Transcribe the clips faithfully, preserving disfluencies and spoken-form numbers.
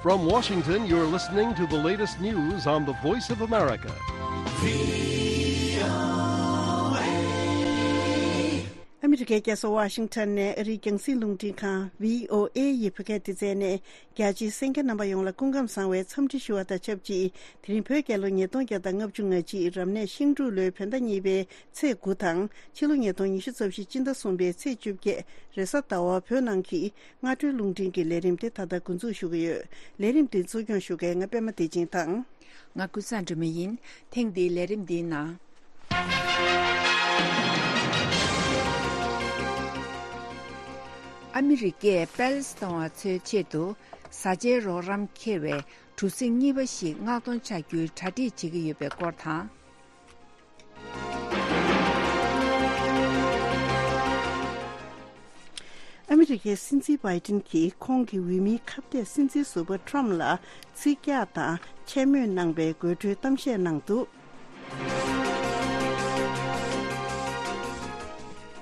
From Washington, you're listening to the latest news on the Voice of America. ཨ་མི་རི་ཀའི་རྒྱལ་ས་ཝ་ཤིང་ཊོན་ནས་ཨ་རིའི་རྒྱང་སྲིང་རླུང་འཕྲིན་ཁང་བྷི་ཨོ་ཨེ་ཡི་བོད་སྐད་སྡེ་ཚན་ནས། རྒྱ་ཆེའི་གསན་མཁན་རྣམ་པ་ཡོངས་ལ་སྐུ་ཁམས་བཟང་བའི་འཚམས་འདྲི་ཞུ་བ་དང་ཆབས་ཅིག་དེ་རིང་བོད་རྒྱལ་ལོ་ཉིས་སྟོང་བརྒྱ་དང་ལྔ་བཅུ་ང་གཅིག་རབ་གནས་ཤིང་འབྲུག་ལོའི་བོད་ཟླ་གཉིས་པའི་ཚེས་དགུ་དང་ཕྱི་ལོ་ཉིས་སྟོང་ཉི་ཤུ་རྩ་བཞི་སྤྱི་ཟླ་གསུམ་པའི་ཚེས་བཅོ་བརྒྱད་རེས་གཟའ་ཟླ་བ་བོད་ནང་གི་སྔ་དྲོའི་རླུང་འཕྲིན་གྱི་ལས་རིམ་དེ་ད་ལྟ་འགོ་འཛུགས་ཞུ་གི་ཡོད། ལས་རིམ་དེ་གཙོ་སྐྱོང་ཞུ་མཁན་ང་པད་མ་བདེ་ཆེན་དང་། ང་ཀུན་བཟང་སྒྲོལ་མ་ཡིན། ཐེངས་འདིའི་ལས་རིམ་འདིའི་ནང་། ཨ་མི་རི་ཀས་པེ་ལེ་སི་ཐན་བ་ཚོའི་ཆེད་དུ་བཟའ་བཅའི་རོགས་རམ་འཁེལ་བའི་གྲུ་གཟིངས་གཉིས་པ་ཞིག་མངགས་གཏོང་བྱ་རྒྱུའི་གྲ་སྒྲིག་བྱེད་ཀྱི་ཡོད་པའི་སྐོར་དང་། ཨ་མི་རི་ཀའི་སྲིད་འཛིན་བྷའི་ཏིན་གྱིས་ཁོང་གི་འོས་མིའི་ཁ་གཏད་སྲིད་འཛིན་ཟུར་པ་ཁྲོམ་ལ་ཚིག་རྒྱག་དང་ཆེད་མོས་གནང་པའི་དགོད་བྲོའི་གཏམ་བཤད་གནང་འདུག།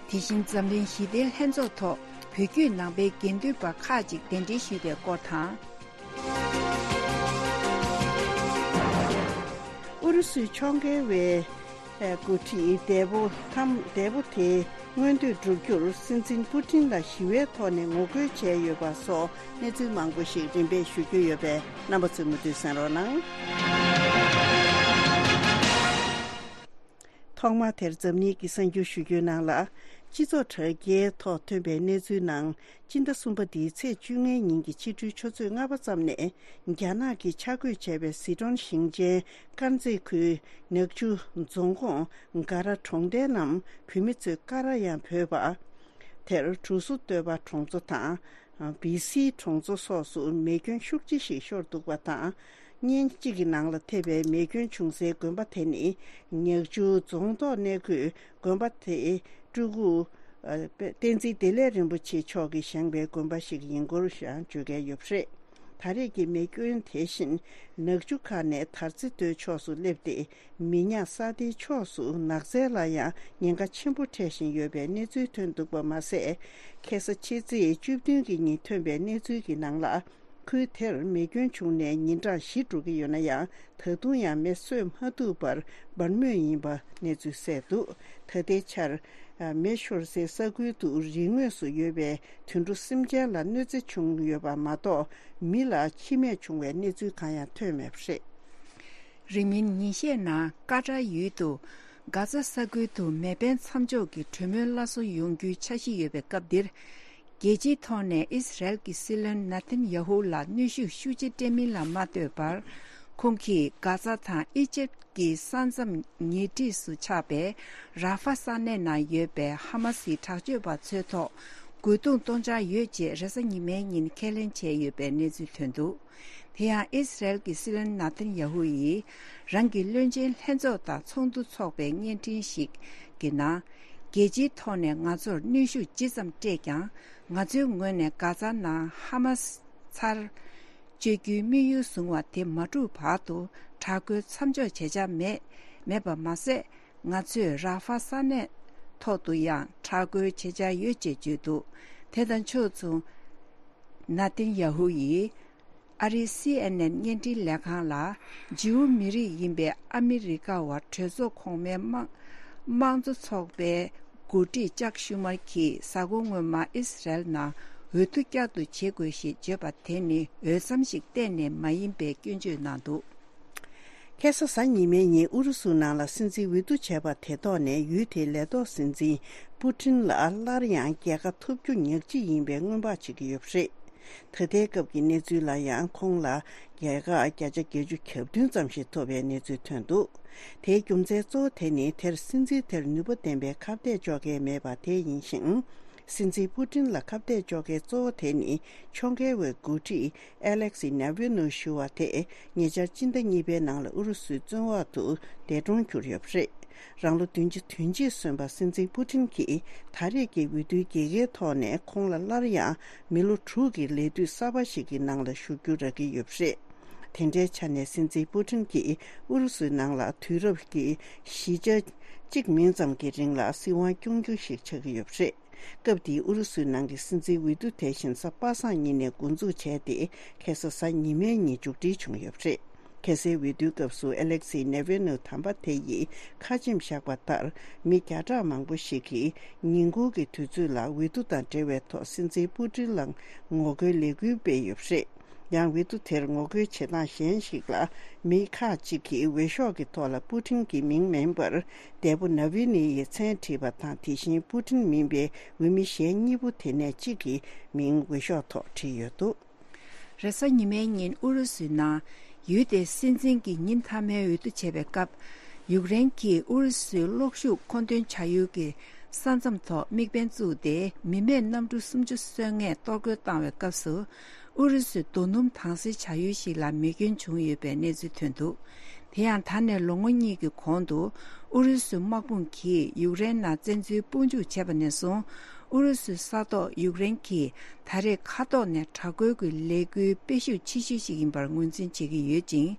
དེ་བཞིན་འཛམ་གླིང་ཞི་བདེའི་ལྷན་ཚོགས་ཐོག་བོད་བརྒྱུད་ནང་པའི་དགེ་འདུན་པ་ཁག་ཅིག་གདན་འདྲེན་ཞུས་པའི་སྐོར་དང་། ཨུ་རུ་སུའི་ཕྱོགས་འགལ་བའི་འགོ་ཁྲིད་འདས་པོ་ཐམ་འདས་པོ་དེའི་མངོན་འདོད་བསྒྲུབ་རྒྱུར་སྲིད་འཛིན་པུ་ཏིན་ལ་ཞི་བའི་ཐོག་ནས་ངོ་རྒོལ་བྱས་ཡོད་པ་སོགས་གནས་ཚུལ་མང་པོ་ཞིག་རིམ་པས་ཞུ་རྒྱུ་ཡོད་པས་རྣམ་པ་ཚོས་མུ་མཐུད་གསན་རོགས་གནང་། ཐོག་མར་དེར་འཛམ་གླིང་གི་གསར་འགྱུར་ཞུ་རྒྱུའི་ནང་ལ། སྤྱི་ཚོགས་དྲ་རྒྱའི་ཐོག་ཐོན་པའི་གནས་ཚུལ་ནང་། སྤྱི་ཟླ་གསུམ་པ་འདིའི་ཚེས་བཅོ་ལྔའི་ཉིན་གྱི་ཕྱི་དྲོའི་ཆུ་ཚོད་ལྔ་པ་ཙམ་ནས། རྒྱ་ནག་གིས་ཆ་བགོས་བྱས་པའི་སི་ཁྲོན་ཞིང་ཆེན་དཀར་མཛེས་ཁུལ་ནག་ཆུ་རྫོང་ཁོངས་ག་ར་གྲོང་རྡལ་རྣམས་བོད་མི་ཚོས་ཀ་ར་ཡང་བོས་པ། དེར་གྲུ་ཟུར་སྟོད་པ་གྲོང་ཚོ་དང་། བི་སི་གྲོང་ཚོ་སོགས་སུ་མེ་སྐྱོན་ཤུགས་ཆེ་ཞིག་ཤོར་འདུག་པ་དང་། བརྙན་གཅིག་གི་ནང་ལ་ཐེབས་པའི་མེ་སྐྱོན་བྱུང་སའི་དགོན་པ་དེ་ནི་ཉག་ཆུ་རྫོང་ཐོག་གནས་འཁོད་དགོན་པ་དེའི་སྤྲུལ་སྐུ་བསྟན་འཛིན་བདེ་ལེགས་རིན་པོ་ཆེ་མཆོག་གིས་བཞེངས་པའི་དགོན་པ་ཞིག་ཡིན་སྐོར་ཡང་བརྗོད་མཁན་ཡོད་པ་རེད། ད་རེས་ཀྱི་མེ་སྐྱོན་དེ་བཞིན་ནག་ཆུ་ཁ་ནས་དར་རྩེ་མདོའི་ཕྱོགས་སུ་སླེབས་ཏེ། མི་ཉག་ས་དེའི་ཕྱོགས་སུ་ནགས་ཚལ་ལ་ཡང་ཉེན་ཁ་ཆེན་པོ་འཕྲད་བཞིན་ཡོད་པའི་གནས་ཚུལ་ཐོན་འདུག་པ་མ་ཟད། ཁ་སང་ཕྱི་ཚེས་བཅུ་བདུན་གྱི་ཉིན་ཐོན་པའི་གནས་ཚུལ་གྱི་ནང་ལ། ཁུལ་དེར་མེ་སྐྱོན་བྱུང་ནས་ཉིན་གྲངས་བཞི་འགྲོ་གི་ཡོད་ན་ཡང་། ད་དུང་ཡང་མེ་གསོས་མ་ཐུབ་པར་འབར་མུས་ཡིན་པ་གནས་ཚུལ་གསལ་འདུག། ད་ལྟའི་ཆར། མེ་ཤོར་སའི་ས་ཁུལ་དུ་རི་ངོས་སུ་ཡོད་པའི་དུད་འགྲོ་སེམས་ཅན་ལ་གནོད་འཚེ་བྱུང་ཡོད་པ་མ་གཏོགས། མི་ལ་འཆི་རྨས་བྱུང་བའི་གནས་ཚུལ་གང་ཡང་ཐོན་མེད་པ་རེད། རིང་མིན་ཉིན་ཤས་ནང་ཀ་ཏར་ཡུལ་དུ་གྷ་ཛ་ས་ཁུལ་དུ་མེ་འཕེན་མཚམས་འཇོག་གི་གྲོས་མོལ་སླར་གསོ་ཡོང་རྒྱུའི་འཆར་གཞི་ཡོད་པའི་སྐབས་འདིར། རྒྱལ་སྤྱིའི་ཐོག་ནས་ཨི་སི་རལ་གྱི་སྲིད་བློན་ན་ཐན་ཡ་ཧུ་ལ་གནོན་ཤུགས་ཤུགས་ཆེ་སྤྲད་མིན་ལ་མ་ལྟོས་པར། ཁོང་གིས་གྷ་ཛ་དང་ཨི་ཇེབ་ཀྱི་ས་མཚམས་ཉེ་འཁྲིས་སུ་ཆགས་པའི་ར་ཧྥ་ས་གནས་ནང་ཡོད་པའི་ཧ་མ་སིའི་དྲག་སྤྱོད་པ་ཚོའི་ཐོག་རྒོལ་རྡུང་གཏོང་འཆར་ཡོད་ཅེས་རེས་གཟའ་ཉི་མའི་ཉིན་ཁས་ལེན་བྱས་ཡོད་པའི་གནས་ཚུལ་ཐོན་འདུག། དེ་ཡང་ཨི་སི་རལ་གྱི་སྲིད་བློན་ན་ཐན་ཡ་ཧུ་ཡིས་རང་གི་བློན་ཆེན་ལྷན་ཚོགས་དང་ཚོགས་འདུ་འཚོགས་པའི་བརྙན་འཕྲིན་ཞིག་གི་ནང་། རྒྱལ་སྤྱིའི་ཐོག་ནས་ང་ཚོར་གནོན་ཤུགས་ཇི་ཙམ་སྤྲད་ཀྱང་། ང་ཚོའི་ངོས་ནས་གྷ་ཛ་ནང་ཧ་མ་སི་ཚར་གཅོད་རྒྱུའི་དམིགས་ཡུལ་བཟུང་བ་དེ་མ་གྲུབ་བར་དུ་དྲག་རྒོལ་མཚམས་འཇོག་བྱེད་འཆར་མེད། མེད་པ་མ་ཟད། ང་ཚོས་ར་ཧྥ་ས་གནས་ཐོག་ཏུ་ཡང་དྲག་རྒོལ་བྱེད་འཆར་ཡོད་ཅེས་བརྗོད་འདུག། དེ་དང་ཕྱོགས་མཚུངས། ན་ཐན་ཡ་ཧུ་ཡིས་ཨ་རིའི་སི་ཨེན་ཨེན་བརྙན་འཕྲིན་ལས་ཁང་ལ། ཇིའུ་མི་རིགས་ཡིན་པའི་ཨ་མི་རི་ཀ་བ་གྲོས་ཚོགས་གོང་མའི་དམངས་དམངས་གཙོ་ཚོགས་པའི་འགོ་ཁྲིད་ཅག་ཤུ་མར་གྱིས་གཟའ་འཁོར་སྔོན་མ་ཨི་སི་རལ་ནང་འོས་བསྡུ་བསྐྱར་དུ་བྱེད་དགོས་ཞེས་བརྗོད་པ་དེ་ནི་འོས་འཚམ་ཞིག་གཏན་ནས་མ་ཡིན་པའི་སྐྱོན་བརྗོད་གནང་འདུག། ཁ་སང་གཟའ་ཉི་མའི་ཉིན་ཨུ་རུ་སུ་ནང་ལ་སྲིད་འཛིན་འོས་བསྡུ་བྱས་པ་དེ་ཐོག་ནས་ཡུལ་དེའི་ལས་ཐོག་སྲིད་འཛིན་པུ་ཏིན་ལ་སླར་ཡང་རྒྱལ་ཁ་ཐོབ་རྒྱུ་ཉག་གཅིག་ཡིན་པའི་སྔོན་དཔག་བྱེད་ཀྱི་ཡོད་པ་རེད། ད་ལྟའི་སྐབས་ཀྱི་གནས་ཚུལ་ལ་ཡང་ཁོང་ལ་རྒྱལ་ཁ་བརྒྱ་ཆ་བརྒྱད་ཅུ་གྱ་བདུན་ཙམ་ཞིག་ཐོབ་པའི་གནས་ཚུལ་ཐོན་འདུག། དེའི་རྒྱུ་མཚན་གཙོ་བོ་དེ་ནི་དེར་སྲིད་འཛིན་དེར་ནུས་པ་ལྡན་པའི་ཁ་གཏད་གཅོག་མཁན་མེད་པ་དེ་ཡིན་ཞིང་། སྲིད་འཛིན་པུ་ཏིན་ལ་ཁ་གཏད་གཅོག་མཁན་གཙོ་བོ་དེ་ནི་ཕྱོགས་འགལ་བའི་འགོ་ཁྲིད་ཨེ་ལེག་སི་ནེ་ཝི་ནོ་ཞུ་བ་དེ་ཉེ་ཆར་སྤྱི་ཟླ་གཉིས་པའི་ནང་ལ་ཨུ་རུ་སུའི་བཙོན་འོག་ཏུ་འདས་གྲོངས་གྱུར་ཡོད་པ་རེད། རང་ལོ་བདུན་ཅུ་དོན་གཅིག་སོན་པ་སྲིད་འཛིན་པུ་ཏིན་གྱིས་ད་རེས་ཀྱི་འོས་བསྡུའི་རྒྱལ་ཁའི་ཐོག་ནས་ཁོང་ལ་སླར་ཡང་མི་ལོ་དྲུག་གི་ལས་དུས་གསར་པ་ཞིག་གི་ནང་ལ་ཞུགས་རྒྱུ་རག་གི་ཡོད་པ་རེད། དེ་འདྲའི་ཆ་ནས་སྲིད་འཛིན་པུ་ཊིན་གྱིས་ཨུ་རུ་སུའི་ནང་ལ་དུས་རབས་ཀྱི་བཞི་ཆ་གཅིག་མིན་ཙམ་གྱི་རིང་ལ་སྲིད་དབང་སྐྱོང་རྒྱུ་ཞིག་ཆགས་ཀྱི་ཡོད་པ་རེད། སྐབས་དེའི་ཨུ་རུ་སུའི་ནང་གི་སྲིད་འཛིན་འོས་བསྡུ་དེ་བཞིན་གཟའ་པ་སངས་ཉིན་ནས་འགོ་འཛུགས་བྱས་ཏེ། ཁ་སང་གཟའ་ཉི་མའི་ཉིན་མཇུག་སྒྲིལ་བྱུང་ཡོད་པ་རེད། ཁ་སའི་འོས་བསྡུའི་སྐབས་སུ་ཨེ་ལེག་སི་ནེ་ཝི་ནོ་དམ་པ་དེ་ཡིས་ཁ་ཆེམས་བཞག་པ་ལྟར། མི་བརྒྱ་ཕྲག་མང་པོ་ཞིག་གིས་ཉིན་གུང་གི་དུས་ཚོད་ལ་འོས་བསྡུ་དང་འབྲེལ་བའི་ཐོག་སྲིད་འཛིན་པུ་ཊིན་ལ་ངོ་རྒོལ་ལས་འགུལ་སྤེལ་ཡོད་པ་རེད། ཡང་འོས་བསྡུ་དེར་ངོ་རྒོལ་བྱེད་སྟངས་གཞན་ཞིག་ལ། མི་ཁག་ཅིག་གིས་འོས་ཤོག་གི་ཐོག་ལ་པུ་ཊིན་གྱི་མིང་མིན་པར། འདས་པོ་ནཱ་ཝི་ནི་ཡི་མཚན་བྲིས་པ་དང་། དེ་བཞིན་པུ་ཊིན་མིན་པའི་འོས་མི་གཞན་གཉིས་པོ་དེ་ནས་གཅིག་གི་མིང་འོས་ཤོག་ཐོག་བྲིས་ཡོད་འདུག་རེས་གཟའ་ཉི་མའི་ཉིན་ཨུ་རུ་སུའི་ནང་ཡུལ་དེའི་སྲིད་འཛིན་གྱི་ཉིན་མཐའ་མའི་འོས་བསྡུ་བྱེད་པའི་སྐབས། ཡུཀ་རེན་གྱིས་ཨུ་རུ་སུའི་གློག་ཤུགས་མཁོ་འདོན་བྱ་ཡུལ་གྱི་ས་མཚམས་ཐོག་དམིགས་འབེན་བཙུགས་ཏེ། མི་མེད་གནམ་གྲུ་སུམ་ཅུ་སོ་ལྔ་གཏོར་རྒོལ་བཏང་བའི་སྐབས་སུ། ཨུ་རུ་སུས་རྡོ་སྣུམ་དྭངས་གསལ་བྱ་ཡུལ་ཞིག་ལ་མེ་སྐྱོན་བྱུང་ཡོད་པའི་གནས་ཚུལ་ཐོན་འདུག་དེ་ཡང་ད་ནས་ལོ་ངོ་གཉིས་ཀྱི་གོང་དུ། ཨུ་རུ་སུའི་དམག་དཔུང་གིས་ཡུཀ་རེན་ནང་བཙན་འཛུལ་དཔུང་འཇུག་བྱས་པ་ནས་བཟུང་། ཨུ་རུ་སུའི་ས་ཐོག་ཡུཀ་རེན་གྱིས་ད་རེས་མཁའ་ཐོག་ནས་དྲག་རྒོལ་གྱི་ལས་འགུལ་སྤེལ་ཤུགས་ཆེ་ཤོས་ཤིག་ཡིན་པར་ངོས་འཛིན་བྱེད་ཀྱི་ཡོད་ཅིང་།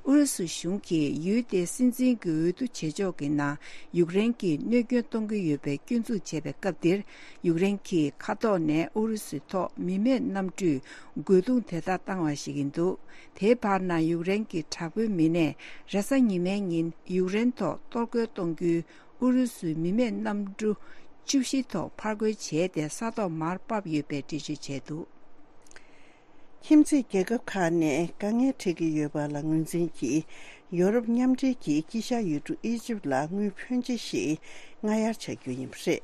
ཨུ་རུ་སུ་གཞུང་གིས་ཡུལ་དེའི་སྲིད་འཛིན་གྱི་འོས་བསྡུ་བྱེད་ཕྱོགས་ཀྱི་ནང་ཡུཀ་རེན་གྱིས་གནོད་སྐྱོན་གཏོང་གི་ཡོད་པའི་སྐྱོན་འཛུགས་བྱས་པའི་སྐབས་འདིར། ཡུཀ་རེན་གྱིས་མཁའ་ཐོག་ནས་ཨུ་རུ་སུའི་ཐོག་མི་མེད་གནམ་གྲུས་རྒོལ་རྡུང་དེ་ལྟར་བཏང་བ་ཞིག་ཡིན་འདུག་དེའི་བར་ན་ཡུཀ་རེན་གྱི་དྲག་པོའི་མི་སྣས་རེས་གཟའ་ཉི་མའི་ཉིན་ཡུཀ་རེན་ཐོག་གཏོར་རྒོལ་གཏོང་རྒྱུའི་ཨུ་རུ་སུའི་མི་མེད་གནམ་གྲུ་བཅུ་བཞི་ཐོག་ཕར་རྒོལ་བྱས་ཏེ། ས་ཐོག་མར་ཕབ་ཡོད་པའི་འགྲེལ་བརྗོད་བྱས་འདུག་ཁྱིམ་མཚེས་རྒྱལ་ཁབ་ཁག་ནས་དཀའ་ངལ་འཕྲད་ཀྱི་ཡོད་པ་ལ་ངོས་འཛིན་གྱིས། ཡོ་རོབ་མཉམ་འབྲེལ་གྱིས་དཀྱིལ་ཤར་ཡུལ་གྲུ་ཨི་ཇིབ་ལ་དངུལ་ཕོན་ཆེ་ཞིག་སྔ་གཡར་བྱ་རྒྱུ་ཡིན་པ་རེད།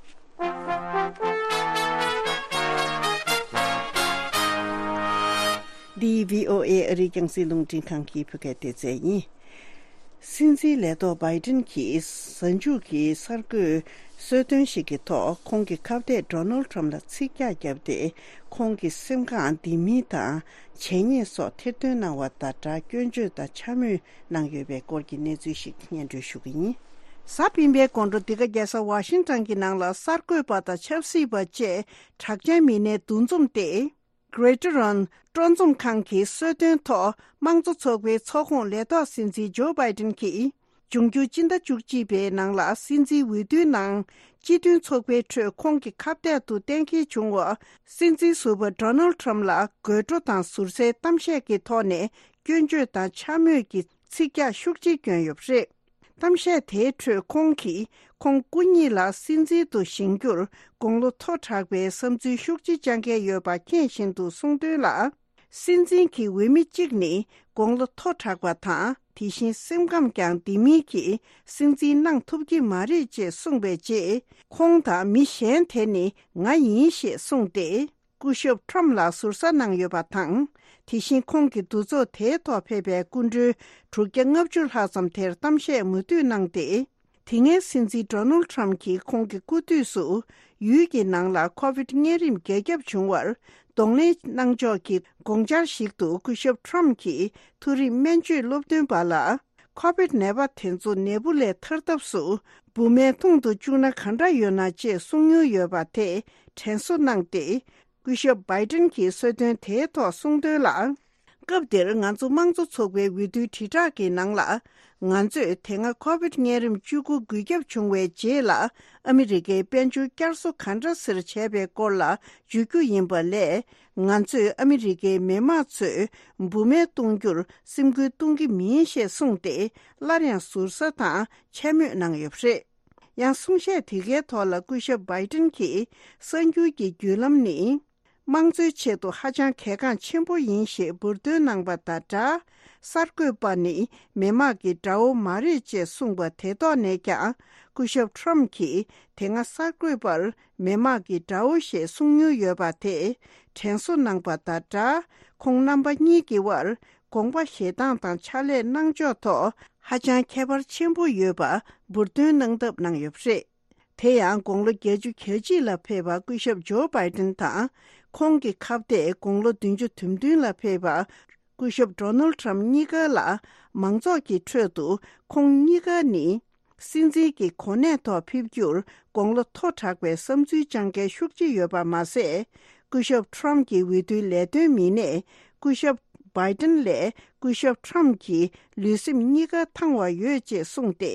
འདི་བྷི་ཨོ་ཨེ་ཨ་རིའི་རྒྱང་སྲིང་རླུང་འཕྲིན་ཁང་གི་བོད་སྐད་སྡེ་ཚན་ཡིན། སྲིད་འཛིན་ལས་ཐོག་བྷའི་ཏིན་གྱིས་གཟའ་མཇུག་གི་གསར་འགོད་གསོལ་སྟོན་ཞིག་གི་ཐོག་ཁོང་གི་ཁ་གཏད་ཌོ་ནལ་ཁྲམ་ལ་ཚིག་རྒྱག་བརྒྱབ་སྟེ། ཁོང་གི་སེམས་ཁམས་བདེ་མིན་དང་བྱས་ཉེས་སོགས་ཐེར་འདོན་གནང་བ་དང་སྦྲགས། སྐྱོན་བརྗོད་དང་འཕྱ་སྨོད་གནང་ཡོད་པའི་སྐོར་གྱི་གནས་ཚུལ་ཞིག་སྙན་སྒྲོན་ཞུ་གི་ཡིན། གཟའ་སྤེན་པའི་དགོང་དྲོ་འདི་ག་རྒྱལ་ས་ཝ་ཤིང་ཊོན་གྱི་ནང་ལ་གསར་འགོད་པ་དང་ཆབ་སྲིད་པ་བཅས་གྲགས་ཅན་མི་སྣའི་འདུ་འཛོམས་ཏེ། Greater Run སྤྲོ་འཛོམས་ཁང་གི་གསོལ་སྟོན་ཐོག་དམངས་གཙོ་ཚོགས་པའི་ཚོགས་ཁོངས་ལས་ཐོག་སྲིད་འཛིན་ཇོ་བྷའི་ཏིན་གྱིས། འབྱུང་འགྱུར་སྤྱི་ཟླ་བཅུ་གཅིག་པའི་ནང་ལ་སྲིད་འཛིན་འོས་བསྡུའི་ནང་སྤྱི་མཐུན་ཚོགས་པའི་ཁྲོད་ཁོང་གི་ཁ་གཏད་དུ་གཏན་འཁེལ་བྱུང་བ། སྲིད་འཛིན་ཟུར་པ་ཌོ་ནལ་ཁྲམ་ལ་དགོད་བྲོ་དང་ཟུར་ཟའི་གཏམ་བཤད་ཀྱི་ཐོག་ནས་སྐྱོན་བརྗོད་དང་འཕྱ་སྨོད་ཀྱི་ཚིག་རྒྱག་ཤུགས་ཆེ་བསྐྱོན་ཡོད་པ་རེད། གཏམ་བཤད་དེའི་ཁྲོད་ཁོང་གིས་ཁོང་སྐུ་ཉིད་ལ་སྲིད་འཛིན་དུ་བཞེངས་རྒྱུར་དགུང་ལོ་མཐོ་དྲགས་པའི་བསམ་ཚུལ་ཤུགས་ཆེ་བཅངས་མཁན་ཡོད་པ་མཁྱེན་བཞིན་དུ་གསུངས་དོན་ལ། སྲིད་འཛིན་གྱི་འོས་མི་གཅིག་ནི་དགུང་ལོ་མཐོ་དྲགས་པ་དང་། དེ་བཞིན་སེམས་ཁམས་ཀྱང་བདེ་མིན་གྱིས་སྲིད་འཛིན་གནང་ཐུབ་ཀྱི་མ་རེད་ཅེས་གསུངས་པའི་རྗེས། ཁོང་དང་མི་གཞན་དེ་ནི་ང་ཡིན་ཞེས་གསུངས་ཏེ། སྐུ་ཞབས་ཁྲོམ་ལ་ཟུར་ཟ་གནང་ཡོད་པ་དང་། དེ་བཞིན་ཁོང་གི་འདུ་ཚོགས་དེའི་ཐོག་ཕེབས་པའི་སྐུ་མགྲོན་དྲུག་བརྒྱ་ལྔ་བཅུ་ལྷག་ཙམ་དེར་གཏམ་བཤད་མུ་མཐུད་གནང་སྟེ། དེ་སྔའི་སྲིད་འཛིན་ཌོ་ནལ་ཁྲམ་གྱིས་ཁོང་གི་སྐུ་དུས་སུ་ཡུལ་གྱི་ནང་ལ་ཁོ་བིད་གཉན་རིམས་རྒྱ་ཁྱབ་བྱུང་བར་གདོང་ལེན་གནང་ཕྱོགས་ཀྱི་དགོངས་འཆར་ཞིག་ཏུ་སྐུ་ཞབས་ཁྲམ་གྱིས་མཐོ་རིམ་སྨན་བཅོས་སློབ་སྟོན་པ་ལ། ཁོ་བིད་ནད་པ་དེ་ཚོ་ནད་འབུ་ལས་ཐར་ཐབས་སུ་འབུ་སྨན་འཐུང་དུ་བཅུག་ན་ག་འདྲ་ཡོད་ན་ཅེས་གསུང་མྱོང་ཡོད་པ་དེ་དྲན་གསོ་གནང་སྟེ། སྐུ་ཞབས་བྷའི་ཏིན་གྱིས་གསོལ་སྟོན་དེའི་ཐོག་གསུངས་དོན་ལ། སྐབས་དེར་ང་ཚོ་དམངས་གཙོ་ཚོགས་པའི་འོས་བསྡུའི་དྲིལ་བསྒྲགས་ཀྱི་ནང་ལ། ང་ཚོས་དེ་སྔ་ཁོ་བིད་གཉན་རིམས་བཅུ་དགུ་འགོས་ཁྱབ་བྱུང་བའི་རྗེས་ལ། ཨ་མི་རི་ཀའི་དཔལ་འབྱོར་བསྐྱར་གསོ་ག་འདྲ་སེ་བྱས་པའི་སྐོར་ལ་བརྗོད་རྒྱུ་ཡིན་པ་ལས། ང་ཚོས་ཨ་མི་རི་ཀའི་མི་དམངས་ཚོས་འབུ་སྨན་གཏོང་རྒྱུར་སེམས་ཁུར་གཏོང་གི་མིན་ཞེས་གསུངས་ཏེ། སླར་ཡང་ཟུར་ཟ་དང་འཕྱ་སྨོད་གནང་ཡོད་པ་རེད། ཡང་གསུང་བཤད་དེ་གའི་ཐོག་ལ་སྐུ་ཞབས་བྷའི་ཏིན་གྱིས། གསར་འགྱུར་གྱི་བརྒྱུད་ལམ་ནི། དམངས་གཙོའི་ཆེད་དུ་ཧ་ཅང་གལ་འགངས་ཆེན་པོ་ཡིན་ཞེས་འབུར་འདོན་གནང་པ་དང་སྦྲགས། གསར་འགོད་པ་ནི་མི་དམངས་ཀྱི་དགྲ་བོ་མ་རེད་ཅེས་གསུངས་པ་དེ་ཐོག་ནས་ཀྱང་། སྐུ་ཞབས་ཁྲོམ་གྱིས་དེ་སྔ་གསར་འགོད་པར་མི་དམངས་ཀྱི་དགྲ་བོ་ཞེས་གསུང་མྱོང་ཡོད་པ་དེ་དྲན་གསོ་གནང་པ་དང་སྦྲགས། ཁོང་རྣམ་པ་གཉིས་ཀྱི་དབར་དགོངས་པ་བཞེས་སྟངས་དང་ཕྱག་ལས་གནང་ཕྱོགས་ཐོག་ཧ་ཅང་ཁྱད་པར་ཆེན་པོ་ཡོད་པ་འབུར་འདོན་གནང་ཐབས་གནང་ཡོད་པ་རེད། དེ་ཡང་དགུང་ལོ་བརྒྱད་ཅུ་གྱ་གཅིག་ལ་ཕེབས་པ་སྐུ་ཞབས་ཇོ་བྷའི་ཏིན་དང་། ཁོང་གི་ཁ་གཏད་དགུང་ལོ་བདུན་ཅུ་དོན་བདུན་ལ་ཕེབས་པ་སྐུ་ཞབས་ཌོ་ནལ་ཁྲམ་གཉིས་ཀ་ལ། མང་ཚོགས་ཀྱི་ཁྲོད་དུ་ཁོང་གཉིས་ཀ་ནི། སྲིད་འཛིན་གྱི་གོ་གནས་ཐོག་ཕེབས་རྒྱུར་དགུང་ལོ་མཐོ་དྲགས་པའི་བསམ་ཚུལ་བཅངས་མཁན་ཤུགས་ཆེ་ཡོད་པ་མ་ཟད། སྐུ་ཞབས་ཁྲོམ་གྱི་འོས་བསྡུའི་ལས་དོན་མི་སྣས་སྐུ་ཞབས་ བྷའི་ཏིན་ལས་སྐུ་ཞབས་ཁྲམ་གྱི་ལུས་སེམས་གཉིས་ཀ་ཐང་བ་ཡོད་ཅེས་གསུངས་ཏེ།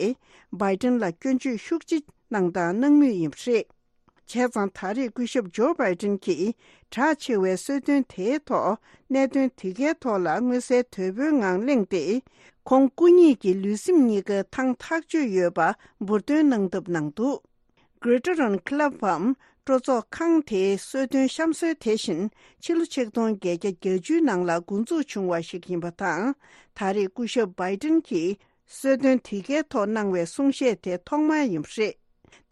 བྷའི་ཏིན་ལ་སྐྱོན་བརྗོད་ཤུགས་ཆེ་གནང་དང་གནང་མུས་ཡིན་པ་རེད། བྱས་ཙང་ད་རེས་སྐུ་ཞབས་ཇོ་བྷའི་ཏིན་གྱིས་གྲགས་ཆེ་བའི་གསོལ་སྟོན་དེའི་ཐོག་གནད་དོན་དེ་གའི་ཐོག་ལ་མངོན་གསལ་དོད་པོའི་ངང་གླེང་སྟེ། ཁོང་སྐུ་ཉིད་ཀྱི་ལུས་སེམས་གཉིས་ཀ་ཐང་ཐག་ཆོད་ཡོད་པ་འབུར་འདོན་གནང་ཐབས་གནང་འདུག Greater Run Club འམ་སྤྲོ་ཚོགས་ཁང་དེའི་གསོལ་སྟོན་གཤམ་གསོལ་དེ་བཞིན་ཕྱི་ལོ་ཆིག་སྟོང་བརྒྱད་བརྒྱ་བརྒྱད་ཅུའི་ནང་ལ་འགོ་འཛུགས་བྱུང་བ་ཞིག་ཡིན་པ་དང་། ད་རེས་སྐུ་ཞབས་བྷའི་ཏིན་གྱིས་གསོལ་སྟོན་དེ་གའི་ཐོག་གནང་བའི་གསུང་བཤད་དེ་ཐོག་མ་ཡིན་པ་རེད།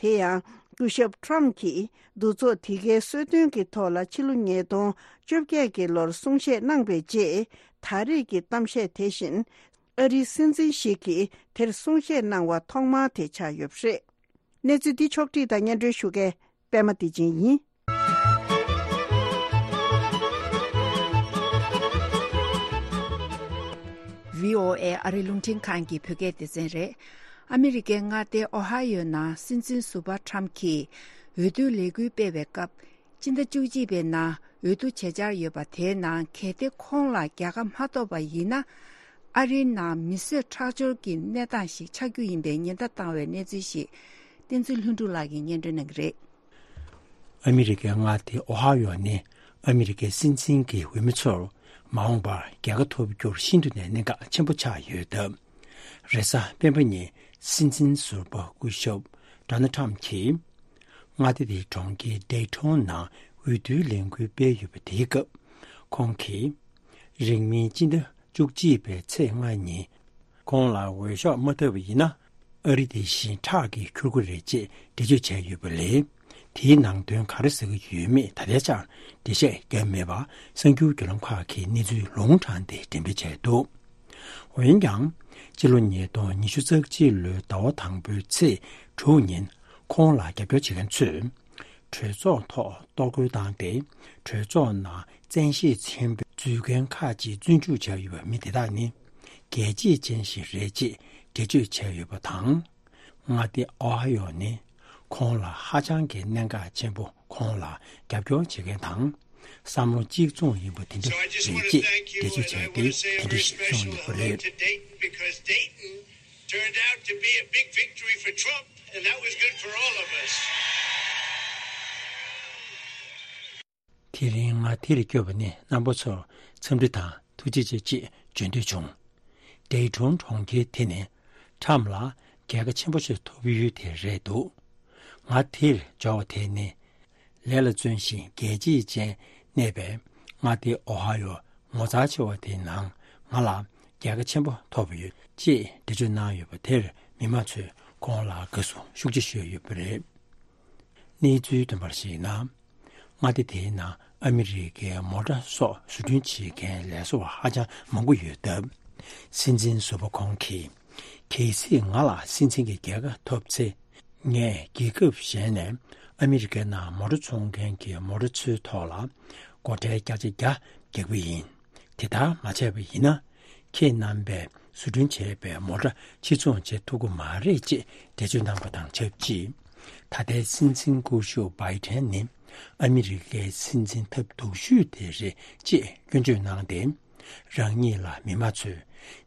དེ་ཡང་སྐུ་ཞབས་ཁྲམ་གྱིས་འདུ་ཚོགས་དེ་གའི་གསོལ་སྟོན་གྱི་ཐོག་ལ་ཕྱི་ལོ་ཉིས་སྟོང་བཅོ་བརྒྱད་ཀྱི་ལོར་གསུང་བཤད་གནང་པའི་རྗེས། ད་རེས་ཀྱི་གཏམ་བཤད་དེ་བཞིན་ཨ་རིའི་སྲིད་འཛིན་ཞིག་གིས་དེར་གསུང་བཤད་གནང་བ་ཐོག་མ་དེ་ཆགས་ཡོད་པ་རེད། གནས་ཚུལ་འདི་ཕྱོགས་བསྒྲིགས་དང་སྙན་སྒྲོན་ཞུ་མཁན་པད་མ་བདེ་ཆེན་ཡིན། བྷི་ཨོ་ཨེ་ཨ་རི་རླུང་འཕྲིན་ཁང་གི་བོད་སྐད་སྡེ་ཚན་རེད། ཨ་མི་རི་ཀའི་མངའ་སྡེ་ཨོ་ཧ་ཡོ་ནང་སྲིད་འཛིན་ཟུར་པ་ཁྲམ་གྱིས་འོས་བསྡུའི་ལས་འགུལ་སྤེལ་བའི་སྐབས། སྤྱི་ཟླ་བཅུ་གཅིག་པའི་ནང་འོས་བསྡུ་བྱེད་འཆར་ཡོད་པ་དེའི་ནང་གལ་ཏེ་ཁོང་ལ་རྒྱལ་ཁ་མ་ཐོབ་པ་ཡིན་ན། ཨ་རིའི་ནང་མི་གསོད་ཁྲག་སྦྱོར་གྱི་གནས་སྟངས་ཤིག་ཆགས་རྒྱུ་ཡིན་པའི་ཉེན་བརྡ་བཏང་བའི་གནས་ཚུལ་ཞིག་བསྟན་འཛིན་ལྷུན་གྲུབ་ལགས་ཀྱིས་སྙན་སྒྲོན་གནང་གི་རེད། ཨ་མི་རི་ཀའི་མངའ་སྡེ་ཨོ་ཧ་ཡོ་ནི་ཨ་མི་རི་ཀའི་སྲིད་འཛིན་གྱི་འོས་མི་ཚོར་མ་འོངས་པར་རྒྱལ་ཁ་ཐོབ་རྒྱུར་ཤིན་ཏུ་ནས་གནད་འགག་ཆེན་པོ་ཆགས་ཡོད་སྟབས། རེས་གཟའ་སྤེན་པ་ཉིན་སྲིད་འཛིན་ཟུར་པ་སྐུ་ཞབས་ཌོ་ནལ་ཁྲམ་གྱིས། མངའ་སྡེ་དེའི་གྲོང་ཁྱེར་ཌེ་ཊོན་ནང་འོས་བསྡུའི་ལས་འགུལ་སྤེལ་ཡོད་པ་དེའི་སྐབས། ཁོང་གིས། རིང་མིན་སྤྱི་ཟླ་བཅུ་གཅིག་པའི་ཚེས་ལྔ་ཉིན། ཁོང་ལ་འོས་ཤོག་མ་ཐོབ་པ་ཡིན་ན། ཨ་རི་དེ་བཞིན་ཁྲག་གིས་འཁྱུར་གྱི་རེད་ཅེས་འགྲེལ་བརྗོད་བྱས་ཡོད་པ་ལས། དེའི་ནང་དོན་ག་རེ་ཟེར་གྱི་ཡོད་མེད་ད་ལྟའི་ཆར་འགྲེལ་བཤད་བརྒྱབ་མེད་པ། གསར་འགྱུར་བརྒྱུད་ལམ་ཁག་གིས་གནས་ཚུལ་ལུང་དྲངས་ཏེ་འགྲེམས་སྤེལ་བྱས་འདུག་འོན་ཀྱང་། སྤྱི་ལོ་ཉིས་སྟོང་ཉི་ཤུ་རྩ་གཅིག་ལོའི་ཟླ་བ་དང་པོའི་ཚེས་དྲུག་ཉིན། ཁོང་ལ་རྒྱབ་སྐྱོར་བྱེད་མཁན་ཚོས། གྲོས་ཚོགས་ཐོག་གཏོར་རྒོལ་བཏང་སྟེ། གྲོས་ཚོགས་ནང་བཙན་ཤེད་ཆེན་པོས་འཛུལ་མཁན་ཁག་ཅིག་བཙོན་འཇུག་བྱས་ཡོད་པ། མི་དེ་དག་ནི། རྒྱལ་གཅེས་ཅན་ཞིག་རེད་ཅེས་འགྲེལ་བརྗོད་བྱས་ཡོད་པ་དང་། མངའ་སྡེ་ཨོ་ཧ་ཡོ་ནི། ཁོང་ལ་ཧ་ཅང་གི་གནད་འགག་ཆེན་པོ། ཁོང་ལ་རྒྱབ་སྐྱོར་བྱེད་མཁན་དང་། བསམ་བློ་གཅིག་མཚུངས་ཡིན་པ་དེ་འདྲ་རེད་ཅེས་འགྲེལ་བརྗོད་བྱས་ཏེ། དེ་འདྲ་ཞིག་གསུངས་ཡོད་པ་རེད། Turned out to be a big victory for Trump, and that was good for all of us. དེ་རིང་ང་དེར་བསྐྱོད་པ་ནི། རྣམ་པ་ཚོར་འཚམས་འདྲི་དང་ཐུགས་རྗེ་ཆེ་ཅེས་བརྗོད་འདོད་བྱུང་། ཌེ་ཊོན་གྲོང་ཁྱེར་དེ་ནི་ཁྲམ་ལ་རྒྱལ་ཁ་ཆེན་པོ་ཞིག་ཐོབ་ཡུལ་དེ་རེད་འདུག་ང་དེར་འབྱོར་བ་དེ་ནི། ལས་ལ་བརྩོན་ཞིང་རྒྱལ་གཅེས་ཅན་གནས་པའི་མངའ་སྡེ་ཨོ་ཧ་ཡོ་ངོ་མཚར་ཆེ་བ་དེའི་ནང་ང་ལ་རྒྱལ་ཁ་ཆེན་པོ་ཐོབ་ཡོད་ཅེས་འགྲེལ་བརྗོད་གནང་ཡོད་པ་དེར། མི་མང་ཚོས་ཁོང་ལ་དགའ་བསུ་ཤུགས་ཆེ་ཞུས་ཡོད་པ་རེད། གནས་ཚུལ་ཐོན་པར་གཞིགས་ན། མངའ་སྡེ་དེའི་ནང་ཨ་མི་རི་ཀའི་མོ་ཊ་སོགས་བཟོ་སྐྲུན་བྱེད་མཁན་ལས་བཟོ་བ་ཧ་ཅང་མང་པོ་ཡོད་སྟབས། སྲིད་འཛིན་ཟུར་པ་ཁོང་གིས། གལ་སྲིད་ང་ལ་སྲིད་འཛིན་གྱི་རྒྱལ་ཁ་ཐོབ་ཚེ། ངས་རྒྱལ་ཁབ་གཞན་ནས་ཨ་མི་རི་ཀའི་ནང་མོ་ཊ་འཚོང་མཁན་གྱི་མོ་ཊ་ཚོའི་ཐོག་ལ་སྒོ་ཁྲལ་བརྒྱ་ཆ་བརྒྱ་རྒྱག་གི་ཡིན། དེ་ལྟར་མ་བྱས་པ་ཡིན་ན། ཁྱེད་རྣམ་པས་བཟོ་སྐྲུན་བྱས་པའི་མོ་ཊ་ཕྱིར་ཚོང་བྱེད་ཐུབ་ཀྱི་མ་རེད་ཅེས་འགྲེལ་བརྗོད་གནང་པ་དང་ཆབས་ཅིག་ད་ལྟའི་སྲིད་འཛིན་སྐུ་ཞབས་བྷའི་ཏན་ནི་ཨ་མི་རི་ཀའི་སྲིད་འཛིན་ཐབས་སྡུག་ཤོས་དེ་རེད་ཅེས་སྐྱོན་བརྗོད་གནང་སྟེ། རང་ཉིད་ལ་མི་མང་ཚོས་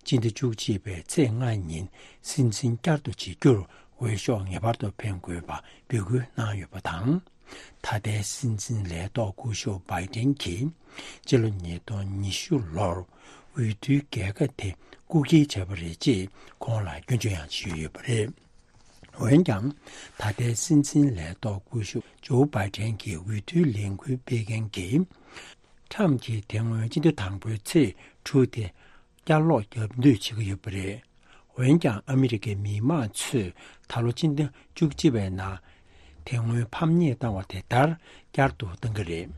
སྤྱི་ཟླ་བཅུ་གཅིག་པའི་ཚེས་ལྔ་ཉིན་སྲིད་འཛིན་བསྐྱར་དུ་བྱེད་རྒྱུར་འོས་ཤོག་ངེས་པར་དུ་འཕེན་དགོས་པ་འབོད་སྐུལ་གནང་ཡོད་པ་དང་། ད་ལྟའི་སྲིད་འཛིན་ལས་ཐོག་སྐུ་ཞབས་བྷའི་ཏན་གྱིས་སྤྱི་ལོ་ཉིས་སྟོང་ཉི་ཤུ་ལོར་འོས་བསྡུའི་རྒྱལ་ཁ་དེ་རྐུ་འཁྱེར་བྱས་པ་རེད་ཅེས་ཁོང་ལ་སྐྱོན་བརྗོད་ཡང་བྱས་ཡོད་པ་རེད། འོན་ཀྱང་། ད་ལྟའི་སྲིད་འཛིན་ལས་ཐོག་སྐུ་ཞབས་ཇོ་བྷའི་ཏན་གྱི་འོས་བསྡུའི་ལས་འགུལ་སྤེལ་མཁན་གྱིས། ཁྲམ་གྱིས་དེ་སྔོན་སྤྱི་ཟླ་དང་པོའི་ཚེས་དྲུག་དེ་བསྐྱར་ལོག་བརྒྱབ་འདོད་བྱེད་ཀྱི་ཡོད་པ་རེད། འོན་ཀྱང་ཨ་མི་རི་ཀའི་མི་མང་ཚོས་ད་ལོ་སྤྱི་ཟླ་བཅུ་གཅིག་པའི་ནང་དེ་སྔོན་ཕམ་ཉེས་བཏང་བ་དེ་ལྟར་བསྐྱར་དུ་བཏང་གི་རེད།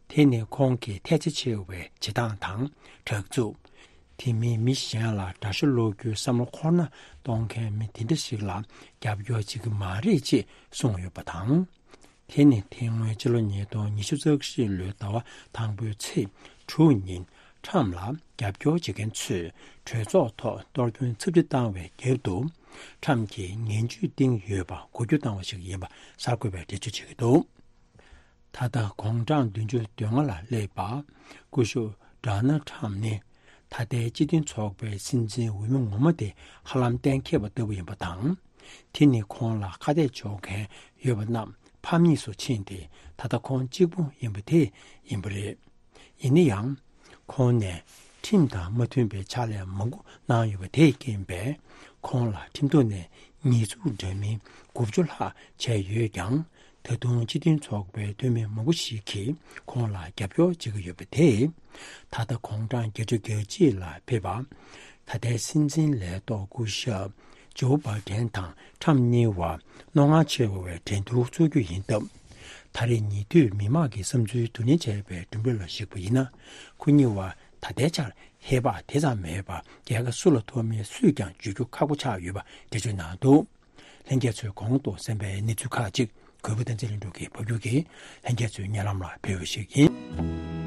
དེ་ནི་ཁོང་གི་ཐལ་ཆ་ཆེ་བའི་བྱེད་སྟངས་དང་དྲག་རྩུབ། དེ་མིན་མི་གཞན་ལ་དགྲ་ཤ་སློག་རྒྱུའི་བསམ་བློ་འཁོར་སྣ་གཏོང་མཁན་མི་དེ་འདྲ་ཞིག་ལ་རྒྱབ་སྐྱོར་བྱེད་ཀྱི་མ་རེད་ཅེས་གསུངས་ཡོད་པ་དང་། དེ་ནི་དེ་སྔོན་ཕྱི་ལོ་ཉིས་སྟོང་ཉི་ཤུ་རྩ་བཞི་ལོའི་ཟླ་བ་དང་པོའི་ཚེས་དྲུག་ཉིན་ཁྲམ་ལ་རྒྱབ་སྐྱོར་བྱེད་མཁན་ཚོས་གྲོས་ཚོགས་ཐོག་གཏོར་སྐྱོན་ཚབས་ཆེ་བཏང་བའི་རྒྱབ་ཏུ། ཁྲམ་གྱིས་ངན་ཇུས་བཏིང་ཡོད་པ་གོ་རྒྱུ་བཏང་བ་ཞིག་ཡིན་པ་གསར་འགོད་པས་འགྲེལ་བརྗོད་བྱེད་ཀྱི་འདུག་ད་ལྟ་དགུང་གྲངས་བདུན་ཅུ་དོན་ལྔ་ལ་སླེབས་པ། སྐུ་ཞབས་ ཌོ་ནལ་ཊམ་ནི། ད་ལྟའི་སྤྱི་མཐུན་ཚོགས་པའི་སྲིད་འཛིན་འོས་མི་ངོ་མ་དེ་ཧ་ལམ་གཏན་འཁེལ་བ་ལྟ་བུ་ཡིན་པ་དང་། དེ་ནི་ཁོང་ལ་ཁ་གཏད་གཅོག་མཁན་ཡོད་པ་རྣམས་ཕམ་ཉེས་སུ་ཕྱིན་ཏེ། ད་ལྟ་ཁོང་གཅིག་པུ་ཡིན་པ་དེ་ཡིན་པ་རེད། ཡིན་ན་ཡང་། ཁོང་ནས་ཁྲིམས་དང་མ་མཐུན་པའི་ཕྱག་ལས་མང་པོ་གནང་ཡོད་པ་དེས་རྐྱེན་པས། ཁོང་ལ་ཁྲིམས་ཐོག་ནས་ཉེས་འཛུགས་འདྲ་མིན་དགུ་བཅུ་ལྷག་བྱས་ཡོད་ཀྱང་། ད་དུང་སྤྱི་མཐུན་ཚོགས་པའི་འཐུས་མི་མང་པོ་ཞིག་གིས་ཁོང་ལ་རྒྱབ་སྐྱོར་བྱེད་ཀྱི་ཡོད་པ་དེས། ད་ལྟ་དགུང་གྲངས་བརྒྱད་ཅུ་གྱ་གཅིག་ལ་ཕེབས་པ། ད་ལྟའི་སྲིད་འཛིན་ལས་ཐོག་སྐུ་ཞབས་ཇོ་བྷ་ཌེན་དང་ཁྲམ་གཉིས་བར་རྣོ་ངར་ཆེ་བའི་འགྲན་བསྡུར་འཚོགས་རྒྱུ་ཡིན་སྟབས། ད་རེས་ཉེ་དུས་མི་མང་གི་བསམ་ཚུལ་བསྡུ་ལེན་བྱས་པའི་གྲུབ་འབྲས་ལ་གཞིགས་པ་ཡིན་ན། ཁོ་གཉིས་བར་ད་ལྟའི་ཆར་ཧེ་བག་དེ་ཙམ་མེད་པར། རྒྱལ་ཁ་སུ་ལ་ཐོབ་མིན་སུས་ཀྱང་བརྗོད་རྒྱུ་ཁག་པོ་ཆགས་ཡོད་པ་འགྲེལ་བརྗོད་གནང་འདུག་ལྷན་རྒྱས་ཚོས་གོང་དུ་གསན་པའི་གནས་ཚུལ་ཁག་ཅིག་གུས་པ་བསྟན་འཛིན་ལྷུན་གྲུབ་ཀྱིས་ཕབ་སྒྱུར་གྱིས་ལྷན་རྒྱས་ཚོའི་སྙན་ལམ་ལ་ཕུལ་བ་ཞིག་ཡིན།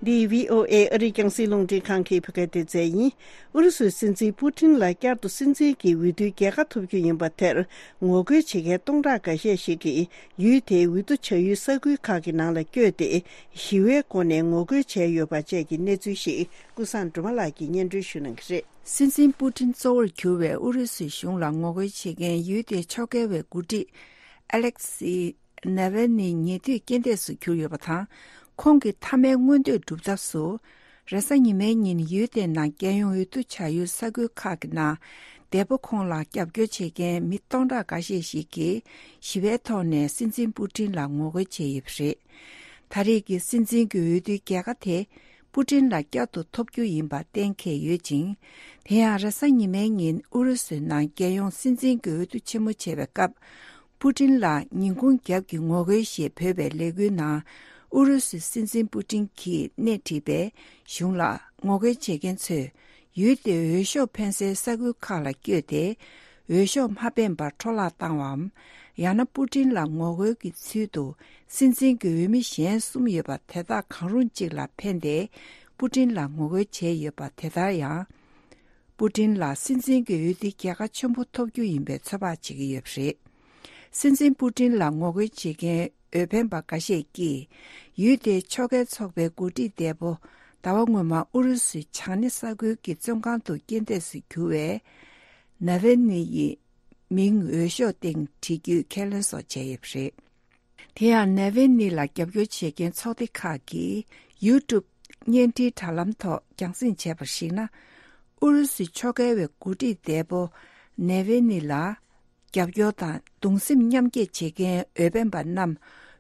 འདི་བྷི་ཨོ་ཨེ་ཨ་རིའི་རྒྱང་སྲིང་རླུང་འཕྲིན་ཁང་གི་བོད་སྐད་སྡེ་ཚན་ཡིན། ཨུ་རུ་སུའི་སྲིད་འཛིན་པུ་ཏིན་ལ་བསྐྱར་དུ་སྲིད་འཛིན་གྱི་འོས་བསྡུའི་རྒྱལ་ཁ་ཐོབ་རྒྱུ་ཡིན་པ་དེར་ངོ་རྒོལ་བྱེད་མཁན་སྟོང་ཕྲག་འགའ་ཤས་ཤིག་གིས་ཡུལ་དེའི་འོས་བསྡུ་བྱ་ཡུལ་ས་ཁུལ་ཁག་གི་ནང་ལ་བསྐྱོད་དེ། ཞི་བའི་སྒོ་ནས་ངོ་རྒོལ་བྱས་ཡོད་པ་བཅས་ཀྱི་གནས་ཚུལ་ཞིག་ཀུན་བཟང་སྒྲོལ་མ་ལགས་ཀྱིས་སྙན་སྒྲོན་ཞུ་གནང་གི་རེད། སྲིད་འཛིན་པུ་ཏིན་གཙོ་བོར་གྱུར་བའི་ཨུ་རུ་སུའི་གཞུང་ལ་ངོ་རྒོལ་བྱེད་མཁན་ཡུལ་དེའི་ཕྱོགས་འགལ་བའི་འགོ་ཁྲིད་ཨ་ལེག་སི་ནེ་ཝེ་ནི་ཉེ་དུས་རྐྱེན་འདས་སུ་གྱུར་ཡོད་པ་དང་། ཁོང་གི་མཐའ་མའི་མངོན་འདོད་སྒྲུབ་ཐབས་སུ། རེས་གཟའ་ཉི་མའི་ཉིན་ཡུལ་དེའི་ནང་རྒྱལ་ཡོངས་འོས་བསྡུ་བྱ་ཡུལ་ས་ཁུལ་ཁག་གི་ནང་། འདས་པོ་ཁོང་ལ་རྒྱབ་སྐྱོར་བྱེད་མཁན་མི་སྟོང་ཕྲག་འགའ་ཤས་ཤིག་གིས་ཞི་བའི་ཐོག་ནས་སྲིད་འཛིན་པུ་ཏིན་ལ་ངོ་རྒོལ་བྱས་ཡོད་པ་རེད། ད་རེས་ཀྱི་སྲིད་འཛིན་གྱི་འོས་བསྡུའི་རྒྱལ་ཁ་དེ་པུ་ཏིན་ལ་བསྐྱར་དུ་ཐོབ་རྒྱུ་ཡིན་པ་གཏན་འཁེལ་ཡོད་ཅིང་། དེ་ཡང་རེས་གཟའ་ཉི་མའི་ཉིན་ཨུ་རུ་སུའི་ནང་རྒྱལ་ཡོངས་སྲིད་འཛིན་གྱི་འོས་བསྡུ་ཆེན་མོ་བྱེད་པའི་སྐབས། པུ་ཏིན་ལ་ཉིན་གུང་རྒྱབ་ཀྱི་ངོ་རྒོལ་ཞེས་འབོད་པའི་ལས་འགུལ་ནང་ཨུ་རུ་སུའི་སྲིད་འཛིན་པུ་ཏིན་གྱིས་སྣེ་ཁྲིད་པའི་གཞུང་ལ་ངོ་རྒོལ་བྱེད་མཁན་ཚོས། ཡུལ་དེའི་འོས་ཤོག་འཕེན་སའི་ས་ཁུལ་ཁག་ལ་བསྐྱོད་དེ། འོས་ཤོག་མ་འཕེན་པར་འཕྲོ་བརླག་བཏང་བའམ། ཡང་ན་པུ་ཏིན་ལ་ངོ་རྒོལ་གྱི་ཚུལ་དུ་སྲིད་འཛིན་གྱི་འོས་མི་གཞན་གསུམ་ཡོད་པ་དེ་དག་གང་རུང་གཅིག་ལ་འཕེན་ཏེ། པུ་ཏིན་ལ་ངོ་རྒོལ་བྱས་ཡོད་པ་དེ་ལྟར་ཡང་། པུ་ཏིན་ལ་སྲིད་འཛིན་གྱི་འོས་བསྡུའི་རྒྱལ་ཁ་ཆེན་པོ་ཐོབ་རྒྱུ་ཡིན་པའི་ཚོད་དཔག་བྱེད་ཀྱི་ཡོད་པ་རེད། སྲིད་འཛིན་པུ་ཏིན་ལ་ངོ་རྒོལ་བྱེད་མཁན་འོས་འཕེན་པ་འགའ་ཤས་ཀྱིས། ཡུལ་དེའི་ཕྱོགས་འགལ་ཚོགས་པའི་འགོ་ཁྲིད་འདས་པོ། ཟླ་བ་སྔོན་མ་ཨུ་རུ་སུའི་བྱང་སྣེ་ས་ཁུལ་གྱི་བཙོན་ཁང་དུ་རྐྱེན་འདས་སུ་གྱུར་བའི་ནཱ་ཝེ་ནི་ཡི་མིང་འོས་ཤོག་སྟེང་བྲིས་རྒྱུའི་ཁས་ལེན་སོགས་བྱས་ཡོད་པ་རེད། དེ་ཡང་ནཱ་ཝེ་ནི་ལ་རྒྱབ་སྐྱོར་བྱེད་མཁན་ཚོགས་སྡེ་ཁག་གིས་ཡུ་ཊུབ་བརྙན་འཕྲིན་དྲ་ལམ་ཐོག་རྒྱང་སྲིང་བྱས་པར་གཞིགས་ན། ཨུ་རུ་སུའི་ཕྱོགས་འགལ་བའི་འགོ་ཁྲིད་འདས་པོ་ནཱ་ཝེ་ནི་ལ་རྒྱབ་སྐྱོར་དང་གདུང་སེམས་མཉམ་སྐྱེད་བྱེད་མཁན་འོས་འཕེན་པ་རྣམས་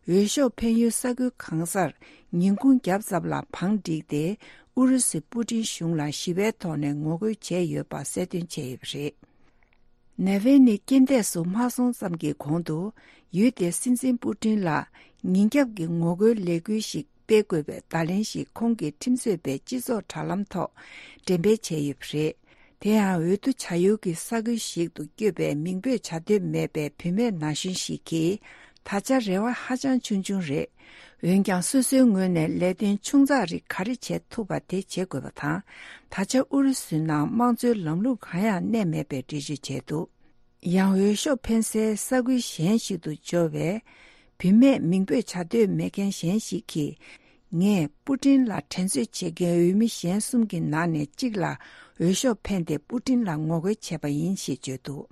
འོས་ཤོག་འཕེན་ཡུལ་ས་ཁུལ་གང་སར་ཉིན་གུང་རྒྱབ་ཙམ་ལ་བང་བསྒྲིགས་ཏེ། ཨུ་རུ་སུའི་པུ་ཏིན་གཞུང་ལ་ཞི་བའི་ཐོག་ནས་ངོ་རྒོལ་བྱས་ཡོད་པ་གསལ་སྟོན་བྱས་ཡོད་པ་རེད། ནཱ་ཝེ་ནི་རྐྱེན་འདས་སུ་མ་སོང་ཙམ་གྱི་གོང་དུ། ཡུལ་དེའི་སྲིད་འཛིན་པུ་ཏིན་ལ་ཉིན་རྒྱབ་ཀྱི་ངོ་རྒོལ་ལས་འགུལ་ཞིག་སྤེལ་དགོས་པའི་བརྡ་ལན་ཞིག་ཁོང་གི་ཁྲིམས་རྩོད་པའི་སྤྱི་ཚོགས་དྲ་ལམ་ཐོག་འགྲེམས་སྤེལ་བྱས་ཡོད་པ་རེད། དེ་ཡང་འོས་བསྡུ་བྱ་ཡུལ་གྱི་ས་ཁུལ་ཞིག་ཏུ་བསྐྱོད་པའི་མིང་འབོད་བྱ་འདོད་མེད་པའི་བུད་མེད་ན་གཞོན་ཞིག་གིས། ད་ཆ་རེ་བ་ཧ་ཅང་ཆུང་ཆུང་རེད། འོན་ཀྱང་སོ་སོའི་ངོས་ནས་ལས་དོན་ཆུང་ཙག་རིགས་ག་རེ་བྱེད་ཐུབ་པ་དེ་བྱེད་དགོས་པ་དང་། ད་ཆ་ཨུ་རུ་སུའི་ནང་དམངས་གཙོའི་ལམ་ལུགས་གང་ཡང་གནས་མེད་པའི་འགྲེལ་བརྗོད་བྱས་འདུག་ཡང་འོས་ཤོག་འཕེན་སའི་ས་ཁུལ་གཞན་ཞིག་ཏུ་འབྱོར་བའི་བུད་མེད་མིང་འབོད་བྱ་འདོད་མེད་མཁན་གཞན་ཞིག་གིས། ངས་པུ་ཏིན་ལ་འགྲན་རྩོད་བྱེད་མཁན་འོས་མི་གཞན་གསུམ་གྱི་ནང་ནས་གཅིག་ལ་འོས་ཤོག་འཕེན་ཏེ་པུ་ཏིན་ལ་ངོ་རྒོལ་བྱས་པ་ཡིན་ཞེས་བརྗོད་འདུག་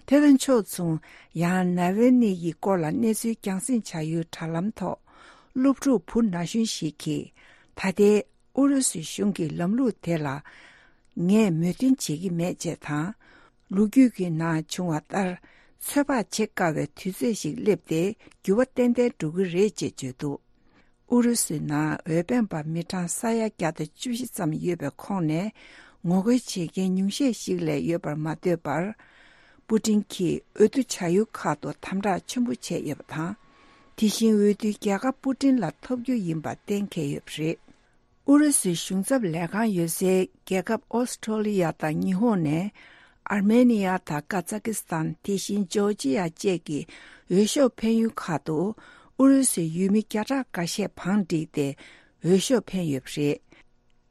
དེ་དང་ཕྱོགས་མཚུངས། ཡང་ནཱ་ཝེ་ནི་ཡི་སྐོར་ལ་གནས་ཚུལ་རྒྱང་སྲིང་བྱ་ཡུལ་དྲ་ལམ་ཐོག་སློབ་ཕྲུག་བུ་ན་གཞོན་ཞིག་གིས། ད་ལྟའི་ཨུ་རུ་སུའི་གཞུང་གི་ལམ་ལུགས་དེ་ལ་ངས་མོས་མཐུན་བྱེད་ཀྱི་མེད་ཅེས་དང་། ལོ་རྒྱུས་ཀྱི་ནང་བྱུང་བ་ལྟར། ཚོད་དཔག་བྱེད་དཀའ་བའི་དུས་ཚོད་ཞིག་སླེབས་ཏེ། འགྱུར་བ་ཏན་ཏན་འགྲོ་གི་རེད་ཅེས་བརྗོད་འདུག་ཨུ་རུ་སུའི་ནང་འོས་འཕེན་པ་མི་གྲངས་ས་ཡ་བརྒྱ་དང་བཅུ་བཞི་ཙམ་ཡོད་པའི་ཁོངས་ནས། ངོ་རྒོལ་བྱེད་མཁན་ཉུང་ཤས་ཤིག་ལས་ཡོད་པར་མ་ལྟོས་པར། པུ་ཏིན་གྱིས་འོས་བསྡུ་བྱ་ཡུལ་ཁག་ཏུ་དམ་དྲག་ཆེན་པོ་བྱས་ཡོད་པ་དང་། དེ་བཞིན་འོས་བསྡུའི་རྒྱལ་ཁ་པུ་ཏིན་ལ་ཐོབ་རྒྱུ་ཡིན་པ་གཏན་འཁེལ་ཡོད་པ་རེད། ཨུ་རུ་སུའི་གཞུང་ཚབ་ལས་ཁང་ཡོད་སའི་རྒྱལ་ཁབ་ཨོ་སི་ཁྲོ་ལི་ཡ་དང་ཉི་ཧོང་ནས། ཨར་མེ་ནི་ཡ་དང་ཀ་ཛ་ཀི་སི་ཐན། དེ་བཞིན་ཇོར་ཇི་ཡ་བཅས་ཀྱི་འོས་ཤོག་འཕེན་ཡུལ་ཁག་ཏུ་ཨུ་རུ་སུའི་ཡུལ་མི་བརྒྱ་ཕྲག་འགའ་ཤས་བང་བསྒྲིགས་ཏེ་འོས་ཤོག་འཕེན་ཡོད་པ་རེད།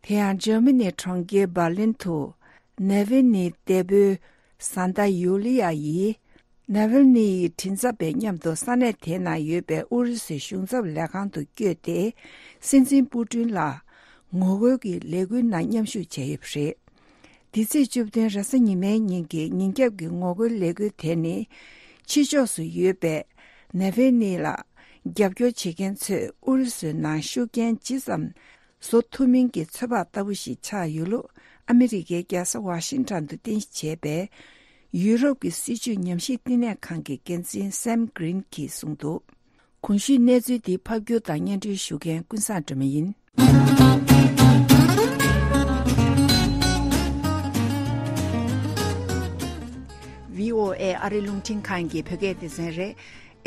དེ་ཡང་འཇར་མ་ནིའི་གྲོང་ཁྱེར་འབར་ལིན་དུ་ནེ་ཝེ་ནིའི་འདས་པོའི་བཟའ་ཟླ་ཡུ་ལི་ཡ་ཡིས། ནཱ་ཝལ་ནི་ཡི་མགྲིན་ཚབ་པས་མཉམ་དུ་ས་གནས་དེའི་ནང་ཡོད་པའི་ཨུ་རུ་སུའི་གཞུང་ཚབ་ལས་ཁང་དུ་བསྐྱོད་དེ། སྲིད་འཛིན་པུ་ཏིན་ལ་ངོ་རྒོལ་གྱི་ལས་འགུལ་ནང་མཉམ་ཞུགས་བྱས་ཡོད་པ་རེད། འདི་ཚེས་བཅུ་བདུན་རེས་གཟའ་ཉི་མའི་ཉིན་གྱི་ཉིན་རྒྱབ་ཀྱི་ངོ་རྒོལ་ལས་འགུལ་དེ་ནི། ཕྱི་ཕྱོགས་སུ་ཡོད་པའི་ནཱ་ཝལ་ནི་ལ་རྒྱབ་སྐྱོར་བྱེད་མཁན་ཚོས་ཨུ་རུ་སུའི་ནང་ཤུགས་རྐྱེན་ཇི་ཙམ་བཟོ་ཐུབ་མིན་གྱི་ཚོད་དཔག་ལྟ་བུ་ཞིག་ཆགས་ཡོད་ལུགས། ཨ་མི་རི་ཀའི་རྒྱལ་ས་ཝ་ཤིང་ཊོན་དུ་རྟེན་གཞི་བྱས་པའི་ཡུ་རོབ་ཀྱི་སྲིད་བྱུས་ཉམས་ཞིབ་བསྟི་གནས་ཁང་གི་འགན་འཛིན་སེམ་གྷི་རིན་གྱིས་གསུངས་འདུག། གོང་ཞུས་གནས་ཚུལ་འདི་ཕབ་སྒྱུར་དང་སྙན་སྒྲོན་ཞུ་མཁན་ཀུན་བཟང་སྒྲོལ་མ་ཡིན། བྷི་ཨོ་ཨེ་ཨ་རི་རླུང་འཕྲིན་ཁང་གི་བོད་སྐད་སྡེ་ཚན་རེད།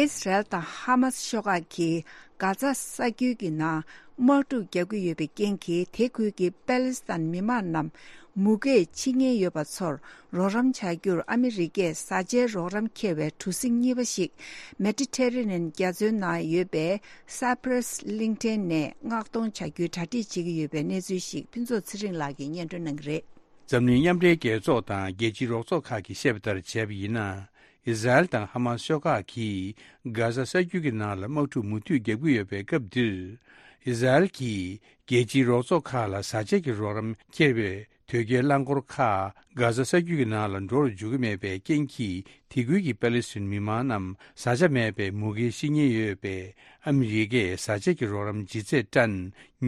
ཨིས་རལ་དང་ཧ་མཱ་སི་ཤོག་ཁག་གིས་གྷ་ཛ་ས་རྒྱུད་ཀྱི་ནང་དམག་འཁྲུག་རྒྱག་གི་ཡོད་པའི་རྐྱེན་གྱིས། དེ་ཁུལ་གྱི་པེ་ལི་སི་ཐན་མི་མང་རྣམས་མུ་གེས་འཆི་ཉེན་ཡོད་པ་ཚོར་རོགས་རམ་བྱ་རྒྱུར་ཨ་མི་རི་ཀས་བཟའ་བཅའི་རོགས་རམ་འཁྱེར་བའི་གྲུ་གཟིངས་གཉིས་པ་ཞིག་མེ་ཏི་ཊེ་རེ་ནན་རྒྱ་མཚོའི་ནང་ཡོད་པའི་སཱ་པྲེ་སི་གླིང་ཕྲན་ནས་མངགས་གཏོང་བྱ་རྒྱུའི་གྲ་སྒྲིག་བྱེད་ཀྱི་ཡོད་པའི་གནས་ཚུལ་ཞིག་ཕུན་ཚོགས་ཚེ་རིང་ལགས་ཀྱིས་སྙན་སྒྲོན་གནང་གི་རེད། འཛམ་གླིང་མཉམ་འབྲེལ་རྒྱལ་ཚོགས་དང་རྒྱལ་སྤྱིའི་རོགས་ཚོགས་ཁག་གིས་བཤད་པ་ལྟར་བྱས་པ་ཡིན་ན། ཨི་ཟ་རེལ་དང་ཧ་མཱ་སི་ཤོག་ཁག་གིས་གྷ་ཟ་ས་རྒྱུད་ཀྱི་ནང་ལ་དམག་འཁྲུག་མུ་མཐུད་རྒྱག་གི་ཡོད་པའི་སྐབས་འདིར། ཨི་ཟ་རེལ་གྱིས་རྒྱལ་སྤྱིའི་རོགས་ཚོགས་ཁག་ལ་བཟའ་བཅའ་གྱི་རོགས་རམ་འཁྱེར་བའི་དོས་སྐྱེལ་རླངས་འཁོར་ཁག་གྷ་ཟ་ས་རྒྱུད་ཀྱི་ནང་ལ་འགྲོ་རུ་འཇུག་གི་མེད་པའི་རྐྱེན་གྱིས། དེ་ཁུལ་གྱི་པེ་ལི་སི་ཐན་མི་མང་རྣམས་བཟའ་བཅའ་མེད་པའི་མུ་གེའི་ཤི་ཉེན་ཡོད་པས། ཨ་མི་རི་ཀས་བཟའ་བཅའ་གྱི་རོགས་རམ་ལྗིད་ཚད་ཊན་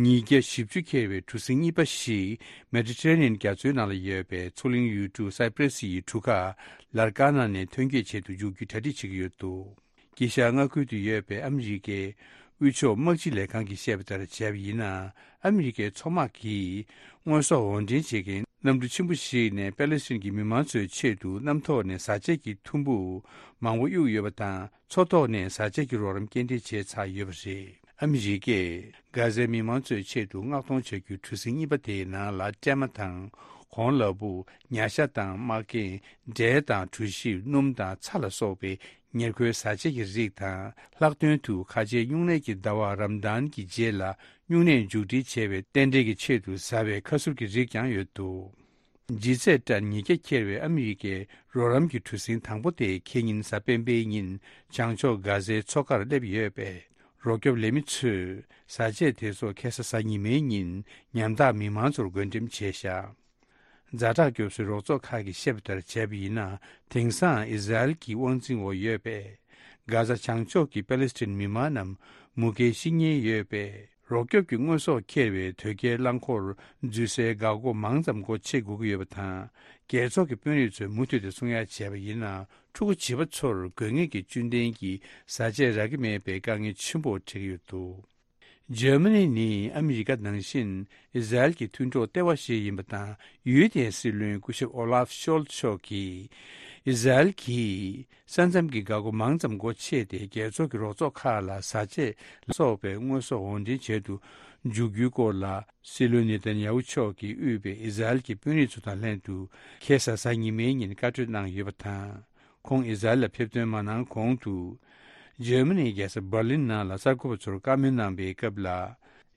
ཉིས་བརྒྱ་བཞི་བཅུ་འཁྱེར་བའི་གྲུ་གཟིངས་གཉིས་པ་ཞིག་མེ་ཏི་ཊེ་རེ་ནི་ཡན་རྒྱ་མཚོའི་ནང་ལ་ཡོད་པའི་མཚོ་གླིང་ཡུལ་གྲུ་སའི་པྲེ་སི་ཡི་གྲུ་ཁ་ལར་ཀ་ན་ནས་ཐོན་སྐྱེད་བྱེད་དུ་འཇུག་རྒྱུའི་གྲ་སྒྲིག་བྱེད་ཀྱི་ཡོད་འདུག། དཀྱིལ་ཤར་མངའ་ཁུལ་དུ་ཡོད་པའི་ཨ་མི་རི་ཀའི་དབུས་ཕྱོགས་དམག་སྤྱི་ལས་ཁང་གིས་བཤད་པ་ལྟར་བྱས་པ་ཡིན་ན། ཨ་མི་རི་ཀའི་མཚོ་དམག་གིས་དངོས་ཟོག་འོར་འདྲེན་བྱེད་མཁན་གནམ་གྲུ་ཆེན་པོ་ཞིག་ནས་པེ་ལི་སི་ཐན་གྱི་མི་མང་ཚོའི་ཆེད་དུ་གནམ་ཐོག་ནས་བཟའ་བཅའ་གྱི་ཐུམ་འབུ་མང་པོ་གཡུགས་ཡོད་པ་དང་། མཚོ་ཐོག་ནས་བཟའ་བཅའ་གྱི་རོགས་རམ་སྐྱེལ་འདྲེན་བྱས་ཚར་ཡོད་པ་རེད། ཨ་མི་རི་ཀས་གྷ་ཟའི་མི་མང་ཚོའི་ཆེད་དུ་མངགས་གཏོང་བྱ་རྒྱུའི་གྲུ་གཟིངས་གཉིས་པ་དེའི་ནང་ལ་སྲན་མ་དང་། གོང་ལ་ཕུག་ཉ་ཤ་དང་། མ་རྒན། འབྲས་དང་། གྲོ་ཞིབ། སྣུམ་དང་། ཚྭ་ལ་སོགས་པའི་ཉེར་མཁོའི་བཟའ་བཅའ་གྱི་རིགས་དང་། ལྷག་དོན་དུ་ཁ་ཆེའི་སྨྱུང་གནས་ཀྱི་ཟླ་བ་རམ་དཱན་གྱི་རྗེས་ལ་སྨྱུང་གནས་མཇུག་སྒྲིལ་བྱས་པའི་རྟེན་འབྲེལ་གྱི་ཆེད་དུ་བཟའ་བའི་ཁ་ཟུར་གྱི་རིགས་ཀྱང་ཡོད་འདུག། ལྗིད་ཚད་ཊན་ཉིས་བརྒྱ་འཁྱེར་བའི་ཨ་མི་རི་ཀའི་རོགས་རམ་གྱི་གྲུ་གཟིངས་དང་པོ་དེ་ཁེ་ཉིན་གཟའ་སྤེན་པའི་ཉིན་བྱང་ཕྱོགས་གྷ་ཟའི་མཚོ་ཁར་སླེབས་ཡོད་པས། རོགས་སྐྱོབ་ལས་མི་ཚོས་བཟའ་ཆས་དེ་ཚོ་ཁ་སང་གཟའ་ཉི་མའི་ཉིན་ཉམ་ཐག་མི་མང་ཚོར་བགོ་འགྲེམས་བྱས་བཞག། ཛ་དྲག་སྐྱོབ་གསོའི་རོགས་ཚོགས་ཁག་གིས་བཤད་པ་ལྟར་བྱས་པ་ཡིན་ན། དེང་སང་ཨི་ཟ་རེལ་གྱི་དབང་འཛིན་འོག་ཡོད་པའི་གྷ་ཟ་བྱང་ཕྱོགས་ཀྱི་པེ་ལི་སི་ཐན་མི་མང་རྣམས་མུ་གེའི་ཤི་ཉེན་ཡོད་པས། རོགས་སྐྱོབ་ཀྱི་དངོས་ཟོག་འཁྱེར་བའི་དོས་སྐྱེལ་རླངས་འཁོར་འཛུལ་སའི་འགག་སྒོ་མང་ཙམ་སྒོ་ཕྱེ་དགོས་ཀྱི་ཡོད་པ་དང་། རྒྱལ་ཚོགས་ཀྱི་དཔོན་རིགས་ཚོས་མུ་མཐུད་དེ་གསུང་ཡ་བྱས་པ་ཡིན་ན། ཕྲུ་གུ་བྱིས་པ་ཚོར་དགོས་ངེས་ཀྱི་བཅུད་ལྡན་གྱི་བཟའ་ཆས་རག་གི་མེད་པའི་དཀའ་ངལ་ཆེན་པོ་འཕྲད་ཀྱི་ཡོད་འདུག། འཇར་མ་ནི་ནི་ཨ་མི་རི་ཀ་ནང་བཞིན་ཨི་ཟ་རེལ་གྱི་མཐུན་གྲོགས་ལྟེ་བ་ཞིག་ཡིན་པ་དང་། ཡུལ་དེའི་སྲིད་བློན་སྐུ་ཞབས་ཨོ་ལཱབ་ཤོལ་ཚ་མཆོག་གིས། ཨི་ཟ་རེལ་གྱིས་ས་མཚམས་ཀྱི་འགག་སྒོ་མང་ཙམ་སྒོ་ཕྱེས་ཏེ། རྒྱལ་ཚོགས་ཀྱི་རོགས་ཚོགས་ཁག་ལ་བཟའ་ཆས་ལ་སོགས་པའི་དངོས་ཟོག་འོར་འདྲེན་བྱེད་དུ་འཇུག་རྒྱུའི་སྐོར་ལ། སྲིད་བློན་ནེ་ཐན་ཡ་ཧུ་མཆོག་གིས་དབུས་པའི་ཨི་ཟ་རེལ་གྱི་དཔོན་རིགས་ཚོ་དང་ལྷན་དུ་ཁ་སང་གཟའ་ཉི་མའི་ཉིན་བཀའ་གྲོས་གནང་ཡོད་པ་དང་། ཁོང་ཨི་ཟ་རེལ་ལ་ཕེབས་ཐོན་མ་གནང་གོང་དུ། འཇར་མ་ནིའི་རྒྱལ་ས་འབར་ལིན་ནང་ལ་གསར་འགོད་པ་ཚོར་བཀའ་མོལ་གནང་པའི་སྐབས་ལ།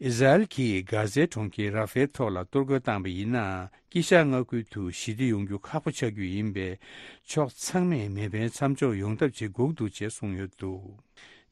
ཨི་ཟ་རེལ་གྱིས་གྷ་ཟའི་གྲོང་ཁྱེར་ར་ཧྥེལ་ཐོག་ལ་གཏོར་རྒོལ་བཏང་པ་ཡིན་ན། དཀྱིལ་ཤར་མངའ་ཁུལ་དུ་ཞི་བདེ་ཡོང་རྒྱུ་ཁག་པོ་ཆགས་རྒྱུ་ཡིན་པས། ཕྱོགས་ཚང་མས་མེ་འཕེན་མཚམས་འཇོག་ཡོང་ཐབས་བྱེད་དགོས་འདུག་ཅེས་གསུངས་ཡོད་འདུག།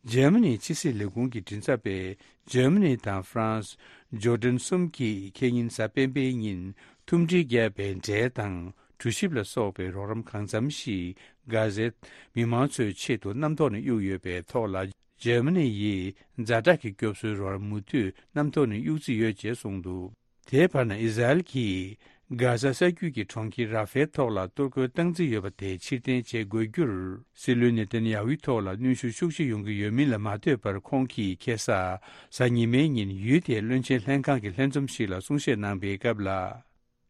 འཇར་མ་ནིའི་ཕྱི་སྲིད་ལས་ཁུངས་ཀྱི་མགྲིན་ཚབ་པས་འཇར་མ་ནི་དང་ཧྥ་རན་སི། ཇོར་ཌན་གསུམ་གྱིས་ཁེ་ཉིན་གཟའ་སྤེན་པའི་ཉིན་ཐུམ་སྒྲིལ་བརྒྱབ་པའི་འབྲས་དང་གྲོ་ཞིབ་ལ་སོགས་པའི་རོགས་རམ་གང་འཚམ་ཞིག་གྷ་ཟའི་མི་མང་ཚོའི་ཆེད་དུ་གནམ་ཐོག་ནས་གཡུགས་ཡོད་པའི་ཐོག་ལ། འཇར་མ་ནི་ཡིས་ཛ་དྲག་གི་སྐྱོབ་གསོའི་རོགས་རམ་མུ་མཐུད་གནམ་ཐོག་ནས་གཡུག་རྩིས་ཡོད་ཅེས་གསུངས་འདུག། དེའི་བར་ན་ཨི་ཟ་རེལ་གྱིས་གྷ་ཟ་ས་རྒྱུད་ཀྱི་གྲོང་ཁྱེར་ར་ཧྥེལ་ཐོག་ལ་གཏོར་རྒོལ་བཏང་རྩིས་ཡོད་པ་དེ་ཕྱིར་འཐེན་བྱེད་དགོས་རྒྱུར། སྲིད་བློན་ནེ་ཐན་ཡ་ཧུའི་ཐོག་ལ་གནོན་ཤུགས་ཤུགས་ཆེ་ཡོང་གི་ཡོད་མིན་ལ་མ་ལྟོས་པར། ཁོང་གིས་ཁ་སང་གཟའ་ཉི་མའི་ཉིན་ཡུལ་དེའི་བློན་ཆེན་ལྷན་ཁང་གི་ལྷན་འཛོམས་ཤིག་ལ་གསུང་བཤད་གནང་པའི་སྐབས་ལ།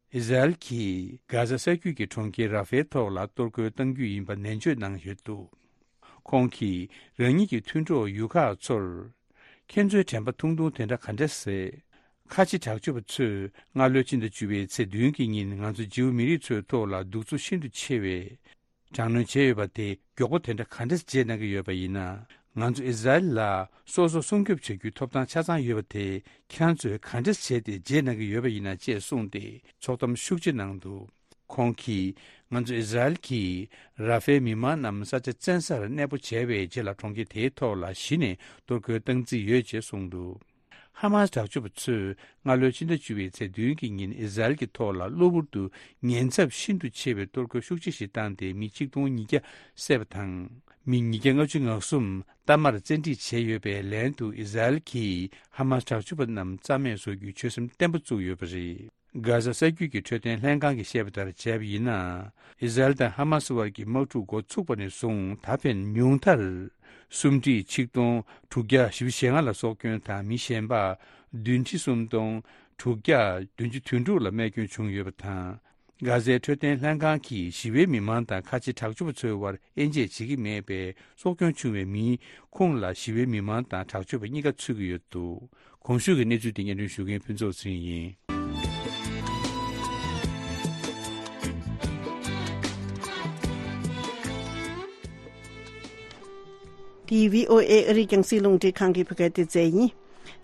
ཨི་ཟ་རེལ་གྱིས་གྷ་ཟ་ས་རྒྱུད་ཀྱི་གྲོང་ཁྱེར་ར་ཧྥེལ་ཐོག་ལ་གཏོར་རྒོལ་གཏང་རྒྱུ་ཡིན་པ་ནན་བརྗོད་གནང་ཡོད་འདུག། ཁོང་གིས་རང་ཉིད་ཀྱི་མཐུན་གྲོགས་ཡུལ་ཁག་ཚོར། ཁྱེད་ཚོའི་དྲན་པ་ཐུང་ཐུང་དེ་འདྲ་ག་འདྲ་ཟེར། ཁ་ཆེ་དྲག་སྤྱོད་པ་ཚོས་སྔ་ལོའི་ཕྱི་ཟླ་བཅུ་པའི་ཚེས་བདུན་གྱི་ཉིན་ང་ཚོ་ཇིའུ་མི་རིགས་ཚོའི་ཐོག་ལ་གདུག་རྩུབ་ཤིན་ཏུ་ཆེ་བའི་དྲག་གནོན་བྱས་ཡོད་པ་དེ་མགྱོགས་པོ་དེ་འདྲ་ག་འདྲ་བརྗེད་གནང་གི་ཡོད་པ་ཡིན་ན། ང་ཚོ་ཨི་ཟ་རེལ་ལ་སོ་སོ་སྲུང་སྐྱོབ་བྱ་རྒྱུའི་ཐོབ་ཐང་ཆ་ཚང་ཡོད་པ་དེ་ཁྱེད་རང་ཚོས་ག་འདྲ་བྱས་ཏེ་བརྗེད་གནང་གི་ཡོད་པ་ཡིན་ན་ཅེས་གསུངས་ཏེ་ཚོགས་གཏམ་ཤུགས་ཆེ་གནང་འདུག། ཁོང་གིས་ ང་ཚོ་ཨི་ཟ་རེལ་གྱིས་ར་ཧྥའི་མི་མང་རྣམས་ས་ཆ་བཙན་སར་གནས་སྤོ་བྱས་པའི་རྗེས་ལ་གྲོང་ཁྱེར་དེའི་ཐོག་ལ་གཞི་ནས་གཏོར་རྒོལ་བཏང་རྩིས་ཡོད་ཅེས་གསུངས་འདུག་ཧ་མཱས་དྲག་སྤྱོད་པ་ཚོས་སྔ་ལོའི་ཕྱི་ཟླ་བཅུ་པའི་ཚེས་བདུན་གྱི་ཉིན་ཨི་ཟ་རེལ་གྱི་ཐོག་ལ་གློ་བུར་དུ་ཉེན་ཚབས་ཤིན་ཏུ་ཆེ་བའི་གཏོར་རྒོལ་ཤུགས་ཆེ་ཞིག་བཏང་སྟེ་མི་ཆིག་སྟོང་ཉིས་བརྒྱ་བསད་པ་དང་། མི་ཉིས་བརྒྱ་ལྔ་བཅུ་ང་གསུམ་གཏའ་མར་བཙན་ཁྲིད་བྱས་ཡོད་པའི་ལན་དུ་ཨི་ཟ་རེལ་གྱིས་ཧ་མཱས་དྲག་སྤྱོད་པ་རྣམས་རྩ་མེད་བཟོ་རྒྱུའི་ཆོད་སེམས་བརྟན་པོ་བཙུགས་ཡོད་པ་རེད། གྷ་ཟ་ས་རྒྱུད་ཀྱི་འཕྲོད་བསྟེན་ལྷན་ཁང་གིས་བཤད་པ་ལྟར་བྱས་པ་ཡིན་ན། ཨི་ཟ་རེལ་དང་ཧ་མཱ་སི་དབར་གྱི་དམག་འཁྲུག་འགོ་ཚུགས་པ་ནས་བཟུང་ད་ཕན་ཉུང་མཐར། སུམ་ཁྲི་ཆིག་སྟོང་དྲུག་བརྒྱ་བཞི་བཅུ་ཞེ་ལྔ་ལ་སྲོག་སྐྱོན་དང་མི་གཞན་པ་བདུན་ཁྲི་སུམ་སྟོང་དྲུག་བརྒྱ་བདུན་ཅུ་དོན་དྲུག་ལ་རྨས་སྐྱོན་བྱུང་ཡོད་པ་དང་། གྷ་ཟའི་འཕྲོད་བསྟེན་ལྷན་ཁང་གིས་ཞི་བའི་མི་མང་དང་ཁ་ཆེ་དྲག་སྤྱོད་པ་ཚོའི་དབར་དབྱེ་འབྱེད་བྱེད་ཀྱི་མེད་པས་སྲོག་སྐྱོན་བྱུང་བའི་མིའི་ཁོངས་ལ་ཞི་བའི་མི་མང་དང་དྲག་སྤྱོད་པ་གཉིས་ཀ་ཚུད་ཀྱི་ཡོད་འདུག་གོང་ཞུས་ཀྱི་གནས་ཚུལ་དེ་སྙན་སྒྲོན་ཞུ་མཁན་ཕུན་ཚོགས་ཚེ་རིང་ཡིན། འདི་བྷི་ཨོ་ཨེ་ཨ་རིའི་རྒྱང་སྲིང་རླུང་འཕྲིན་ཁང་གི་བོད་སྐད་སྡེ་ཚན་ཡིན།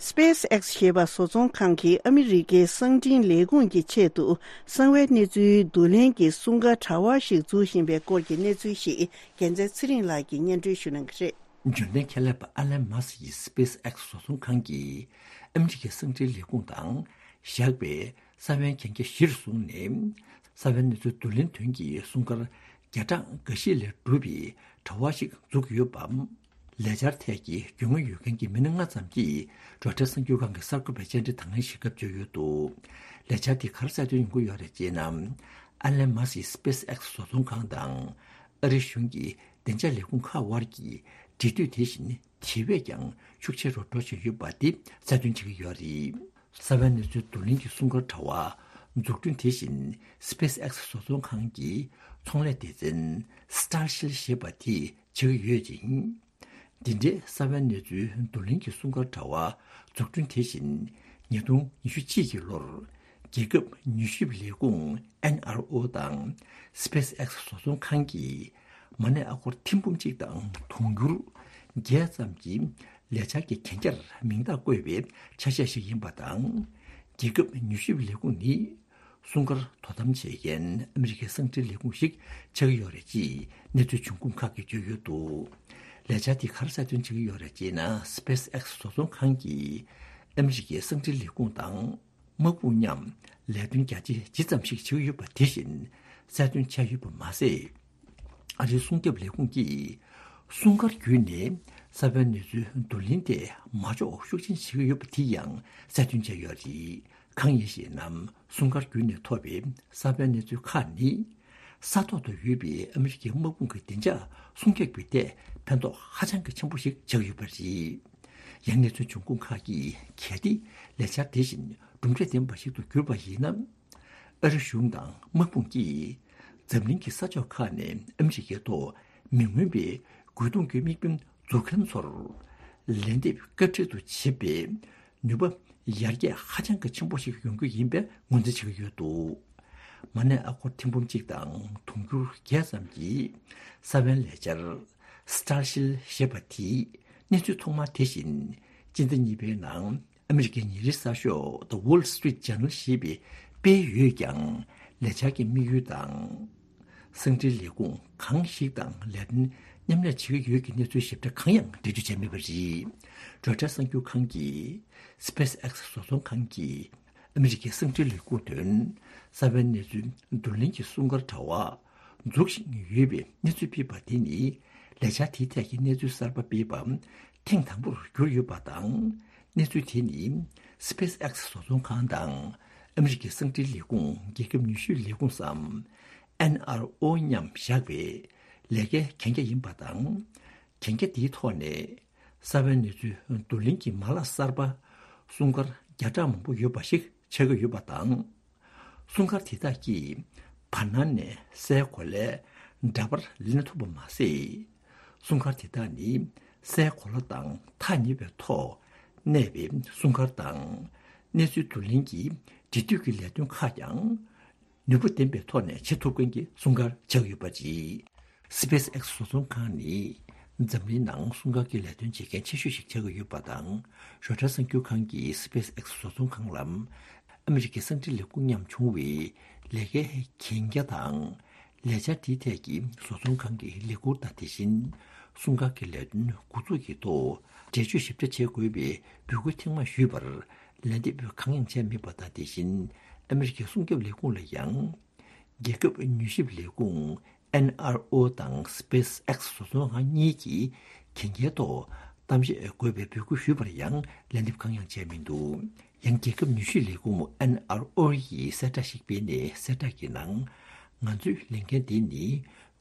སྤེས་ཨེགས་ཞེས་པ་བཟོ་ཚོང་ཁང་གིས་ཨ་མི་རི་ཀའི་གསང་འཕྲིན་ལས་ཁུངས་ཀྱི་ཆེད་དུ་གསང་བའི་གནས་ཚུལ་བསྡུ་ལེན་གྱི་སྲུང་སྐར་དྲ་བ་ཞིག་འཛུགས་བཞིན་པའི་སྐོར་གྱི་གནས་ཚུལ་ཞིག་རྒྱལ་མཚན་ཚེ་རིང་ལགས་ཀྱིས་སྙན་སྒྲོན་ཞུ་གནང་གི་རེད། འབྱོར་ལྡན་ཁྱད་ལས་པ་ཨ་ལན་མཱ་སི་ཡི་སྤེས་ཨེགས་བཟོ་ཚོང་ཁང་གིས་ཨ་མི་རི་ཀའི་གསང་འཕྲིན་ལས་ཁུངས་དང་བཞག་པའི་ས་བོན་གན་རྒྱ་གཞིར་བཟུང་ནས་ས་བོན་གནས་ཚུལ་བསྡུ་ལེན་དོན་གྱི་སྲུང་སྐར་བརྒྱ་ཕྲག་འགའ་ཤས་ལས་གྲུབ་པའི་དྲ་བ་ཞིག་འཛུགས་ཡོད་པ། ལས་འཆར་ཐད་ཀྱི་རྒྱུས་མངའ་ཡོད་མཁན་གྱི་མི་སྣ་ལྔ་ཙམ་གྱིས་རོའི་ཊར་གསར་འགྱུར་ཁང་གི་གསར་འགོད་པའི་བཅར་འདྲི་དང་ལེན་ཞུ་སྐབས་བརྗོད་ཡོད་འདུག་ལས་འཆར་དེ་ག་རེ་གསལ་སྟོན་ཡོང་གི་ཡོད་རེད་ཅེ་ན། ཨ་ལན་མཱ་སི་སི་སྤེས་ཨེགས་བཟོ་ཚོང་ཁང་དང་ཨ་རི་གཞུང་གི་བདེ་འཇགས་ལས་ཁུངས་ཁག་དབར་གྱི་འབྲེལ་མཐུད་དེ་བཞིན་དེ་བས་ཀྱང་ཤུགས་ཆེ་རུ་འགྲོ་བཞིན་ཡོད་པ་དེ་གསལ་སྟོན་བྱེད་ཀྱི་ཡོད་རེད། ས་བོན་གནས་ཚུལ་བསྡུ་ལེན་གྱི་སྲུང་སྐར་དྲ་བ་འཛུགས་སྐྲུན་དེ་བཞིན་སྤེས་ཨེགས་བཟོ་ཚོང་ཁང་གི་ཚོང་ལས་སྡེ་ཚན་སི་ཊར་ཤིལ་ཞེས་པ་དེས་བྱེད་ཀྱི་ཡོད་ཅིང་། འདི་འདྲའི་ས་བོན་གནས་ཚུལ་བསྡུ་ལེན་གྱི་སྲུང་སྐར་དྲ་བ་འཛུགས་སྐྲུན་དེ་བཞིན་ཉིས་སྟོང་ཉི་ཤུ་གཅིག་གི་ལོར་རྒྱལ་ཁབ་མྱུལ་ཞིབ་ལས་ཁུངས་ཨེན་ཨར་ཨོ་དང་སྤེས་ཨེགས་བཟོ་ཚོང་ཁང་གིས་མ་གནས་ཨ་སྒོར་ཐེར་འབུམ་གཅིག་དང་དུང་ཕྱུར་བརྒྱད་ཙམ་གྱི་ལས་འཆར་གྱི་གན་རྒྱར་མིང་རྟགས་བཀོད་པའི་ཆ་ཤས་ཤིག་ཡིན་པ་དང་། རྒྱལ་ཁབ་མྱུལ་ཞིབ་ལས་ཁུངས་ནི་སྲུང་སྐར་དོ་དམ་བྱེད་མཁན་ཨ་མི་རི་ཀའི་གསང་འཕྲིན་ལས་ཁུངས་ཤིག་ཆགས་ཀྱི་ཡོད་རེད་ཅེས་གནས་ཚུལ་འབྱུང་ཁུངས་ཁག་གིས་བརྗོད་ཡོད་འདུག་ལས་འཆར་དེ་ག་རེ་གསལ་སྟོན་བྱེད་ཀྱི་ཡོད་རེད་ཅེ་ན། སྤེས་ཨེགས་བཟོ་ཚོང་ཁང་གིས་ཨ་མི་རི་ཀའི་གསང་འཕྲིན་ལས་ཁུངས་དང་། དམག་དཔུང་མཉམ་ལས་དོན་རྒྱ་ཆེ་ཇི་ཙམ་ཞིག་བྱེད་ཀྱི་ཡོད་པ་དེ་བཞིན་གསལ་སྟོན་བྱས་ཡོད་པ་མ་ཟད། ཨ་རིའི་སྲུང་སྐྱོབ་ལས་ཁུངས་ཀྱིས་སྲུང་སྐར་བརྒྱུད་ནས་ས་བོན་གནས་ཚུལ་བསྡུ་ལེན་དེ་མ་འཇོག་ཤུགས་ཆེན་བྱེད་ཀྱི་ཡོད་པ་དེ་ཡང་གསལ་སྟོན་བྱས་ཡོད་རེད། གང་ཡིན་ཞེ་ན། སྲུང་སྐར་བརྒྱུད་ནས་ཐོབ་པའི་ས་བོན་གནས་ཚུལ་ཁག་ནི། ས་ཐོག་ཏུ་ཡོད་པའི་ཨ་མི་རི་ཀའི་དམག་དཔུང་གི་བདེ་འཇགས་སྲུང་སྐྱོབ་ཀྱི་ཐད་ཕན་ཐོགས་ཧ་ཅང་གི་ཆེན་པོ་ཞིག་ཆགས་ཡོད་པ་རེད། ཡང་གནས་ཚུལ་འབྱུང་ཁུངས་ཁག་གིས་གལ་ཏེ་ལས་འཆར་དེ་བཞིན་གྲུབ་འབྲས་ལྡན་པ་ཞིག་ཏུ་གྱུར་པ་ཡིན་ན། ཨ་རི་གཞུང་དང་དམག་དཔུང་གིས་འཛམ་གླིང་གི་ས་ཕྱོགས་ཁག་ནས་ཨ་མི་རི་ཀའི་ཐོག་མི་མངོན་པའི་རྒོལ་རྡུང་གི་དམིགས་འབེན་འཛུགས་མཁན་ཚོར་ལན་འདེབས་སྐབས་འཕྲལ་དུ་བྱེད་པའི་ནུས་པ་ཡར་རྒྱས་ཧ་ཅང་གི་ཆེན་པོ་ཞིག་ཡོང་རྒྱུ་ཡིན་པའི་ངོས་འཛིན་བྱེད་ཀྱི་ཡོད་འདུག་མ་གནས་ཨ་སྒོར་ཐེར་འབུམ་གཅིག་དང་དུང་ཕྱུར་བརྒྱད་ཙམ་གྱི་ས་བོན་ལས་འཆར་སི་ཊར་ཤིལ་ཞེས་པ་དེའི་གནས་ཚུལ་ཐོག་མ་དེ་བཞིན་སྤྱི་ཟླ་གཉིས་པའི་ནང་ཨ་མི་རི་ཀའི་ཉིན་རེའི་གསར་ཤོག་The Wall Street Journal ཞེས་པས་སྤེལ་ཡོད་ཀྱང་། ལས་འཆར་གྱི་དམིགས་ཡུལ་དང་། གསང་འཕྲིན་ལས་ཁུངས་གང་ཞིག་དང་ལས་དོན་མཉམ་ལས་བྱེད་ཀྱི་ཡོད་ཀྱི་གནས་ཚུལ་ཞིབ་ཕྲ་གང་ཡང་འགྲེལ་བརྗོད་བྱས་མེད་པ་རེད། རོའི་ཊར་གསར་འགྱུར་ཁང་གིས་སྤེས་ཨེགས་བཟོ་ཚོང་ཁང་གིས་ཨ་མི་རི་ཀའི་གསང་འཕྲིན་ལས་ཁུངས་དོན་ས་བོན་གནས་ཚུལ་བསྡུ་ལེན་གྱི་སྲུང་སྐར་དྲ་བ་འཛུགས་བཞིན་ཡོད་པའི་གནས་ཚུལ་སྤེལ་བ་དེ་ནི་ལས་འཆར་དེའི་ཐད་ཀྱི་གནས་ཚུལ་གསར་པ་སྤེལ་བ་ཐེངས་དང་པོར་གྱུར་ཡོད་པ་དང་། གནས་ཚུལ་དེ་ནི་སྤེས་ཨེགས་བཟོ་ཚོང་ཁང་དང་ཨ་མི་རི་ཀའི་གསང་འཕྲིན་ལས་ཁུངས་རྒྱལ་ཁབ་མྱུལ་ཞིབ་ལས་ཁུངས་སམ་ཨེན་ཨར་ཨོ་མཉམ་བཞག་པའི་ལས་ཀའི་གན་རྒྱ་ཡིན་པ་དང་། གན་རྒྱ་དེའི་ཐོག་ནས་ས་བོན་གནས་ཚུལ་བསྡུ་ལེན་གྱི་མ་ལག་གསར་པ་སྲུང་སྐར་བརྒྱ་ཕྲག་མང་པོ་ཡོད་པ་ཞིག་ཆགས་ཀྱི་ཡོད་པ་དང་། སྲུང་སྐར་དེ་དག་གིས་བར་སྣང་ནས་སའི་གོ་ལའི་འདྲ་པར་ལེན་ཐུབ་པ་མ་ཟད། སྲུང་སྐར་དེ་དག་ནི་སའི་གོ་ལ་དང་ཐག་ཉེ་བའི་ཐོག་གནས་པའི་སྲུང་སྐར་དང་། གནས་ཚུལ་བསྡུ་ལེན་གྱི་འབྲེལ་མཐུད་ཀྱི་ལས་དོན་ཁག་ཀྱང་ནུས་པ་ལྡན་པའི་ཐོག་ནས་བྱེད་ཐུབ་མཁན་གྱི་སྲུང་སྐར་ཆགས་ཡོད་པ་རེད། སི་པེས་ཨེགས་བཟོ་ཚོང་ཁང་ནི་འཛམ་གླིང་ནང་སྲུང་སྐར་གྱི་ལས་དོན་བྱེད་མཁན་ཆེ་ཤོས་ཤིག་ཆགས་ཀྱི་ཡོད་པ་དང་། རོའི་ཊར་གསར་འགྱུར་ཁང་གིས་སི་པེས་ཨེགས་བཟོ་ཚོང་ཁང་ལ་ཨ་མི་རི་ཀའི་གསང་འཕྲིན་ལས་ཁུངས་མཉམ་བྱུང་བའི་ལས་ཀའི་གན་རྒྱ་དང་། ལས་འཆར་དེའི་ཐད་ཀྱི་བཟོ་ཚོང་ཁང་གི་ལས་འཁུར་དང་། དེ་བཞིན་སྲུང་སྐར་གྱི་ལས་དོན་འགོ་འཛུགས་ཀྱི་ཐོག་འགྲེལ་བརྗོད་ཞིབ་ཕྲ་བྱེད་དགོས་པའི་འབོད་སྐུལ་ཐེངས་མང་ཞུས་པར་ལན་འདེབས་གང་ཡང་བྱས་མེད་པ་དང་། དེ་བཞིན་ཨ་མི་རི་ཀའི་སྲུང་སྐྱོབ་ལས་ཁུངས་ལ་ཡང་རྒྱལ་ཁབ་མྱུལ་ཞིབ་ལས་ཁུངས་ཨེན་ཨར་ཨོ་དང་སི་པེ་སི་ཨེག་སི་བཟོ་ཚོང་ཁང་གཉིས་ཀྱིས་གན་རྒྱའི་ཐོག་གཏམ་བཤད་དགོས་པའི་འབོད་སྐུལ་ཞུས་པར་ཡང་ལན་འདེབས་གང་ཡང་བྱས་མི་འདུག། ཡང་རྒྱལ་ཁབ་མྱུལ་ཞིབ་ལས་ཁུངས་ཨེན་ཨར་ཨོ་ཡིས་གསལ་བསྒྲགས་ཤིག་སྤེལ་ནས། གསལ་བསྒྲགས་ཀྱི་ནང་། ང་ཚོའི་ལས་འགན་དེ་ནི་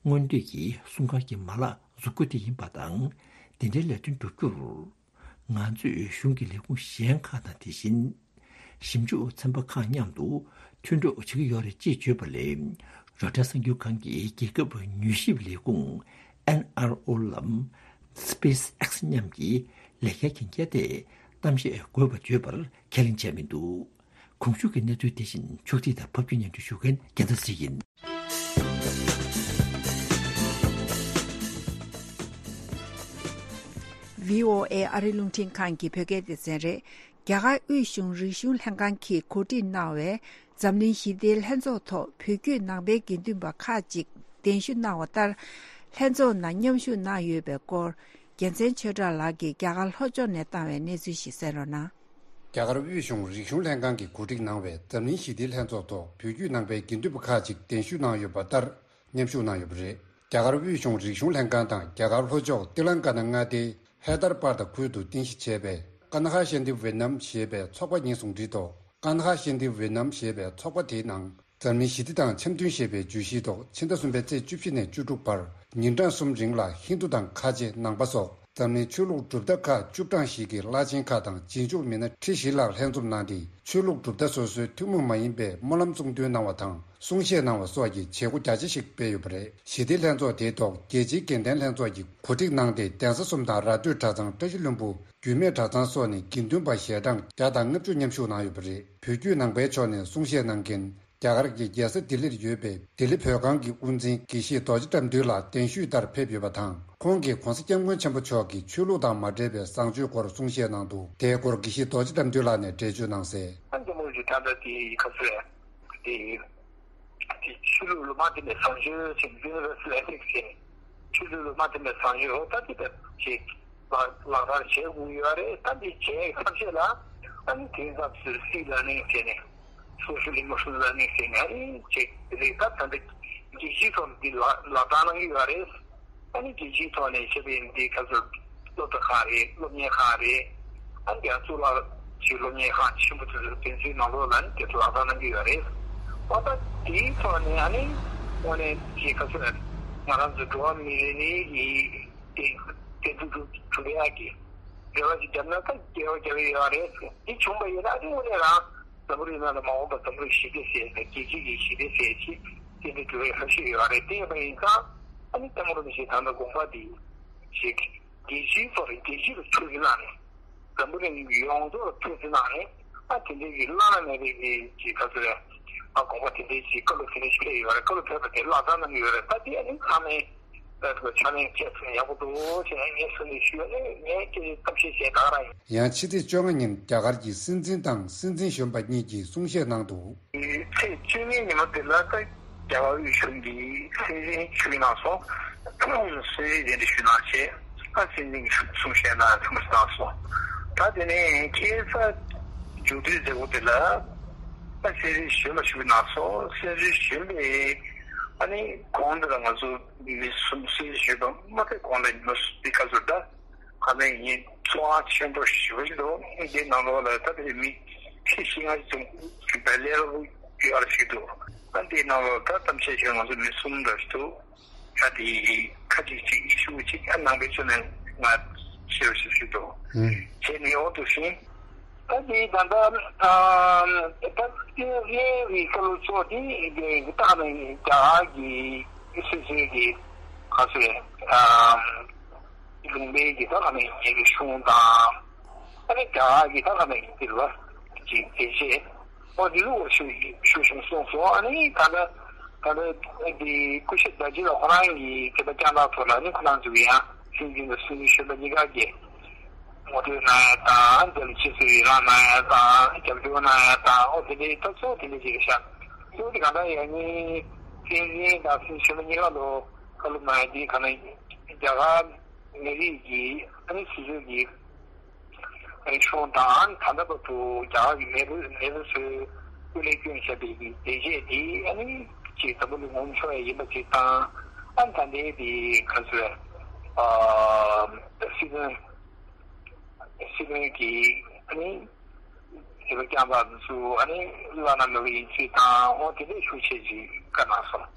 སྔོན་དུས་ཀྱི་སྲུང་སྐར་གྱི་མ་ལག་འཛུགས་རྒྱུ་དེ་ཡིན་པ་དང་། དེ་འདྲའི་ལས་དོན་བསྒྲུབ་རྒྱུར། ང་ཚོས་གཞུང་གི་ལས་ཁུངས་གཞན་ཁག་དང་། དེ་བཞིན་ཞིབ་འཇུག་ཚན་པ་ཁག་མཉམ་དུ་མཐུན་གྲོགས་བྱེད་ཀྱི་ཡོད་རེད་ཅེས་བརྗོད་པ་ལས། རོའི་ཊར་གསར་འགྱུར་ཁང་གིས་རྒྱལ་ཁབ་མྱུལ་ཞིབ་ལས་ཁུངས་ཨེན་ཨར་ཨོ་ལམ་སི་པེ་སི་ཨེག་སི་མཉམ་གྱི་ལས་ཀའི་གན་རྒྱ་ཐད་གཏམ་བཤད་དགོས་པ་བརྗོད་པར་ཁས་ལེན་བྱས་མི་འདུག། གོང་ཞུས་ཀྱི་གནས་ཚུལ་དེ་བཞིན་ཕྱོགས་སྒྲིག་དང་ཕབ་སྒྱུར་སྙན་སྒྲོན་ཞུ་མཁན་རྒྱལ་མཚན་ཚེ་རིང་ཡིན། བྷི་ཨོ་ཨེ་ཨ་རི་རླུང་འཕྲིན་ཁང་གི་བོད་སྐད་སྡེ་ཚན་རེད། རྒྱ་གར་དབུས་གཞུང་རིག་གཞུང་ལྷན་ཁང་གིས་གོ་སྒྲིག་གནང་བའི་འཛམ་གླིང་ཞི་བདེའི་ལྷན་ཚོགས་ཐོག་བོད་བརྒྱུད་ནང་པའི་དགེ་འདུན་པ་ཁག་ཅིག་གདན་ཞུ་གནང་བ་ལྟར། ལྷན་ཚོགས་ནང་མཉམ་ཞུགས་གནང་ཡོད་པའི་སྐོར། རྒྱལ་མཚན་ཆོས་གྲགས་ལགས་ཀྱིས་རྒྱ་གར་ལྷོ་ཕྱོགས་ནས་བཏང་བའི་གནས་ཚུལ་ཞིག་གསན་རོགས་གནང་། རྒྱ་གར་དབུས་གཞུང་རིག་གཞུང་ལྷན་ཁང་གིས་གོ་སྒྲིག་གནང་བའི་འཛམ་གླིང་ཞི་བདེའི་ལྷན་ཚོགས་ཐོག་བོད་བརྒྱུད་ནང་པའི་དགེ་འདུན་པ་ཁག་ཅིག་གདན་ཞུ་གནང་ཡོད་པ་ལྟར། མཉམ་ཞུགས་གནང་ཡོད་པ་རེད། རྒྱ་གར་དབུས་གཞུང་རིག་གཞུང་ལྷན་ཁང་དང་རྒྱ་གར་ལྷོ་ཕྱོགས་ཏི་ལང་ཀ་ན་མངའ་སྡེའི་ཧེ་དར་པར་དི་ཁུལ་དུ་རྟེན་གཞི་བྱས་པའི་ཀ་ན་ཧ་ཤན་ཏི་ཝེ་ནམ་ཞེས་པའི་ཚོགས་པ་གཉིས་ཟུང་འབྲེལ་ཐོག་ཀ་ན་ཧ་ཤན་ཏི་ཝེ་ནམ་ཞེས་པའི་ཚོགས་པ་དེའི་ནང་། འཛམ་གླིང་ཞི་བདེ་དང་འཆམ་མཐུན་ཞེས་པའི་བརྗོད་གཞིའི་ཐོག་ཕྱི་ཟླ་གསུམ་པའི་ཚེས་བཅུ་བཞི་ནས་བཅུ་དྲུག་བར་ཉིན་གྲངས་གསུམ་རིང་ལ་ཧིན་རྡུ་དང་ཁ་ཆེ་ནང་པ་སོགས་འཛམ་གླིང་ཆོས་ལུགས་གྲུབ་མཐའ་ཁག་བཅུ་གྲངས་ཤིག་གི་བླ་ཆེན་ཁག་དང་རྗེས་འཇུག་མི་སྣ་ཁྲི་བཞི་ལྷག་ལྷན་འཛོམས་གནང་སྟེ། ཆོས་ལུགས་གྲུབ་མཐའ་སོ་སོའི་ཐུན་མོང་མ་ཡིན་པའི་སྨོན་ལམ་གསུང་འདོན་གནང་བ་དང་། གསུང་བཤད་གནང་བ་སོགས་ཀྱི་བྱེད་སྒོ་རྒྱ་ཆེ་ཞིག་སྤེལ་ཡོད་པ་རེད། ཞི་བདེའི་ལྷན་ཚོགས་དེའི་ཐོག་རྒྱལ་སྤྱིའི་དགེ་ལྡན་ལྷན་ཚོགས་ཀྱིས་གོ་སྒྲིག་གནང་སྟེ། གདན་ས་གསུམ་དང་ར་སྟོད་གྲྭ་ཚང་། བཀྲ་ཤིས་ལྷུན་པོ། རྒྱུད་སྨད་གྲྭ་ཚང་སོགས་ནས་དགེ་འདུན་པ་ཞལ་གྲངས་བརྒྱ་དང་ལྔ་བཅུ་མཉམ་ཞུགས་གནང་ཡོད་པ་རེད། བོད་བརྒྱུད་ནང་པའི་ཕྱོགས་ནས་གསུང་བཤད་གནང་མཁན། རྒྱ་གར་གྱི་རྒྱལ་ས་ལྡི་ལིར་ཡོད་པའི་ལྡི་ལི་བོད་ཁང་གི་དབུ་འཛིན་དགེ་བཤེས་རྡོ་རྗེ་བཀྲ་འདུས་ལགས་གདན་ཞུས་ལྟར་ཕེབས་ཡོད་པ་དང་། ཁོང་གིས་༧གོང་ས་༧སྐྱབས་མགོན་ཆེན་པོ་མཆོག་གིས་ཆོས་ལུགས་དང་མ་འབྲེལ་བའི་བཟང་སྤྱོད་སྐོར་གསུང་བཤད་གནང་འདུག། དེའི་སྐོར་དགེ་བཤེས་རྡོ་རྗེ་བཀྲ་འདུས་ལགས་ནས་འགྲེལ་བརྗོད་གནང་གསལ། ཨ་འདི་མོ་ཞིག་ད་ལྟ་དེ་ཁ་སོ་ཡ་དེ་དེ་ཆོས་ལུགས་ལ་མ་བརྟེན་པའི་བཟང་སྤྱོད་ཟེར་ནས། Universal Ethics ཟེར་ནས། ཆོས་ལུགས་ལ་མ་བརྟེན་པའི་བཟང་སྤྱོད་འོ་ད་དེ་ལྟར་ཅིག་ལག་ལག་བསྟར་བྱེད་དགོས་ཡོད་རེད། ད་འདི་བྱས་ཐབས་ཤེས་ལ་ཨ་ནི་དེང་སྐབས་སུ་Civic Learning ཟེར་ནས། Social Emotional Learning ཟེར་ནས་ཨ་ནི་ཅིག་རེད། ད་ད་ལྟ་རྒྱལ་སྤྱིའི་ཐོག་ནས་འདི་ལག་ལག་བསྟར་གནང་གི་ཡོད་རེད། ཨ་ནི་རྒྱལ་སྤྱིའི་ཐོག་ནས་བྱས་པའི་འདི་ག་ཚོད་སློབ་གྲྭ་ཁག་རེད། སློབ་གཉེར་ཁག་རེད། ཨ་ནི་ཡང་གཙུག་ལག་ཅིག་སློབ་གཉེར་ཁང་ཆེན་པོ་དེ་ཚོ་དེ་ཚོའི་ནང་ལོགས་ལ་ནི་དེ་ཚོ་ལག་བསྟར་གནང་གི་ཡོད་རེད། འོ་ད་དེའི་ཐོག་ནས་ཨ་ནི་དངོས་གནས་ཅིག་ག་ཚོད་ང་རང་ཚོ་འགྲོ་བ་མི་རེ་རེ་ཡི་དེ་དེ་འདུ་འགྲོ་གྲུབ་ཡག་གི་འབྲེལ་བ་ཅིག་བརྒྱབ་ན་ད་འགལ་བ་རྒྱག་གི་ཡོད་རེད། དེ་བྱུང་པ་ཡིན་ན་ཨ་ནི་དངོས་གནས་རང་འཛམ་བུ་གླིང་ནང་ལ་མ་འོངས་པ་འཛམ་བུ་གླིང་ཞི་བདེ་ཟེར་ནས་རྒྱལ་སྤྱི་གི་ཞི་བདེ་ཟེར་ཅིག་དེ་འདྲ་འགྲོ་བའི་ཁ་ཕྱོགས་ཡོད་རེད། དེ་ཡིན་པ་ཡིན་ཙང་ཨ་ནི་ལྟད་མོ་རུ་ཞིག་ད་ལྟ་དགོངས་པ་དེ་ཞིག་རྒྱལ་སྤྱིའི་ཐོག་རེད། རྒྱལ་སྤྱི་ལ་ཐུགས་རྗེ་གནང་ནས། འཛམ་བུ་གླིང་ཡོངས་རྫོགས་ལ་ཐུགས་རྗེ་གནང་ནས། ཨ་དེ་འདྲའི་གི་བླ་ན་མེད་པའི་གི་གི་ག་ཚོད་རེད། ཨ་དགོངས་པ་དེ་འདྲའི་གི་བཀའ་སློབ་དེ་འདྲའི་ཞིག་ཕེབས་ཡོད་རེད། བཀའ་སློབ་ཕེབས་པ་དེ་ལག་བསྟར་གནང་གི་ཡོད་རེད། ད་དེ་ཨ་ནི་ཚང་མས་ཨ་ཕྱག་ལེན་བྱས་ཚུལ་ཡག་པོ་འདུག་ཅེས་ངས་གསུང་ནས་ཞུས་ནས། ངས་ཁྱེད་ཀྱི་གཏམ་བཤད་བྱས་ད་ག་རང་ཡིན། ཡང་ཕྱི་ཚེས་བཅོ་ལྔ་ཉིན་རྒྱ་གར་གྱི་སྲིད་འཛིན་དང་སྲིད་འཛིན་གཞོན་པ་གཉིས་ཀྱིས་གསུང་བཤད་གནང་འདུག། ཚེས་བཅུ་གཉིས་ཉི་མ་དེ་ལ་ད་རྒྱ་གར་དབུས་གཞུང་གི་སྲིད་འཛིན་ཞུ་གནང་སོང་། སྲིད་འཛིན་གདན་འདྲེན་ཞུ་གནང་བྱས། ཨ་སྲིད་འཛིན་གྱི་གསུང་བཤད་གནང་ཚང་མ་གནང་སོང་། ད་དེ་ནས་ཁ་སང་མཇུག་སྡུད་མཛད་སྒོ་དེ་ལ་ཨ་སྲིད་འཛིན་གཞོན་པ་ཞུ་གནང་སོང་། སྲིད་འཛིན་གཞོན་པས་ཨ་ནི་གོང་དེ་ལ་ང་ཚོ་མི་གསུམ། སྲིད་འཛིན་གཞོན་པ་མ་ཐེ་གོང་ལ་ཉི་མ་གསུམ་འདི་ག་ཚོད་ད། ཁ་ནས་ཡིན། ཚོར་བ་ཆེན་པོ་ཞེ་པོ་ཞིག་འདུག། འདི་ནང་ལོགས་ལ་ད་ལྟ་མི་ཁྲི་བཞི་ལྔ་ཙམ་གྱི་བལ་ལེ་ར་ཡོད་ར་ཞིག་འདུག། ཨ་འདིའི་ནང་ལོགས་ད་གཏམ་བཤད་བྱས་ང་ཚོ་མི་གསུམ་འདྲ་ཞིག་འདུག། ད་དེ་ཁ་ཅིག་ཅིག་ཨི་ཤུ་ཅིག་ཨ་ནང་པའི་ཕྱོགས་ནས་ང་ཤེས་པ་ཞིག་ཞིག་འདུག། ཨུམ། བྱས་ནས་འོ་འདུག་ཤིང་། ད་དེ་ད་ལྟ་ཨ་ད་ལྟ་བཀའ་སློབ་ཚོགས་དེ་ད་ནི་རྒྱ་གར་གྱི་སྲིད་ཚོགས་ཀྱི་ག་ཚོད་ཨ། ལུང་པའི་གི་ད་ག་ནས་ཡིན་གྱི་གཞུང་དང་། ཨ་ནི་རྒྱ་གར་གྱི་ད་ག་ནས་ཡིན་གྱི་རེད་པ། ཅིག་དེ་རྗེས་ཨོ་དེ་ལུགས་ཞུ་ཞུ་བཞིན་གསུངས་སོང་། ཨ་ནི་ད་ལྟ་ད་ལྟ་དེ་སྐུ་ཞབས་རྡོ་རྗེ་ལགས་ཁོ་རང་གི་དེ་ད་བསྐྱངས་སྟངས་ཐོག་ལ་ནི་ཁོ་རང་ཚོ་གི་ཡང་སྲིད་འཛིན་དང་སྲིད་འཛིན་གཞོན་པ་གཉིས་ཀ་གི་ངོ་སྤྲོད་གནང་ཡ་དང་། དེ་ལ་ཆེད་གསོལ་ཡི་རང་གནང་ཡ་དང་། རྒྱབ་སྐྱོར་གནང་ཡ་དང་། ཨོ་དེ་འདྲའི་ད་གཙོ་བོ་དེ་འདྲ་ཞིག་རེད་ཤག། གཙོ་བོ་དེ་གང་ལྟར་ཡང་ནི། བསྟན་འཛིན་དང་སྲིད་ཆེན་པོ་གཉིས་ཀ་ལོ་བཀའ་སློབ་གནང་ཡ་དེ་ག་ནས་རྒྱ་གར་མི་རིགས་ཀྱི་ཨ་ནི་སྲིད་ཆེན་གྱི་ཨ་ནི་གཞུང་དང་ད་ལྟ་བར་དུ་རྒྱ་གར་གྱི་མེས་པོ་མེས་པོ་ཚོས་སྐུ་ལས་བསྐྱོན་བཞག་པའི་གི་བདེ་སྐྱིད་དེ་ཨ་ནི་ཅིག་འཛམ་བུ་གླིང་ངོམ་ཆོག་ཡ་ཡིན་པ་ཅིག་དང་། ཨ་ནི་ད་ལྟའི་དེ་ག་ཚོད་ཨ་སྲིད་དོན་སྲིད་དོན་གྱི་ཨ་ནི་དེ་བ་རྐྱང་པ་ཚོ་ཨ་ནི་བླ་ན་མེད་པ་ཡིན་ཚུལ་དང་། འོ་དེ་འདྲའི་ཤུགས་ཆེ་ཅིག་བཀའ་གནང་སོང་།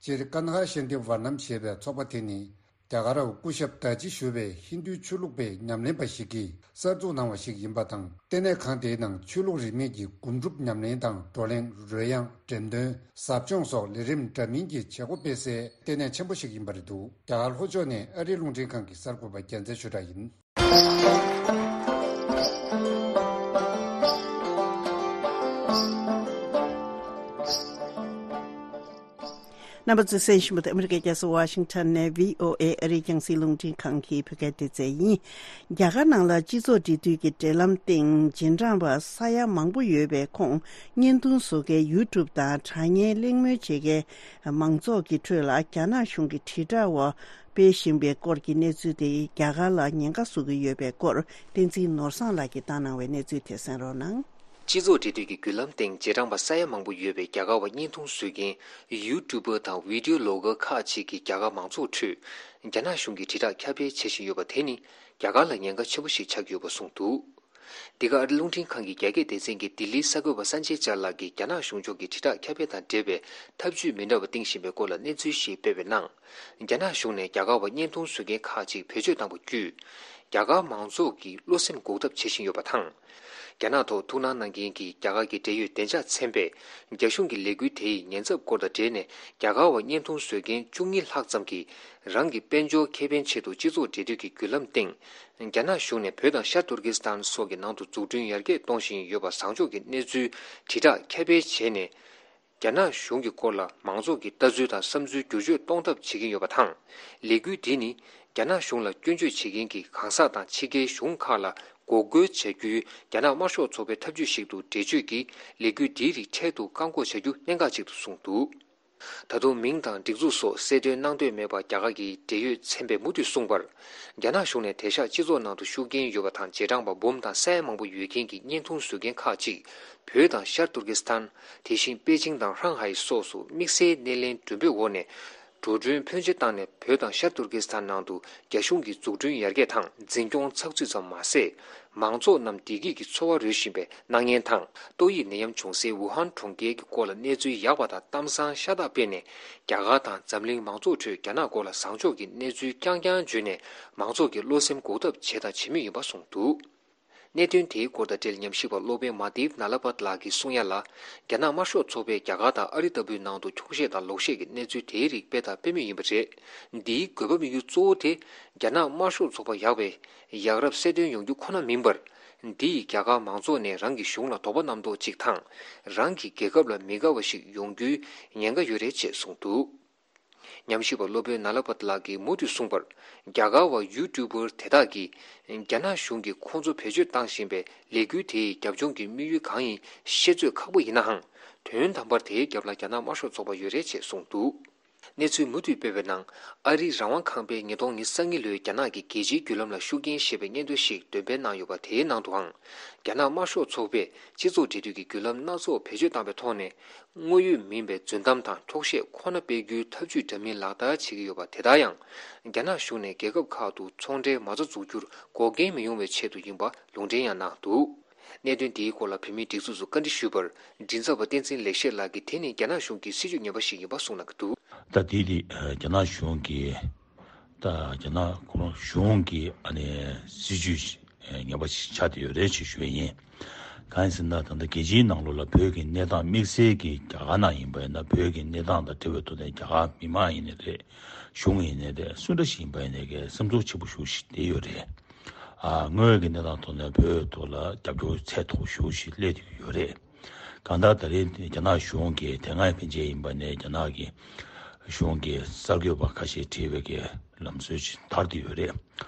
སྤྱིར་ཀ་ན་ཧ་ཤན་ཏི་ཝར་ནམ་ཞེས་པའི་ཚོགས་པ་དེ་ནི་རྒྱ་གར་སྐུ་ཞབས་དཱ་ཇི་ཞུ་བའི་ཧིན་རྡུའི་ཆོས་ལུགས་པའི་ཉམས་ལེན་པ་ཞིག་གིས་གསར་འཛུགས་གནང་བ་ཞིག་ཡིན་པ་དང་། ལྟེ་གནས་ཁང་དེའི་ནང་ཆོས་ལུགས་རིས་མེད་ཀྱི་སྒོམ་སྒྲུབ་ཉམས་ལེན་དང་། བགྲོ་གླེང་། རོལ་དབྱངས། འགྲེམས་སྟོན། ཟབ་སྦྱོང་སོགས་ལས་རིམ་འདྲ་མིན་གྱི་བྱེད་སྒོ་སྤེལ་སའི་ལྟེ་གནས་ཆེན་པོ་ཞིག་ཡིན་པ་རེད་འདུག་རྒྱ་གར་ལྷོ་ཕྱོགས་ནས་ཨ་རིའི་རླུང་འཕྲིན་ཁང་གི་གསར་འགོད་པ་རྒྱལ་མཚན་ཆོས་གྲགས་ཡིན། རྣམ་པ་ཚོས་གསན་བཞིན་པ་དེ་ཨ་མི་རི་ཀའི་རྒྱལ་ས་ཝ་ཤིང་ཊོན་ནས་བྷི་ཨོ་ཨེ་ཨ་རིའི་རྒྱང་སྲིང་རླུང་འཕྲིན་ཁང་གི་བོད་སྐད་སྡེ་ཚན་ཡིན། རྒྱ་གར་ནང་ལ་སྤྱི་ཚོགས་འབྲེལ་མཐུད་ཀྱི་འབྲེལ་ལམ་སྟེང་རྗེས་འབྲང་པ་ས་ཡ་མང་པོ་ཡོད་པའི་ཁོངས་བརྙན་ཐུང་བཟོ་མཁན་ཡུ་ཊུབ་དང་དྲ་བརྙན་གླེང་མོལ་བྱེད་མཁན་མང་ཚོགས་ཀྱི་ཁྲོད་ལ་རྒྱ་ནག་གཞུང་གི་དྲིལ་བསྒྲགས་འོག་སྤེལ་བཞིན་པའི་སྐོར་གྱི་གནས་ཚུལ་དེ་རྒྱ་གར་ལ་ཉེན་ཁ་བཟོ་གི་ཡོད་པའི་སྐོར་བསྟན་འཛིན་ནོར་བཟང་ལགས་ཀྱིས་བཏང་གནང་བའི་གནས་ཚུལ་དེ་གསན་རོགས་གནང་། སྤྱི་ཚོགས་འབྲེལ་མཐུད་ཀྱི་བརྒྱུད་ལམ་སྟེང་རྗེས་འབྲང་པ་ས་ཡ་མང་པོ་ཡོད་པའི་རྒྱ་གར་བ་བརྙན་ཐུང་བཟོ་མཁན་ཡུ་ཊུབ་པར་དང་བི་ཌིའོ་བི་ལོག་གར་ཁག་ཅིག་གིས་རྒྱ་གར་མང་ཚོགས་ཁྲོད་རྒྱ་ནག་གཞུང་གི་དྲིལ་བསྒྲགས་ཁྱབ་སྤེལ་བྱེད་བཞིན་ཡོད་པ་དེ་ནི་རྒྱ་གར་ལ་ཉེན་ཁ་ཆེན་པོ་ཞིག་ཆགས་ཀྱི་ཡོད་པ་གསུངས་འདུག་འདི་ག་ཨ་རི་རླུང་འཕྲིན་ཁང་གི་རྒྱ་སྐད་སྡེ་ཚན་གྱི་ལྡི་ལིའི་གསར་འགོད་པ་སན་ཇེ་ཅཱ་ལགས་ཀྱིས་རྒྱ་ནག་གཞུང་ཕྱོགས་ཀྱི་དྲིལ་བསྒྲགས་ཁྱབ་སྤེལ་དང་འབྲེལ་བའི་ཐབས་ཇུས་མི་འདྲ་བ་བཏིང་བཞིན་པའི་སྐོར་ལ་གནས་ཚུལ་ཞིག་སྤེལ་བའི་ནང་། རྒྱ་ནག་གཞུང་ནས་རྒྱ་གར་བ་བརྙན་ཐུང་བཟོ་མཁན་ཁག་ཅིག་བེད་སྤྱོད་བཏང་བ་བརྒྱུད། རྒྱ་གར་མང་ཚོགས་ཀྱི་བློ་སེམས་འགུག་ཐབས་བྱེད་བཞིན་ཡོད་པ་དང་། རྒྱ་ནག་ཐོག་ཐུགས་སྣང་གནང་མཁན་གྱི་རྒྱ་གར་གྱི་འབྲེལ་ཡོད་བདེ་འཇགས་ཚན་པས་རྒྱ་གཞུང་གི་ལས་འགུལ་དེའི་ཉེན་ཚབས་སྐོར་དང་འབྲེལ་ནས། རྒྱ་གར་བ་བརྙན་ཐུང་བཟོ་མཁན་བཅུ་གཉིས་ལྷག་ཙམ་གྱིས་རང་གི་དཔལ་འབྱོར་ཁེ་ཕན་ཆེད་དུ་སྤྱི་ཚོགས་འབྲེལ་མཐུད་ཀྱི་བརྒྱུད་ལམ་སྟེང་། རྒྱ་ནག་གཞུང་ནས་བོད་དང་ཤར་ཏུར་ཀི་སི་ཐན་སོགས་ཀྱི་ནང་དུ་འཛུགས་སྐྲུན་ཡར་རྒྱས་གཏོང་བཞིན་ཡོད་པ་བཟང་ཕྱོགས་ཀྱི་གནས་ཚུལ་དྲིལ་བསྒྲགས་ཁྱབ་སྤེལ་བྱས་ནས། རྒྱ་ནག་གཞུང་གི་སྐོར་ལ་མང་ཚོགས་ཀྱི་ལྟ་ཚུལ་དང་བསམ་ཚུལ་བསྒྱུར་བཅོས་གཏོང་ཐབས་བྱེད་ཀྱིན་ཡོད་པ་དང་། ལས་འགུལ་འདི་ནི་རྒྱ་ནག་གཞུང་ལ་སྐྱོན་བརྗོད་བྱེད་མཁན་གྱི་གང་ཟག་དང་ཕྱི་རྒྱལ་གཞུང་ཁག་ལ་འགོག་རྒོལ་བྱ་རྒྱུའི་རྒྱ་ནག་དམར་ཤོག་ཚོགས་པའི་ཐབས་ཇུས་ཤིག་ཏུ་འགྲེལ་བརྗོད་ཀྱིས། ལས་འགུལ་འདིའི་རིགས་འཕྲལ་དུ་བཀག་འགོག་བྱ་རྒྱུ་གནད་འགག་ཅིག་ཏུ་གསུངས་འདུག་ད་དུང་མིང་དང་སྒྲིག་འཛུགས་སོགས་གསལ་སྟོན་གནང་འདོད་མེད་པར། རྒྱ་གར་གྱི་འབྲེལ་ཡོད་ཚན་པས་མུ་མཐུད་གསུངས་པར། རྒྱ་ནག་གཞུང་ནས་དེང་སང་སྤྱི་ཚོགས་ནང་དུ་ཤུགས་རྐྱེན་ཡོད་པ་དང་། རྗེས་འབྲང་པ་འབུམ་དང་ས་ཡ་མང་པོ་ཡོད་མཁན་གྱི་བརྙན་ཐུང་བཟོ་མཁན་ཁག་ཅིག་བོད་དང་ཤར་ཏུར་ཀི་སི་ཐན། དེ་བཞིན་པེ་ཅིང་དང་ཧྲང་ཧའེ་སོགས་སུ་དམིགས་བསལ་སྣེ་ལེན་མགྲོན་འབོད་འོག་ནས། འགྲོ་གྲོན་ཕོན་ཆེ་བཏང་ནས་བོད་དང་ཤར་ཏུར་ཀི་སི་ཐན་ནང་དུ་རྒྱ་གཞུང་གི་འཛུགས་སྐྲུན་ཡར་རྒྱས་དང་འཛིན་སྐྱོང་ཚགས་ཚུད་ཙམ་མ་ཟད། མང་ཚོགས་རྣམས་བདེ་སྐྱིད་ཀྱི་འཚོ་བ་རོལ་བཞིན་པའི་སྣང་བརྙན་དང་། ཏོག་དབྱིབས་ནད་ཡམས་བྱུང་སའི་ཝུ་ཧན་གྲོང་ཁྱེར་གྱི་སྐོར་ལ་གནས་ཚུལ་ཡག་པ་དང་གཏམ་བཟང་ཤ་སྟག་སྤེལ་ནས། རྒྱ་གར་དང་འཛམ་གླིང་མང་ཚོགས་ཁྲོད་རྒྱ་ནག་སྐོར་ལ་བཟང་ཕྱོགས་ཀྱི་གནས་ཚུལ་རྐྱང་རྐྱང་བརྗོད་ནས། མང་ཚོགས་ཀྱི་བློ་སེམས་འགུག་ཐབས་བྱས་དང་བྱེད་མུས་ཡིན་པ་གསུངས་འདུག་གནད་དོན་དེའི་སྐོར་དང་འབྲེལ། ཉམས་ཞིབ་པ་སློབ་དཔོན་མ་དིབ་ན་ལ་པད་ལགས་ཀྱིས་གསུང་ཡ་ལ། རྒྱ་ནག་དམར་ཤོག་ཚོགས་པས་རྒྱ་གར་དང་ཨ་རི་ལྟ་བུའི་ནང་དུ་འཁྱོག་བཤད་དང་ལོག་བཤད་ཀྱི་གནས་ཚུལ་དེའི་རིགས་སྤེལ་དང་སྤེལ་མུས་ཡིན་པ་རེད། འདིའི་དགོས་པ་དམིགས་ཡུལ་གཙོ་བོ་དེ། རྒྱ་ནག་དམར་ཤོག་ཚོགས་པ་ཡག་པའི་ཡག་རབས་གསལ་སྟོན་ཡོང་རྒྱུ་ཁོ་ན་མིན་པར། འདི་ཡིས་རྒྱ་གར་མང་ཚོགས་ནས་རང་གི་གཞུང་ལ་དོགས་པ་རྣམ་རྟོག་ཅིག་དང་། རང་གི་རྒྱལ་ཁབ་ལ་མི་དགའ་བ་ཞིག་ཡོང་རྒྱུའི་ཉེན་ཁ་ཡོད་རེད་ཅེས་གསུངས་འདུག་ཉམས་ཞིབ་པ་སློབ་དཔོན་ན་ལ་པད་ལགས་ཀྱིས་མུ་མཐུད་གསུངས་པར། རྒྱ་གར་བ་ཡུ་ཊུབ་པར་དེ་དག་གིས་རྒྱ་ནག་གཞུང་གིས་ཁོང་ཚོ་བེད་སྤྱོད་བཏང་བཞིན་པའི་ལས་འགུལ་དེའི་རྒྱབ་ལྗོངས་ཀྱི་དམིགས་ཡུལ་གང་ཡིན་ཤེས་ཚོད་ཁག་པོ་ཡིན་ནའང་། དོན་དམ་པར་དེའི་རྒྱབ་ལ་རྒྱ་ནག་དམར་ཤོག་ཚོགས་པ་ཡོད་རེད་ཅེས་གསུངས་འདུག་གནས་ཚུལ་མུ་མཐུད་སྤེལ་བའི་ནང་། ཨ་རིའི་རང་དབང་ཁང་པས་ཉིས་སྟོང་ཉི་ཤུ་རྩ་གཉིས་ལོའི་རྒྱ་ནག་གི་རྒྱལ་སྤྱིའི་བརྒྱུད་ལམ་ལ་ཤུགས་རྐྱེན་ཞེས་པའི་སྙན་ཐོ་ཞིག་འདོན་སྤེལ་གནང་ཡོད་པ། དེའི་ནང་དུའང་། རྒྱ་ནག་དམར་ཤོག་ཚོགས་པས་སྤྱི་ཚོགས་འབྲེལ་མཐུད་ཀྱི་བརྒྱུད་ལམ་སྣ་ཚོགས་བེད་སྤྱོད་བཏང་བའི་ཐོག་ནས། དངོས་ཡོད་མིན་པའི་རྫུན་གཏམ་དང་འཁྱོག་བཤད་ཁོ་ན་སྤེལ་རྒྱུའི་ཐབས་ཇུས་འདྲ་མིན་ལག་བསྟར་བྱེད་ཀྱི་ཡོད་པ། དེ་ལྟར་ཡང་། རྒྱ་ནག་གཞུང་ནས་རྒྱལ་ཁབ་ཁག་ཏུ་ཚོང་འབྲེལ་མ་རྩ་འཛུགས་རྒྱུར་འགོག་རྐྱེན་མི་ཡོང་བའི་ཆེད་དུ་ཡིན་པ་ལུང་འདྲེན་ཡང་གནང་འདུག་གནད་དོན་དེའི་སྐོར་ལ་བོད་མིའི་སྒྲིག་འཛུགས་སུ་བཀའ་འདྲི་ཞུས་པར། མགྲིན་ཚབ་པ་བསྟན་འཛིན་ལེགས་བཤད་ལགས་ཀྱིས་དེ་ནི་རྒྱ་ནག་གཞུང་གི་སྲིད་ཇུས་ངན་པ་ཞིག་ཡིན་པ་གསུངས་གནང་གི་འདུག་ད་དེ་དེ་རྒྱ་ནག་གཞུང་གིས། ད་རྒྱ་ནག་ཁོ་རང་གཞུང་གི་ཨ་ནི་སྲིད་ཇུས་ངན་པ་ཞིག་ཆགས་བསྡད་ཡོད་རེད་ཅེས་ཞུ་ཡས་ཡིན། གང་ཡིན་ཟེར་ན། ད་ལྟ་རྒྱལ་སྤྱིའི་ནང་ལོགས་ལ་བོད་ཀྱི་གནས་སྟངས། དམིགས་བསལ་གྱི་རྒྱ་གར་ནང་ཡིན་པ་ཡིན་ན། བོད་ཀྱི་གནས་སྟངས་དང་འབྲེལ་བའི་ཐོག་ནས་རྒྱ་གར་མི་མང་ཡིན་ནའི་རེད། གཞུང་ཡིན་ནའི་རེད། སུ་འདྲ་ཞིག་ཡིན་པ་ཡིན་ནའི་གི་སེམས་ཚོར་ཆེན་པོ་ཞེ་པོ་ཞིག་བསྡད་ཡོད་རེད། ཨ། དངོས་ཡོད་ཀྱི་གནས་སྟངས་ཐོག་ནས་བོད་ཐོག་ལ་རྒྱབ་སྐྱོར་ཚད་མཐོ་ཞེ་པོ་ཞིག་སླེབས་བསྡད་ཡོད་རེད། གང་ལྟར་ད་རེས་རྒྱ་ནག་གཞུང་གིས། དེ་སྔའི་ཕན་ཆད་ཡིན་པ་ནས་རྒྱ་ནག་གི་གཞུང་གི་གསར་འགོད་པ་ཁ་ཤས་ཁྲིད་པའི་གི་ལམ་སྲོལ་ཅིག་དར་བསྡད་ཡོད་རེད།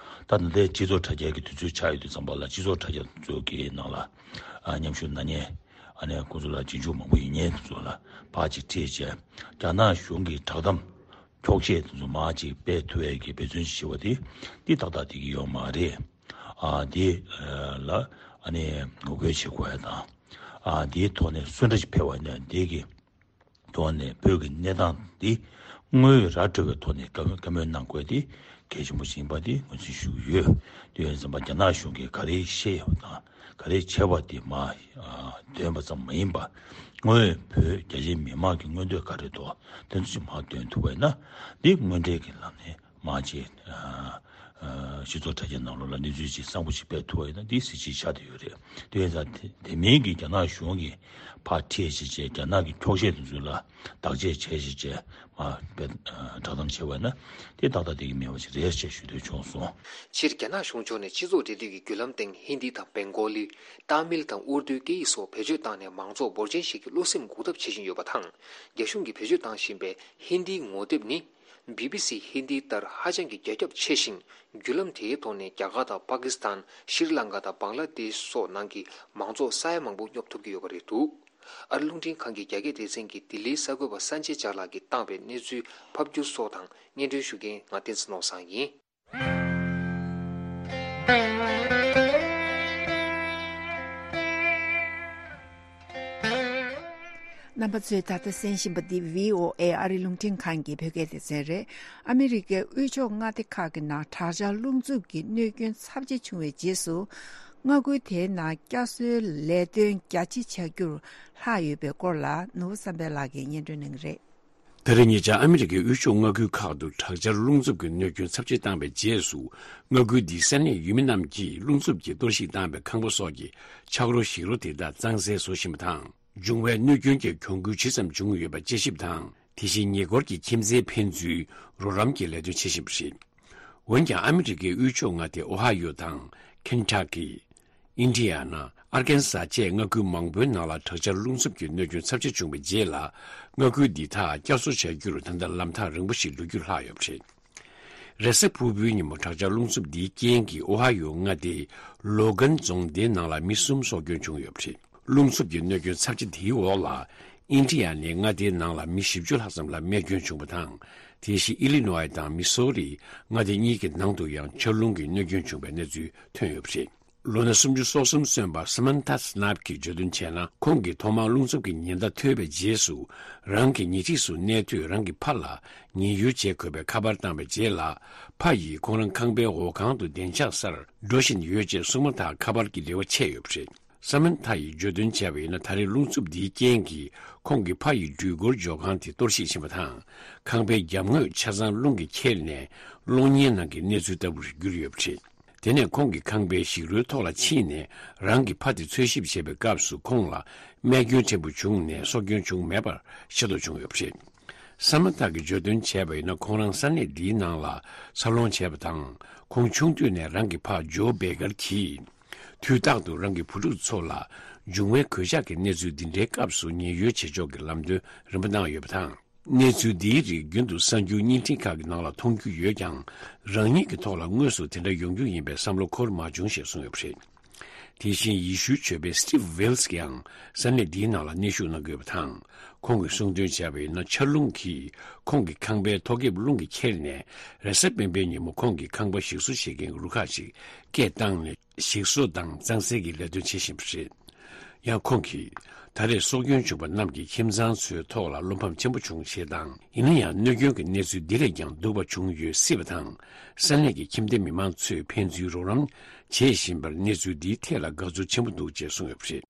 ད་ད་ལྟའི་སྤྱི་ཚོགས་དྲ་རྒྱའི་གི་དུས་ཚོད་ཆགས་ཡོད་དུས་ཙམ་པ་ལ། སྤྱི་ཚོགས་དྲ་རྒྱ་ཚོ་གི་ནང་ལ། ཨ། མཉམ་ཞུགས་གནང་མཁན་ ཨ་ནི་ཁོ་ཚོ་ལ་རྗེས་འཇུག་མང་པོ་ཡོད་མཁན་དེ་ཚོ་ལ་ཕར་ཅིག་ཁྲིད་བྱས། རྒྱ་ནག་གཞུང་གི་བསྒྲགས་གཏམ་འཁྱོག་བཤད་དེ་ཚོ་མར་ཅིག་སྤེལ་ཐུབ་ཡས་ཀྱི་འབད་བརྩོན་ཅིག་བྱེད་པ་དེ་འདི་ཏག་ཏག་བསྡད་ཀྱི་ཡོད་མ་རེད། ཨ་འདི་ལ་ཨ་ནི་ངོ་རྒོལ་བྱེད་དགོས་ཡ་དང་། ཨ་འདིའི་ཐོག་ནས་གསོན་བསྡད་ཅིག་ཕེབས་པ་ཡིན་ན་འདི་གི་ཐོག་ནས་བོད་ཀྱི་གནས་སྟངས་འདི་དངོས་ཡོད་ར་འཕྲོད་པའི་ཐོག་ནས་བཀའ་མོལ་བཀའ་མོལ་གནང་དགོས་དེ་གལ་ཆེན་པོ་ཞིག་ཡིན་པ་དེ་ངོས་འཛིན་ཞུ་གི་ཡོད། དེ་ཡིན་ཙམ་པ་རྒྱ་ནག་གཞུང་གིས་ག་རེ་བཤད་ཡོད་པ་དང་ག་རེ་བྱས་པ་དེ་མར་འདོན་པ་ཙམ་མ་ཡིན་པ། དངོས་ཡོད་བོད་རྒྱ་ཆེའི་མི་མང་གི་མངོན་འདོད་ག་རེ་འདུག་དེ་ཚོ་ཞིག་མར་འདོན་ཐུབ་པ་ཡིན་ན་འདི་དངོས་འབྲེལ་གྱི་ལམ་ནས་མར་ཅིག་སྤྱི་ཚོགས་དྲ་རྒྱའི་ནང་ལོགས་ལ་གནས་ཚུལ་ཅིག་གསར་པ་ཞིག་སྤེལ་ཐུབ་པ་ཡིན་ན་འདི་གཟི་བརྗིད་ཆགས་བསྡད་ཡོད་རེད། དེ་ཡིན་ཙང་དེ་དེ་མིན་གྱི་རྒྱ་ནག་གཞུང་གིས་ཕར་ཁྲིད་བྱས་བྱས་རྒྱ་ནག་གི་འཁྱོག་བཤད་དེ་ཚོ་ལ་བདག་གཅེས་བྱས་བྱས་བྱས་མར་དཔེ་བསྒྲགས་གཏམ་བྱས་པ་ཡིན་ན་དེ་ཏག་ཏག་བསྡད་ཀྱི་མེད་པ་ཞིག་རེད་ཅེས་ཞུ་འདོད་བྱུང་སོང་། སྤྱིར་རྒྱ་ནག་གཞུང་ཕྱོགས་ནས་སྤྱི་ཚོགས་འབྲེལ་མཐུད་ཀྱི་བརྒྱུད་ལམ་སྟེང་ཧིན་དི་དང་བེང་གོ་ལི། ཏཱ་མིལ་དང་ཨུར་དུའི་སྐད་ཡིག་སོགས་བེད་སྤྱོད་བཏང་ནས་མང་ཚོགས་འབོར་ཆེན་ཞིག་གི་བློ་སེམས་འགུག་ཐབས་བྱེད་བཞིན་ཡོད་པ་དང་། རྒྱ་གཞུང་གིས་བེད་སྤྱོད་བཏང་བཞིན་པའི་ཧིན་དིའི་ངོ་དེབ་ནི། བི་བི་སི་ཧིན་དི་ལྟར་ཧ་ཅང་གི་རྒྱ་ཁྱབ་ཆེ་ཞིང་། བརྒྱུད་ལམ་དེའི་ཐོག་ནས་རྒྱ་གར་དང་པ་ཀི་སི་ཐན། ཤྲི་ལང་ཀ་དང་བང་ལ་དེཤ་སོགས་ནང་གི་མང་ཚོགས་ས་ཡ་མང་པོ་སྙོབ་ཐུབ་ཀྱི་ཡོད་པ་རེད་འདུག། ཨ་རི་རླུང་འཕྲིན་ཁང་གི་རྒྱ་སྐད་སྡེ་ཚན་གྱིས་ལྡི་ལིའི་གསར་འགོད་པ་སན་ཅེ་ཅཱ་ལགས་ཀྱིས་བཏང་བའི་གནས་ཚུལ་ཕབ་སྒྱུར་སོགས་དང་སྙན་སྒྲོན་ཞུ་མཁན་ང་བསྟན་འཛིན་ནོར་བཟང་ཡིན། རྣམ་པ་ཚོས་ད་ལྟ་གསན་བཞིན་པ་འདི་བྷི་ཨོ་ཨེ་ཨ་རིའི་རླུང་འཕྲིན་ཁང་གི་བོད་སྐད་སྡེ་ཚན་རེད། ཨ་མི་རི་ཀའི་དབུས་ཕྱོགས་མངའ་སྡེ་ཁག་གི་ནང་དྲག་ཆར་རླུང་འཚུབ་ཀྱི་གནོད་སྐྱོན་ཚབས་ཆེ་བྱུང་བའི་རྗེས་སུ། མངའ་ཁུལ་དེའི་ནང་བསྐྱར་གསོའི་ལས་དོན་རྒྱ་ཆེ་བྱ་རྒྱུར་ལྷག་ཡོད་པའི་སྐོར་ལ་ནོར་བུ་བསམ་འཕེལ་ལགས་ཀྱིས་སྙན་སྒྲོན་གནང་གི་རེད། ད་རེས་ཉེ་ཆར་ཨ་མི་རི་ཀའི་དབུས་ཕྱོགས་མངའ་ཁུལ་ཁག་ཏུ་དྲག་ཆར་རླུང་འཚུབ་ཀྱི་གནོད་སྐྱོན་ཚབས་ཆེ་བཏང་བའི་རྗེས་སུ། མངའ་ཁུལ་འདིའི་ས་གནས་ཡུལ་མི་རྣམས་ཀྱིས་རླུང་འཚུབ་ཀྱིས་གཏོར་བཤིག་བཏང་བའི་ཁང་པ་སོགས་ཀྱི་ཆག་རོ་ཞིག་རོ་དེ་དག་གཙང་སེལ་བཟོ་བཞིན་པ་དང་། འབྱུང་བའི་གནོད་སྐྱོན་གྱི་གྱོང་གུན་ཇི་ཙམ་བྱུང་ཡོད་པ་དཔྱད་ཞིབ་དང་། དེ་བཞིན་ཉེ་འཁོར་གྱི་ཁྱིམ་མཚེས་ཕན་ཚུན་རོགས་རམ་གྱི་ལས་དོན་བྱེད་བཞིན་པ་རེད། འོན་ཀྱང་ཨ་མི་རི་ཀའི་དབུས་ཕྱོགས་མངའ་སྡེ་ཨོ་ཧ་ཡོ་དང་། ཁེན་ཊ་ཀི། ཨིན་ཌི་ཡ་ན། ཨར་ཀན་ས་བཅས་མངའ་ཁུལ་མང་པོའི་ནང་ལ་དྲག་ཆར་རླུང་འཚུབ་ཀྱི་གནོད་སྐྱོན་ཚབས་ཆེ་བྱུང་བའི་རྗེས་ལ། མངའ་ཁུལ་འདི་དག་བསྐྱར་གསོ་བྱ་རྒྱུར་ད་ལྟ་ལམ་ཐག་རིང་པོ་ཞིག་འགྲོ་རྒྱུར་ལྷག་ཡོད་པ་རེད། རེས་གཟའ་ཕུར་བུའི་ཉིན་མོ་དྲག་ཆར་རླུང་འཚུབ་འདིའི་རྐྱེན་གྱིས་ཨོ་ཧ་ཡོ་མངའ་སྡེའི་ལོ་གན་རྫོང་སྡེའི་ནང་ལ་མི་གསུམ་སྲོག་སྐྱོན་བྱུང་ཡོད་པ་རེད། རླུང་འཚུབ་ཀྱི་གནོད་སྐྱོན་ཚབས་ཆེ་དེའི་འོག་ལ། ཨིན་ཌི་ཡ་ནའི་མངའ་སྡེའི་ནང་ལ་མི་བཞི་བཅུ་ལྷག་ཙམ་ལ་རྨས་སྐྱོན་བྱུང་བ་དང་། དེ་བཞིན་ཨི་ལི་ནོའི་དང་མི་སོ་རིའི་མངའ་སྡེ་གཉིས་ཀྱི་ནང་དུ་ཡང་ཆར་རླུང་གིས་གནོད་སྐྱོན་བྱུང་བའི་གནས་ཚུལ་ཐོན་ཡོད་པ་རེད། ལོ་ན་སུམ་ཅུ་སོ་གསུམ་སོན་པ་Samantha Snap གྱིས་བརྗོད་དོན་བྱས་ན། ཁོང་གིས་ཐོག་མར་རླུང་འཚུབ་ཀྱི་ཉེན་བརྡ་ཐོས་པའི་རྗེས་སུ། རང་གི་ཉལ་ཁྲིས་སུ་གནས་དུས་རང་གི་ཕ་ལ་ཉེན་གཡོལ་བྱེད་དགོས་པའི་ཁ་པར་བཏང་བའི་རྗེས་ལ། ཕ་ཡིས་ཁོང་རང་ཁང་པའི་འོག་ཁང་དུ་བདེ་འཇགས་སར་འགྲོ་བཞིན་ཡོད་ཅེས་གསུངས་མ་ཐག་ཁ་པར་གྱི་རེ་བ་ཆད་ཡོད་པ་རེད། Samantha ཡིས་བརྗོད་དོན་བྱས་པ་ཡིན་ན། ད་རེས་རླུང་འཚུབ་འདིའི་རྐྱེན་གྱིས་ཁོང་གི་ཕ་ཡི་འགྲུལ་འཁོར་འཇོག་ཁང་དེ་གཏོར་བཤིག་ཕྱིན་པ་དང་། ཁང་པའི་རྒྱབ་ངོས་ཆ་ཚང་རླུང་གིས་ཁྱེར་ནས་གློག་བརྙན་ནང་གི་གནས་ཚུལ་ལྟ་བུར་གྱུར་ཡོད་པ་རེད། དེ་ནས་ཁོང་གིས་ཁང་པའི་ཞིག་རོའི་ཐོག་ལ་ཕྱིན་ནས་རང་གི་ཕ་དེ་འཚོལ་ཞིབ་བྱེད་པའི་སྐབས་སུ་ཁོང་ལ་རྨས་སྐྱོན་ཕྲན་བུ་བྱུང་ནས་སྲོག་སྐྱོན་བྱུང་མེད་པར་ཤེས་རྟོགས་བྱུང་ཡོད་པ་རེད། Samantha གིས་བརྗོད་དོན་བྱས་པ་ཡིན་ན། ཁོང་རང་ས་གནས་འདིའི་ནང་ལ་འཚར་ལོངས་བྱས་པ་དང་། ཁོང་ཆུང་དུས་ནས་རང་གི་ཕ་ཇོ་བེ་ཀར་གྱིས་དུས་རྟག་ཏུ་རང་གི་བུ་ཕྲུག་ཚོ་ལ་འབྱུང་བའི་གོད་ཆག་གི་གནས་ཚུལ་འདི་འདྲའི་སྐབས་སུ་ཉེན་གཡོལ་བྱེད་ཕྱོགས་ཀྱི་ལམ་སྟོན་རིམ་པ་གནང་ཡོད་པ་དང་། གནས་ཚུལ་འདིའི་རིགས་རྒྱུན་དུ་གསར་འགྱུར་བརྙན་འཕྲིན་ཁག་གི་ནང་ལ་མཐོང་རྒྱུ་ཡོད་ཀྱང་། རང་ཉིད་ཀྱི་ཐོག་ལ་དངོས་སུ་དེ་འདྲ་ཡོང་རྒྱུ་ཡིན་པའི་བསམ་བློ་འཁོར་མ་བྱུང་ཞེས་གསུངས་ཡོད་པ་རེད། དེ་བཞིན་ཡེ་ཤུའི་ཆོས་པ་Steve Wills ཀྱང་ས་གནས་འདིའི་ནང་ལ་གནས་བཞུགས་གནང་གི་ཡོད་པ་དང་། ཁོང་གིས་གསུངས་དོན་བྱས་པ་ཡིན་ན། ཆར་རླུང་གིས་ཁོང་གི་ཁང་པའི་ཐོག་ཁེབས་རླུང་གིས་ཁྱེར་ནས། རེས་གཟའ་སྤེན་པའི་ཉིན་མོ་ཁོང་གི་ཁང་པ་ཞིག་གསོ་བྱེད་མཁན་གྱི་རུ་ཁག་ཅིག་སྐད་བཏང་ནས། ཞིག་གསོ་དང་གཙང་སེལ་གྱི་ལས་དོན་བྱེད་བཞིན་པ་རེད། ཡང་ཁོང་གིས། ད་རེས་སྲོག་སྐྱོན་བྱུང་བ་རྣམས་ཀྱི་ཁྱིམ་ཚང་ཚོའི་ཐོག་ལ་བློ་ཕམ་ཆེན་པོ་བྱུང་ཞེས་དང་། ཡིན་ན་ཡང་གནོད་སྐྱོན་གྱི་གནས་ཚུལ་འདི་ལས་ཀྱང་སྡུག་པ་བྱུང་ཡོད་སྲིད་པ་དང་། ས་གནས་ཀྱི་ཁྱིམ་སྡེ་མི་མང་ཚོས་ཕན་ཚུན་རོགས་རམ་བྱེད་བཞིན་པར་གནས་ཚུལ་འདིའི་ཐད་ལ་དགའ་ཚོར་ཆེན་པོ་འདུག་ཅེས་གསུངས་ཡོད་པ་རེད།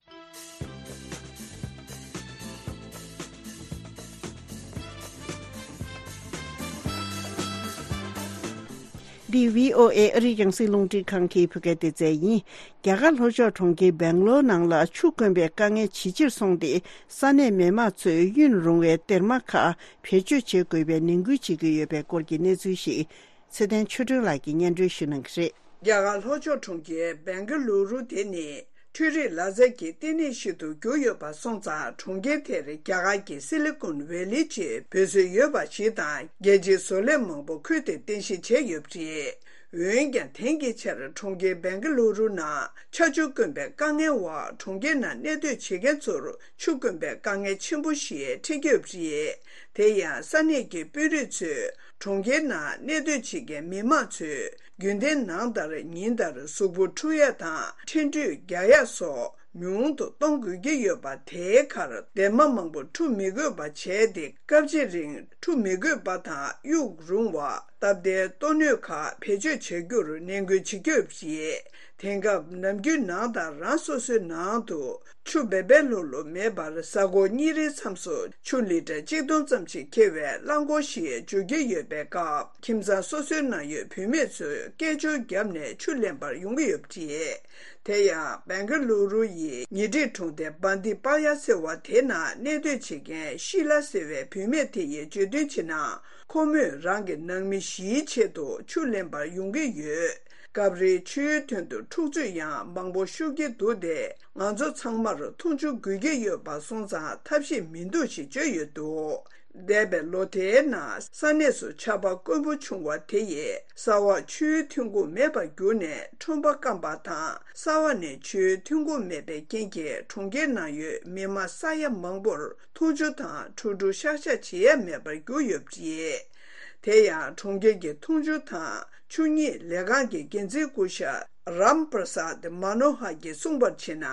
འདི་བྷི་ཨོ་ཨེ་ཨ་རིའི་རྒྱང་སྲིང་རླུང་འཕྲིན་ཁང་གི་བོད་སྐད་སྡེ་ཚན་ཡིན། རྒྱ་གར་ལྷོ་ཕྱོགས་གྲོང་ཁྱེར་སྦེང་ལོར་ནང་ལ་ཆུ་དཀོན་པའི་དཀའ་ངལ་ཇེ་ཆེར་སོང་སྟེ། ས་གནས་མི་མང་ཚོས་གཡུན་རུང་བའི་སྡེར་མ་ཁག་བེད་སྤྱོད་བྱེད་དགོས་པའི་ནན་སྐུལ་བྱེད་ཀྱི་ཡོད་པའི་སྐོར་གྱི་གནས་ཚུལ་ཞིག་ཚེ་བརྟན་ཆོས་སྒྲོན་ལགས་ཀྱིས་སྙན་སྒྲོན་ཞུ་གནང་གི་རེད། རྒྱ་གར་ལྷོ་ཕྱོགས་གྲོང་ཁྱེར་སྦེང་ག་ལུ་རུ་དེ་ནི་འཕྲུལ་རིག་ལག་རྩལ་གྱི་ལྟེ་གནས་ཤིག་ཏུ་གྱུར་ཡོད་པ་སོང་ཙང་། གྲོང་ཁྱེར་དེར་རྒྱ་གར་གྱི་སི་ལི་ཀོན་ཝེ་ལི་ཅེས་འབོད་སྲོལ་ཡོད་པ་ཞིག་དང་། རྒྱལ་སྤྱིའི་བཟོ་ལས་མང་པོ་ཁུལ་དེར་རྟེན་གཞི་བྱས་ཡོད་པ་རེད། འོན་ཀྱང་དེང་གི་ཆར་གྲོང་ཁྱེར་སྦེང་ག་ལུ་རུ་ནང་ཆར་ཆུ་དཀོན་པའི་དཀའ་ངལ་འོག་གྲོང་ཁྱེར་ནང་གནས་སྡོད་བྱེད་མཁན་ཚོར་ཆུ་དཀོན་པའི་དཀའ་ངལ་ཆེན་པོ་ཞིག་འཕྲད་ཀྱི་ཡོད་པ་རེད། དེ་ཡང་ས་གནས་ཀྱི་དཔོན་རིགས་ཚོས་གྲོང་ཁྱེར་ནང་གནས་སྡོད་བྱེད་མཁན་མི་མང་ཚོས་རྒྱུན་ལྡན་ནང་ལྟར་ཉིན་ལྟར་གཟུགས་པོ་འཁྲུ་ཡག་དང་ཁྲེང་ཁྲུས་རྒྱག་ཡག་སོགས་ཉུང་དུ་གཏོང་དགོས་ཀྱི་ཡོད་པ། དེའི་ཁར་སྡེར་མ་མང་པོ་འཁྲུ་མི་དགོས་པ་བྱས་ཏེ། སྐབས་ཅིག་རིང་འཁྲུ་མི་དགོས་པ་དང་གཡུག་རུང་བ། སྟབས་བདེའི་ལྟོ་སྣོད་ཁག་བེད་སྤྱོད་བྱ་རྒྱུར་ནན་སྐུལ་བྱེད་ཀྱི་ཡོད་པ་རེད། དེང་སྐབས་ནམ་རྒྱུན་ནང་དང་རང་སོ་སོའི་ནང་དུ་ཆུ་འབེལ་འབེལ་ལྷུག་ལྷུག་མེད་པར། གཟའ་འཁོར་གཉིས་རེའི་མཚམས་སུ་ཆུ་ལི་ཊར་གཅིག་སྟོང་ཙམ་ཞིག་འཁྱེར་བའི་རླངས་འཁོར་ཞིག་འབྱོར་གྱི་ཡོད་པའི་སྐབས། ཁྱིམ་ཚང་སོ་སོའི་ནང་ཡོད་བུད་མེད་ཚོས་སྐད་ཅོར་བརྒྱབ་ནས་ཆུ་ལེན་པར་ཡོང་གི་ཡོད་པ་རེད། དེ་ཡང་སྦེང་ག་ལུ་རུ་ཡི་ཉེ་འཁྲིས་གྲོང་རྡལ་བན་ཏི་པ་ཡ་ཟེར་བ་དེ་ནང་གནས་སྡོད་བྱེད་མཁན་ཤི་ལ་ཟེར་བའི་བུད་མེད་དེ་ཡིས་བརྗོད་དོན་བྱས་ན། ཁོ་མོས་རང་གི་ནང་མི་བཞིའི་ཆེད་དུ་ཆུ་ལེན་པར་ཡོང་གི་ཡོད། སྐབས་རེ་ཆུའི་དོན་དུ་འཁྲུག་རྩོད་ཡང་མང་པོ་ཤོར་གྱི་འདུག་སྟེ། ང་ཚོ་ཚང་མར་མཐོང་ཆུང་དགོས་ཀྱི་ཡོད་པ་སོང་ཙང་ཐབས་ཤེས་མི་འདུག་ཞེས་བརྗོད་ཡོད་འདུག་འདས་པའི་ལོ་དེའི་ནང་ས་གནས་སུ་ཆར་པ་དཀོན་པོ་བྱུང་བ་དེ་ཡིས་ས་འོག་ཆུའི་ཐོན་ཁུངས་མེད་པར་གྱུར་ནས་ཁྲོན་པ་སྐམ་པ་དང་། ས་འོག་ནས་ཆུའི་ཐོན་ཁུངས་མེད་པའི་རྐྱེན་གྱིས་གྲོང་ཁྱེར་ནང་ཡོད་མི་མང་ས་ཡ་མང་པོར་འཐུང་ཆུ་དང་འཁྲུག་འཁྲུག་ཤག་ཤག་བྱེད་ཡ་མེད་པར་གྱུར་ཡོད་པ་རེད། དེ་ཡང་གྲོང་ཁྱེར་གྱི་འཐུང་ཆུ་དང་ཆུ་གཉིས་ལས་ཁང་གི་འགན་འཛིན་སྐུ་ཞབས་རམ་པྲ་སཱད་མ་ནོ་ཧར་གྱིས་གསུངས་པར་བྱས་ན།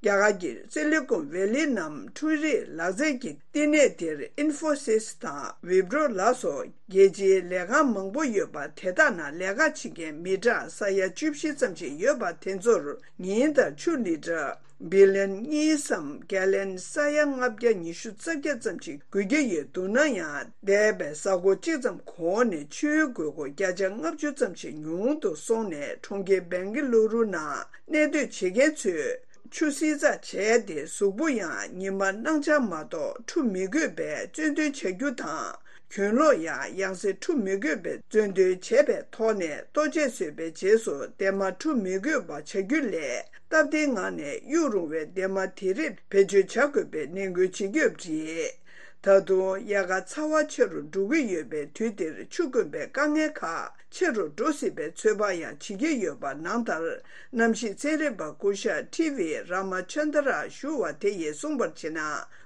རྒྱ་གར་གྱི་སི་ལི་ཀོན་ཝེ་ལི་ནམ་འཕྲུལ་རིག་ལག་རྩལ་གྱི་བསྟི་གནས་དེར་ཨིན་ཧྥོ་སིས་དང་ཝི་པྲོ་ལ་སོགས་རྒྱལ་སྤྱིའི་ལས་ཁང་མང་པོ་ཡོད་པ། དེ་དག་ནང་ལས་ཀ་བྱེད་མཁན་མི་གྲངས་ས་ཡ་བཅུ་བཞི་ཙམ་ཞིག་ཡོད་པ། དེ་ཚོར་ཉིན་ལྟར་ཆུ་ལི་ཊར་བི་ལན་གཉིས་སམ་གྷལ་ལན་ས་ཡ་ལྔ་བརྒྱ་ཉི་ཤུ་རྩ་བརྒྱད་ཙམ་ཞིག་དགོས་ཀྱི་ཡོད་འདུག་ན་ཡང་། འདས་པའི་གཟའ་འཁོར་གཅིག་ཙམ་གོང་ནས་ཆུའི་དགོས་མཁོ་བརྒྱ་ཆ་ལྔ་བཅུ་ཙམ་ཞིག་ཉུང་དུ་སོང་ནས། གྲོང་ཁྱེར་སྦེང་གི་ལུ་རུ་ནང་གནས་སྡོད་བྱེད་མཁན་ཚོས་ཆུ་བསིལ་ཚགས་བྱས་ཏེ། གཟུགས་པོ་ཡང་ཉི་མ་སྣང་ཆ་མ་གཏོགས་འཁྲུ་མི་དགོས་པའི་གཙོད་འདོན་བྱ་རྒྱུ་དང་། གྱོན་ལོག་ཡང་ཡང་སེ་འཁྲུ་མི་དགོས་པའི་གཙོད་འདོན་བྱས་པའི་ཐོག་ནས། ལྟོ་ཆས་བཟོས་པའི་རྗེས་སུ་སྡེར་མ་འཁྲུ་མི་དགོས་པ་བྱ་རྒྱུ་ལས། སྟབས་བདེའི་ངང་ནས་གཡུག་རུང་བའི་སྡེར་མ་དེ་རིགས་བེད་སྤྱོད་བྱ་དགོས་པའི་ནན་སྐུལ་བྱེད་ཀྱི་ཡོད་པ་རེད། ད་དུང་དབྱར་ཁ་ཚ་བ་ཆེ་རུ་འགྲོ་གི་ཡོད་པའི་དུས་འདིར། ཆུ་དཀོན་པའི་དཀའ་ངལ་ཁག་ཆེ་རུ་འགྲོ་སྲིད་པའི་ཚོད་དཔག་ཡང་བྱེད་ཀྱི་ཡོད་པ། ནང་ལྟར་གནམ་གཤིས་ཚན་རིག་པ་སྐུ་ཞབས་ཊི་ཝི་ར་མ་ཆན་དར་ཞུ་བ་དེ་ཡིས་གསུངས་པར་བྱས་ན།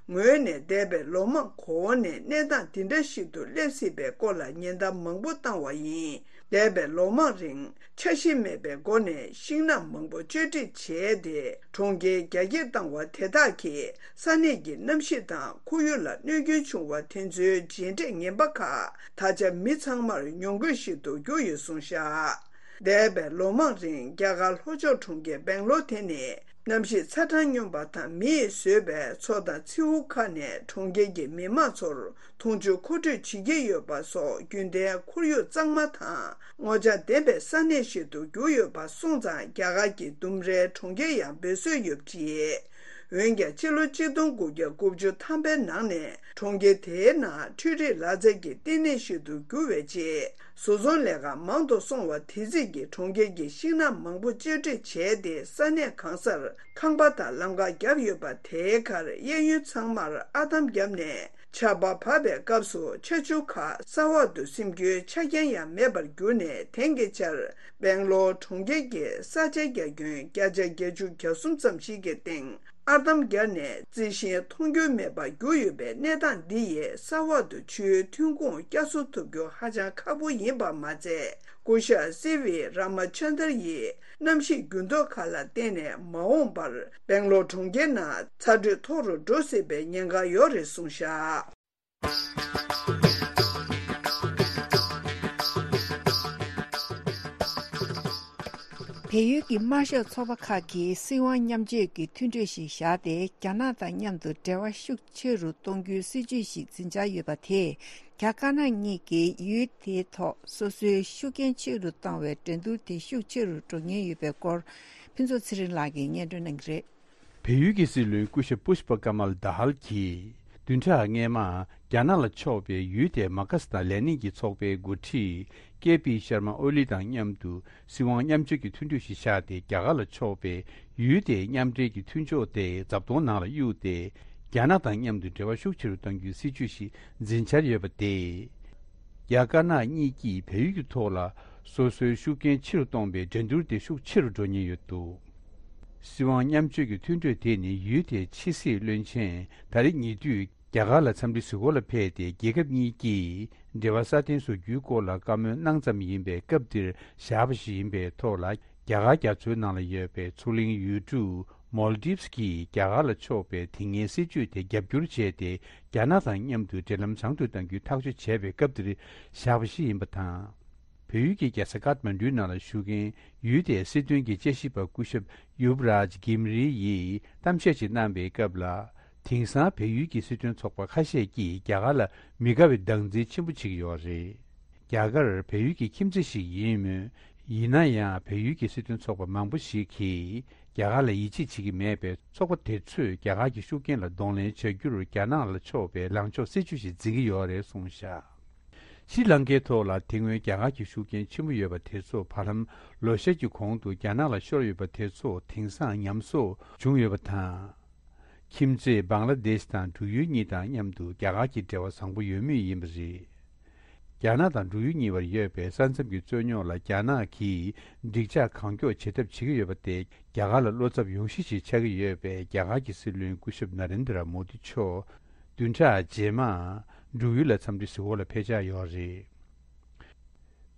ངོས་ནས་འདས་པའི་ལོ་མང་གོང་ནས་གནས་སྟངས་འདི་འདྲ་ཞིག་ཏུ་སླེབས་སྲིད་པའི་སྐོར་ལ་ཉེན་བརྡ་མང་པོ་བཏང་བ་ཡིན། འདས་པའི་ལོ་མང་རིང་འཆར་གཞི་མེད་པའི་སྒོ་ནས་ཤིང་ནགས་མང་པོ་གཅོད་འབྲེག་བྱས་ཏེ། གྲོང་ཁྱེར་རྒྱ་སྐྱེད་བཏང་བ་དེ་དག་གིས་ས་གནས་ཀྱི་གནམ་གཤིས་དང་ཁོར་ཡུག་ལ་གནོད་སྐྱོན་བྱུང་བ་དེ་ཚོའི་རྗེས་འབྲས་ངན་པ་ཁག་ད་ཆ་མི་ཚང་མར་མྱོང་དགོས་ཤིག་ཏུ་གྱུར་ཡོད་གསུངས་བཞག་འདས་པའི་ལོ་མང་རིང་རྒྱ་གར་ལྷོ་ཕྱོགས་གྲོང་ཁྱེར་སྦེང་ལོར་དེ་ནི་གནམ་གཤིས་ཚ་གྲང་སྙོམས་པ་དང་མིས་བཟོས་པའི་མཚོ་དང་མཚེའུ་ཁག་ནས་གྲོང་ཁྱེར་གྱི་མི་མང་ཚོར་འཐུང་ཆུ་མཁོ་སྤྲོད་བྱེད་ཀྱི་ཡོད་པ་སོགས་རྒྱུན་ལྡན་ཁོར་ཡུག་གཙང་མ་དང་ངོ་བཅར་ལྡན་པའི་ས་གནས་ཤིག་ཏུ་གྱུར་ཡོད་པ་སོང་ཙང་། རྒྱ་གར་གྱི་ལྡུམ་རའི་གྲོང་ཁྱེར་ཡང་འབོད་སྲོལ་ཡོད་པ་རེད། འོན་ཀྱང་ཕྱི་ལོ་ཆིག་སྟོང་དགུ་བརྒྱ་དགུ་བཅུ་ཐམ་པའི་ནང་ནས་གྲོང་ཁྱེར་དེའི་ནང་འཕྲུལ་རིག་ལག་རྩལ་གྱི་བསྟི་གནས་ཤིག་ཏུ་གྱུར་བའི་རྗེས། བཟོ་ཚོང་ལས་ཀ་མང་དུ་སོང་བ་དེ་རྩིས་ཀྱིས་གྲོང་ཁྱེར་གྱི་ཤིང་ནགས་མང་པོ་གཅོད་འབྲེག་བྱས་ཏེ། ས་གནས་གང་སར་ཁང་པ་དང་ལམ་ཁ་བརྒྱབ་ཡོད་པ། དེའི་ཁར་གཡས་གཡོན་ཚང་མར་ཨར་འདམ་བརྒྱབ་ནས། ཆར་པ་བབས་པའི་སྐབས་སུ་ཆར་ཆུ་ཁག་ས་འོག་ཏུ་སིམ་རྒྱུའི་ཆ་རྐྱེན་ཡང་མེད་པར་གྱུར་ནས། དེང་གི་ཆར་སྦེང་ལོར་གྲོང་ཁྱེར་གྱི་ས་ཆའི་རྒྱ་ཁྱོན་བརྒྱ་ཆ་བརྒྱད་ཅུ་གྱ་གསུམ་ཙམ་ཞིག་གི་སྟེང་ཨར་འདམ་བརྒྱབ་ནས་རྩི་ཤིང་མཐོང་རྒྱུ་མེད་པར་གྱུར་ཡོད་པའི་གནས་སྟངས་འདི་ཡིས་ས་འོག་ཏུ་ཆུའི་ཐོན་ཁུངས་བསྐྱར་གསོ་ཐུབ་རྒྱུ་ཧ་ཅང་ཁག་པོ་ཡིན་པ་མ་ཚད། སྐུ་ཞབས་སི་ཝི་ར་མ་ཆན་དར་ཡིས་གནམ་གཤིས་འགྱུར་ལྡོག་ཁག་ལ་བརྟེན་ནས་མ་འོངས་པར་སྦེང་ལོར་གྲོང་ཁྱེར་ནང་ཚ་དྲོད་མཐོ་རུ་འགྲོ་སྲིད་པའི་ཉེན་ཁ་ཡོད་རེད་གསུངས་བཞག་བལ་ཡུལ་གྱི་དམར་ཤོག་ཚོགས་པ་ཁག་གིས་སྲིད་དབང་མཉམ་སྤྱོད་ཀྱི་མཐུན་གྲོས་ཤིག་བཞག་སྟེ། རྒྱ་ནག་དང་མཉམ་དུ་འབྲེལ་བ་ཤུགས་ཆེ་རུ་གཏོང་རྒྱུའི་སྲིད་ཇུས་ཤིག་འཛིན་འཆར་ཡོད་པ་དེས། རྒྱ་དཀར་ནག་གཉིས་ཀྱིས་ཡུལ་དེའི་ཐོག་སོ་སོའི་ཤུགས་རྐྱེན་ཆེ་རུ་གཏོང་བའི་འགྲན་བསྡུར་དེ་ཤུགས་ཆེ་རུ་འགྲོ་ཉེན་ཡོད་པའི་སྐོར། ཕུན་ཚོགས་ཚེ་རིང་ལགས་ཀྱིས་སྙན་སྒྲོན་གནང་གི་རེད། བལ་ཡུལ་གྱི་སྲིད་བློན་སྐུ་ཞབས་པུཤ་པ་ཀ་མལ་དཱ་ཧལ་གྱིས། བདུན་ཕྲག་སྔས་མ། རྒྱ་ནག་ལ་ཕྱོགས་པའི་ཡུལ་དེའི་མར་ཁ་སི་དང་ལེ་ནིན་གྱི་ཚོགས་པའི་འགོ་ཁྲིད་ཀེ་པི་ཤར་མ་ཨོ་ལི་དང་མཉམ་དུ་སྲིད་དབང་མཉམ་སྤྱོད་ཀྱི་མཐུན་གྲོས་ཤིག་བཞག་སྟེ། རྒྱ་གར་ལ་ཕྱོགས་པའི་ཡུལ་དེའི་མཉམ་འབྲེལ་གྱི་མཐུན་ཕྱོགས་དེ་རྫབ་དོང་ནང་ལ་གཡུགས་ཏེ། རྒྱ་ནག་དང་མཉམ་དུ་འབྲེལ་བ་ཤུགས་ཆེ་རུ་གཏང་རྒྱུའི་སྲིད་ཇུས་ཤིག་འཛིན་འཆར་ཡོད་པ་སྟེ། རྒྱ་དཀར་ནག་གཉིས་ཀྱིས་བལ་ཡུལ་གྱི་ཐོག་ལ་ སོ་སོའི་ཤུགས་རྐྱེན་ཆེ་རུ་གཏོང་པའི་འགྲན་བསྡུར་དེ་ཤུགས་ཆེ་རུ་འགྲོ་ཉེན་ཡོད་འདུག། སྲིད་དབང་མཉམ་སྤྱོད་ཀྱི་མཐུན་གྲོས་དེ་ནི་ཡུལ་དེའི་ཕྱི་སྲིད་བློན་ཆེན་ད་རེས་ཉེ་དུས་རྒྱ་གར་ལ་འཚམས་འདྲི་ཞུ་སྒོ་ལ་ཕེབས་ཏེ། རྒྱལ་ཁབ་གཉིས་ཀྱིས་འབྲེལ་བ་སྲ་བརྟན་བཟོ་རྒྱུའི་སྐོར་ལ་བཀའ་མོལ་གནང་ཙམ་ཡིན་པའི་སྐབས་འདིར་བཞག་པ་ཞིག་ཡིན་པའི་ཐོག་ལ། རྒྱ་གར་རྒྱ་མཚོའི་ནང་ལ་ཡོད་པའི་མཚོ་གླིང་ཡུལ་གྲུ་མོལ་ཌིབས་ཀྱིས་རྒྱ་གར་ལ་ཕྱོགས་པའི་དེ་སྔའི་སྲིད་ཇུས་དེ་རྒྱབ་སྐྱོར་བྱས་ཏེ། རྒྱ་ནག་དང་མཉམ་དུ་འབྲེལ་ལམ་བཟང་དུ་གཏང་རྒྱུའི་ཐག་གཅོད་བྱས་པའི་སྐབས་འདིར་བཞག་པ་ཞིག་ཡིན་པ་དང་། བལ་ཡུལ་གྱི་རྒྱལ་ས་ཀཏ་མན་ཌུའི་ནང་ལ་བཞུགས་མཁན་ཡུལ་དེའི་སྲིད་དོན་གྱི་དཔྱད་ཞིབ་པ་སྐུ་ཞབས་ཡུབ་རཱཇ་གིམ་རི་ཡིས་གཏམ་བཤད་ཅིག་གནང་པའི་སྐབས་ལ། དེང་སང་བལ་ཡུལ་གྱི་སྲིད་དོན་ཚོགས་པ་ཁ་ཤས་ཀྱིས་རྒྱ་གར་ལ་མི་དགའ་བའི་སྡང་འཛིན་ཆེན་པོ་བྱེད་ཀྱི་ཡོད་རེད། རྒྱ་གར་བལ་ཡུལ་གྱི་ཁྱིམ་མཚེས་ཤིག་ཡིན་མོད། ཡིན་ན་ཡང་བལ་ཡུལ་གྱི་སྲིད་དོན་ཚོགས་པ་མང་པོ་ཞིག་གིས་རྒྱ་གར་ལ་ཡིད་ཆེས་བྱེད་ཀྱི་མེད་པས། ཚོགས་པ་དེ་ཚོས་རྒྱ་གར་གྱི་ཤུགས་རྐྱེན་ལ་གདོང་ལེན་བྱ་རྒྱུར་རྒྱ་ནག་ལ་ཕྱོགས་པའི་ལངས་ཕྱོགས་གསལ་ཆུ་ཞིག་འཛིན་གྱི་ཡོད་རེད་གསུངས་བཞག། ཤྲི་ལང་ཀའི་ཐོག་ལ་དེ་སྔོན་རྒྱ་གར་གྱི་ཤུགས་རྐྱེན་ཆེན་པོ་ཡོད་པ་དེ་ཚོ་བར་ལམ་ལོ་ཤས་ཀྱི་གོང་དུ་རྒྱ་ནག་ལ་ཤོར་ཡོད་པ་དེ་ཚོ་དེང་སང་ཉམས་གསོ་བྱུང་ཡོད་པ་དང་། ཁྱིམ་མཚེས་བང་ལ་དེཤ་དང་འབྲུག་ཡུལ་གཉིས་དང་མཉམ་དུ་རྒྱ་གར་གྱི་འབྲེལ་བ་བཟང་པོ་ཡོད་མུས་ཡིན་པ་རེད། རྒྱ་ནག་དང་འབྲུག་ཡུལ་གཉིས་བར་ཡོད་པའི་ས་མཚམས་ཀྱི་རྩོད་རྙོག་ལ་རྒྱ་ནག་གིས་འགྲིག་འཇགས་གང་མགྱོགས་བྱེད་ཐབས་བྱེད་ཀྱི་ཡོད་པ་དེ། རྒྱ་གར་ལ་བློ་འཚབ་ཡོང་གཞི་ཞིག་ཆགས་ཀྱི་ཡོད་པས། རྒྱ་གར་གྱི་སྲིད་བློན་སྐུ་ཞབས་ན་རེན་དྲ་མོ་དི་མཆོག་བདུན་ཕྲག་རྗེས་མར་འབྲུག་ཡུལ་ལ་འཚམས་འདྲི་ཞུ་སྒོ་ལ་ཕེབས་འཆར་ཡོད་རེད།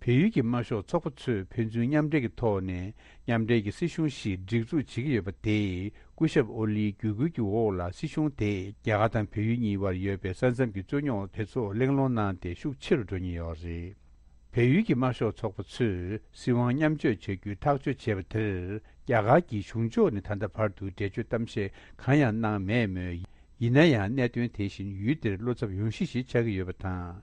བལ་ཡུལ་གྱི་དམར་ཤོག་ཚོགས་པ་ཚོས་ཕན་ཚུན་མཉམ་འབྲེལ་གྱི་ཐོག་ནས་མཉམ་འབྲེལ་གྱི་སྲིད་གཞུང་ཞིག་སྒྲིག་འཛུགས་བྱེད་ཀྱི་ཡོད་པ་དེས། སྐུ་ཞབས་ཨོ་ལིའི་བརྒྱུད་སྐུལ་གྱི་འོག་ལ་སྲིད་གཞུང་དེས་རྒྱ་གར་དང་བལ་ཡུལ་གཉིས་བར་ཡོད་པའི་ས་མཚམས་ཀྱི་རྩོད་རྙོག་དེ་ཚོ་གླེང་སློང་གནང་སྟེ་ཤུགས་ཆེ་རུ་འགྲོ་ཉེན་ཡོད་རེད། བལ་ཡུལ་གྱི་དམར་ཤོག་ཚོགས་པ་ཚོས་སྲིད་དབང་མཉམ་སྤྱོད་བྱ་རྒྱུའི་ཐག་གཅོད་བྱས་པ་དེར། རྒྱ་གར་གྱི་གཞུང་ཕྱོགས་ནས་ད་ལྟ་བར་དུ་འགྲེལ་བརྗོད་གཏམ་བཤད་གང་ཡང་གནང་མེད་མོད། ཡིན་ན་ཡང་གནད་དོན་དེ་བཞིན་ཡུལ་དེར་བློ་འཚབ་ཡོང་གཞི་ཞིག་ཆགས་ཀྱི་ཡོད་པ་དང་།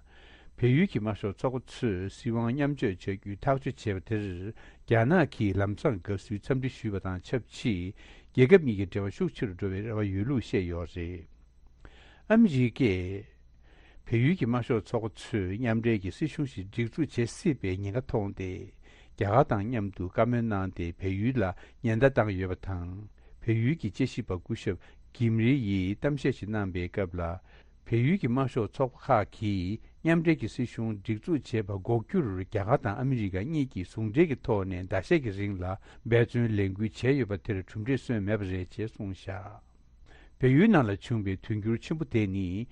བལ་ཡུལ་གྱི་དམར་ཤོག་ཚོགས་པ་ཚོས་སྲིད་དབང་མཉམ་སྤྱོད་བྱ་རྒྱུའི་ཐག་གཅོད་བྱས་པ་དེར། རྒྱ་ནག་གིས་ལམ་སང་དགའ་བསུའི་འཚམས་འདྲི་ཞུས་པ་དང་ཆབས་ཅིག་རྒྱལ་ཁབ་གཉིས་ཀྱི་འབྲེལ་བ་ཤུགས་ཆེ་རུ་འགྲོ་བའི་རེ་བ་ཡོད་ལུགས་བཤད་ཡོད་རེད། ཨ་མི་རི་ཀས་བལ་ཡུལ་གྱི་དམར་ཤོག་ཚོགས་པ་ཚོས་མཉམ་འབྲེལ་གྱི་སྲིད་གཞུང་ཞིག་སྒྲིག་འཛུགས་བྱེད་སྲིད་པའི་ཉེན་ཁ་མཐོང་སྟེ། རྒྱ་གར་དང་མཉམ་དུ་བཀའ་མོལ་གནང་སྟེ། བལ་ཡུལ་ལ་ཉེན་བརྡ་བཏང་ཡོད་པ་དང་། བལ་ཡུལ་གྱི་དཔྱད་ཞིབ་པ་སྐུ་ཞབས་གིམ་རི་ཡིས་གཏམ་བཤད་ཞིག་གནང་པའི་སྐབས་ལ། བལ་ཡུལ་གྱི་དམར་ཤོག་ཚོགས་པ་ཁག་གིས་མཉམ་འབྲེལ་གྱི་སྲིད་གཞུང་སྒྲིག་འཛུགས་བྱེད་པ་འགོག་རྒྱུར། རྒྱ་གར་དང་ཨ་མི་རི་ཀ་གཉིས་ཀྱིས་ཟུང་འབྲེལ་གྱི་ཐོག་ནས་ཟླ་ཤས་ཀྱི་རིང་ལ་འབད་བརྩོན་ལས་འགུལ་བྱས་ཡོད་པ་དེར་གྲུབ་འབྲས་སོན་མེད་པ་རེད་ཅེས་གསུངས་བཞག། བལ་ཡུལ་ནང་ལ་བྱུང་བའི་དུས་འགྱུར་ཆེན་པོ་དེ་ནི།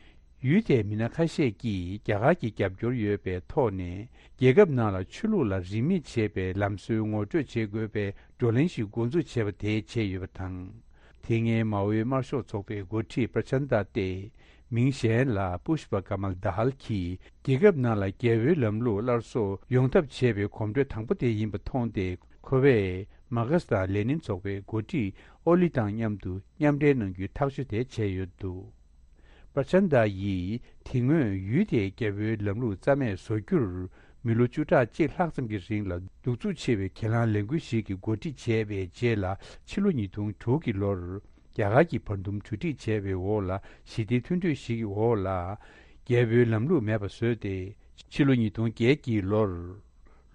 ཡུལ་དེའི་མི་སྣ་ཁ་ཤས་ཀྱིས་རྒྱ་གར་གྱི་རྒྱབ་སྐྱོར་ཡོད་པའི་ཐོག་ནས། རྒྱལ་ཁབ་ནང་ལ་ཆོས་ལུགས་ལ་རིས་མེད་བྱེད་པའི་ལམ་སྲོལ་ངོ་སྤྲོད་བྱེད་དགོས་པའི་བགྲོ་གླེང་ཞིག་འགོ་འཛུགས་བྱས་པ་དེས་བྱས་ཡོད་པ་དང་། དེ་སྔའི་མའོའི་དམར་ཤོག་ཚོགས་པའི་འགོ་ཁྲིད་པྲ་ཆན་དྷ་སྟེ། མིང་གཞན་ལ་པུཤ་པ་ཀ་མལ་དྷ་ཧལ་གྱིས། རྒྱལ་ཁབ་ནང་ལ་རྒྱལ་པོའི་ལམ་ལུགས་སླར་གསོ་ཡོང་ཐབས་བྱེད་པའི་གོམ་བགྲོད་དང་པོ་དེ་ཡིན་པ་མཐོང་སྟེ། ཁོ་པས་མར་ཁེ་སི་དང་ལེ་ནིན་ཚོགས་པའི་འགོ་ཁྲིད་ཨོ་ལི་དང་མཉམ་དུ་མཉམ་འབྲེལ་གནང་རྒྱུའི་ཐག་གཅོད་དེ་བྱས་ཡོད་འདུག། པྲ་ཆན་དྷ་ཡིས་དེ་སྔོན་ཡུལ་དེའི་རྒྱལ་པོའི་ལམ་ལུགས་རྩ་མེད་བཟོ་རྒྱུར། མི་ལོ་བཅུ་ཕྲག་གཅིག་ལྷག་ཙམ་གྱི་རིང་ལ་གདུག་རྩུབ་ཆེ་བའི་གྱེན་ལངས་ལས་འགུལ་ཞིག་གི་འགོ་ཁྲིད་བྱས་པའི་རྗེས་ལ། ཕྱི་ལོ་ཉིས་སྟོང་དྲུག་གི་ལོར། རྒྱ་གར་གྱིས་བར་འདུམ་གྲོས་འགྲིག་བྱས་པའི་འོག་ལ། ཞི་བདེའི་མཐུན་གྲོས་ཤིག་གི་འོག་ལ། རྒྱལ་པོའི་ལམ་ལུགས་མེད་པ་བཟོས་ཏེ། ཕྱི་ལོ་ཉིས་སྟོང་བརྒྱད་ཀྱི་ལོར།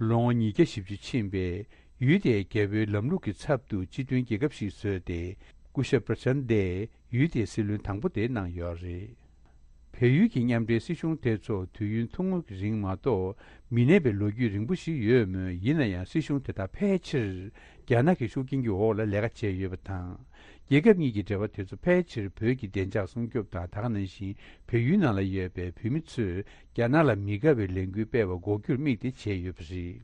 ལོ་ངོ་ཉིས་བརྒྱ་བཞི་བཅུ་ཕྱིན་པའི་ཡུལ་དེའི་རྒྱལ་པོའི་ལམ་ལུགས་ཀྱི་ཚབ་ཏུ་སྤྱི་མཐུན་རྒྱལ་ཁབ་ཞིག་བཟོས་ཏེ། སྐུ་ཞབས་པྲ་ཆན་དྷས་ཡུལ་དེའི་སྲིད་བློན་དང་པོ་དེ་གནང་ཡོད་རེད། བལ་ཡུལ་གྱི་མཉམ་འབྲེལ་སྲིད་གཞུང་དེ་ཚོ་དུས་ཡུན་ཐུང་ངུ་རིང་མ་གཏོགས་མི་གནས་པའི་ལོ་རྒྱུས་རིང་པོ་ཞིག་ཡོད་མོད། ཡིན་ན་ཡང་སྲིད་གཞུང་དེ་དག་ཕལ་ཆེར་རྒྱ་ནག་གི་ཤུགས་རྐྱེན་གྱི་འོག་ལ་ལས་ཀ་བྱས་ཡོད་པ་དང་། རྒྱལ་ཁབ་གཉིས་ཀྱི་འབྲེལ་བ་དེ་ཚོ་ཕལ་ཆེར་བོད་ཀྱི་བདེ་འཇགས་སྲུང་སྐྱོབ་དང་། ད་ག་ནང་བཞིན་བལ་ཡུལ་ནང་ལ་ཡོད་པའི་བོད་མི་ཚོས་རྒྱ་ནག་ལ་མི་དགའ་བའི་ལས་འགུལ་སྤེལ་བ་འགོག་རྒྱུར་དམིགས་ཏེ་བྱས་ཡོད་པ་རེད།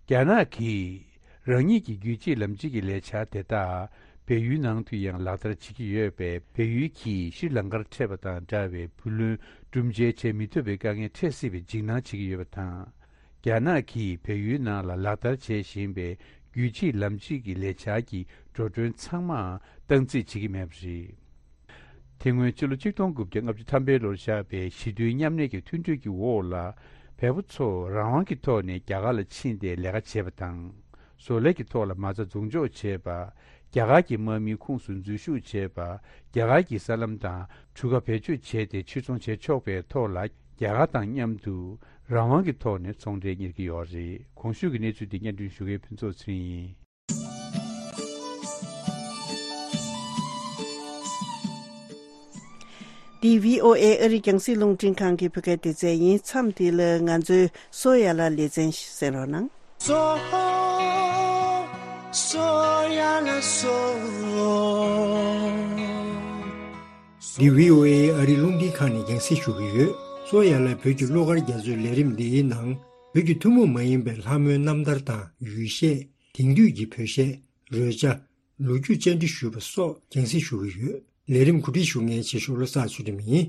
རྒྱ་ནག་གིས་རང་ཉིད་ཀྱི་རྒྱུད་གཅིག་ལམ་གཅིག་གི་ལས་འཆར་དེ་དག་བལ་ཡུལ་ནང་དུ་ཡང་ལག་བསྟར་བྱེད་ཀྱི་ཡོད་པས། བལ་ཡུལ་གྱིས་ཤྲི་ལང་ཀར་འཕྲད་པ་དང་འདྲ་བའི་བུ་ལོན་སྒྲུབ་འཇལ་བྱེད་མི་ཐུབ་པའི་དཀའ་ངལ་འཕྲད་སྲིད་པའི་འཇིགས་སྣང་བྱེད་ཀྱི་ཡོད་པ་དང་། རྒྱ་ནག་གིས་བལ་ཡུལ་ནང་ལ་ལག་བསྟར་བྱེད་བཞིན་པའི་རྒྱུད་གཅིག་ལམ་གཅིག་གི་ལས་འཆར་གྱི་འགྲོ་གྲོན་ཚང་མ་སྟངས་འཛིན་བྱེད་ཀྱི་མེད་པ་རེད། དེ་སྔོན་ཕྱི་ལོ་ཆིག་སྟོང་དགུ་བརྒྱ་ལྔ་བཅུ་ཐམ་པའི་ལོར་བཞག་པའི་ཞི་མཐུན་མཉམ་གནས་ཀྱི་མཐུན་གྲོས་ཀྱི་འོག་ལ། བལ་པོ་ཚོ་རང་དབང་གི་ཐོག་ནས་རྒྱ་གར་ལ་ཕྱིན་ཏེ་ལས་ཀ་བྱེད་པ་དང་། བཟོ་ལས་ཀྱི་ཐོག་ལ་མ་རྩ་འཛུགས་འཇོག་བྱེད་པ། རྒྱ་གར་གྱི་དམག་མིའི་ཁོངས་སུ་འཛུལ་ཞུགས་བྱེད་པ། རྒྱ་གར་གྱི་ས་ལམ་དང་གྲུ་ཁ་བེད་སྤྱོད་བྱས་ཏེ་ཕྱིར་ཚོང་བྱེད་ཆོག་པའི་ཐོག་ལ། རྒྱ་གར་དང་མཉམ་དུ་རང་དབང་གི་ཐོག་ནས་ཚོང་འབྲེལ་གཉེར་གྱི་ཡོད་རེད། གོང་ཞུས་ཀྱི་གནས་ཚུལ་འདི་སྙན་སྒྲོན་ཞུ་མཁན་ཕུན་ཚོགས་ཚེ་རིང་ཡིན། འདི་བྷི་ཨོ་ཨེ་ཨ་རིའི་རྒྱང་སྲིང་རླུང་འཕྲིན་ཁང་གི་བོད་སྐད་སྡེ་ཚན་ཡིན། མཚམས་འདི་ལ་ང་ཚོའི་སོ་ཡ་ལ་ལེ་ཚན་གསན་རོགས་གནང་། སོ་སོ་ཡ་ལ་སོ། འདི་བྷི་ཨོ་ཨེ་ཨ་རིའི་རླུང་འཕྲིན་ཁང་ནས་རྒྱང་སྲིང་ཞུ་གི་ཡོད། སོ་ཡ་ལ་བོད་ཀྱི་གླུ་གར་རྒྱ་མཚོའི་ལས་རིམ་འདིའི་ནང་བོད་ཀྱི་ཐུན་མོང་མ་ཡིན་པའི་ལྷ་མོའི་རྣམ་ཐར་དང་ཡུལ་གཞས། དེང་དུས་ཀྱི་བོད་གཞས། རོལ་ཆ། ལོ་རྒྱུས་བཅར་འདྲི་ཞུས་པ་སོགས་རྒྱང་སྲིང་ཞུ་གི་ཡོད། ལས་རིམ་གོ་སྒྲིག་ཞུ་མཁན་ཆེ་ཤོས་བློ་བཟང་ཚུལ་ཁྲིམས་ཡིན།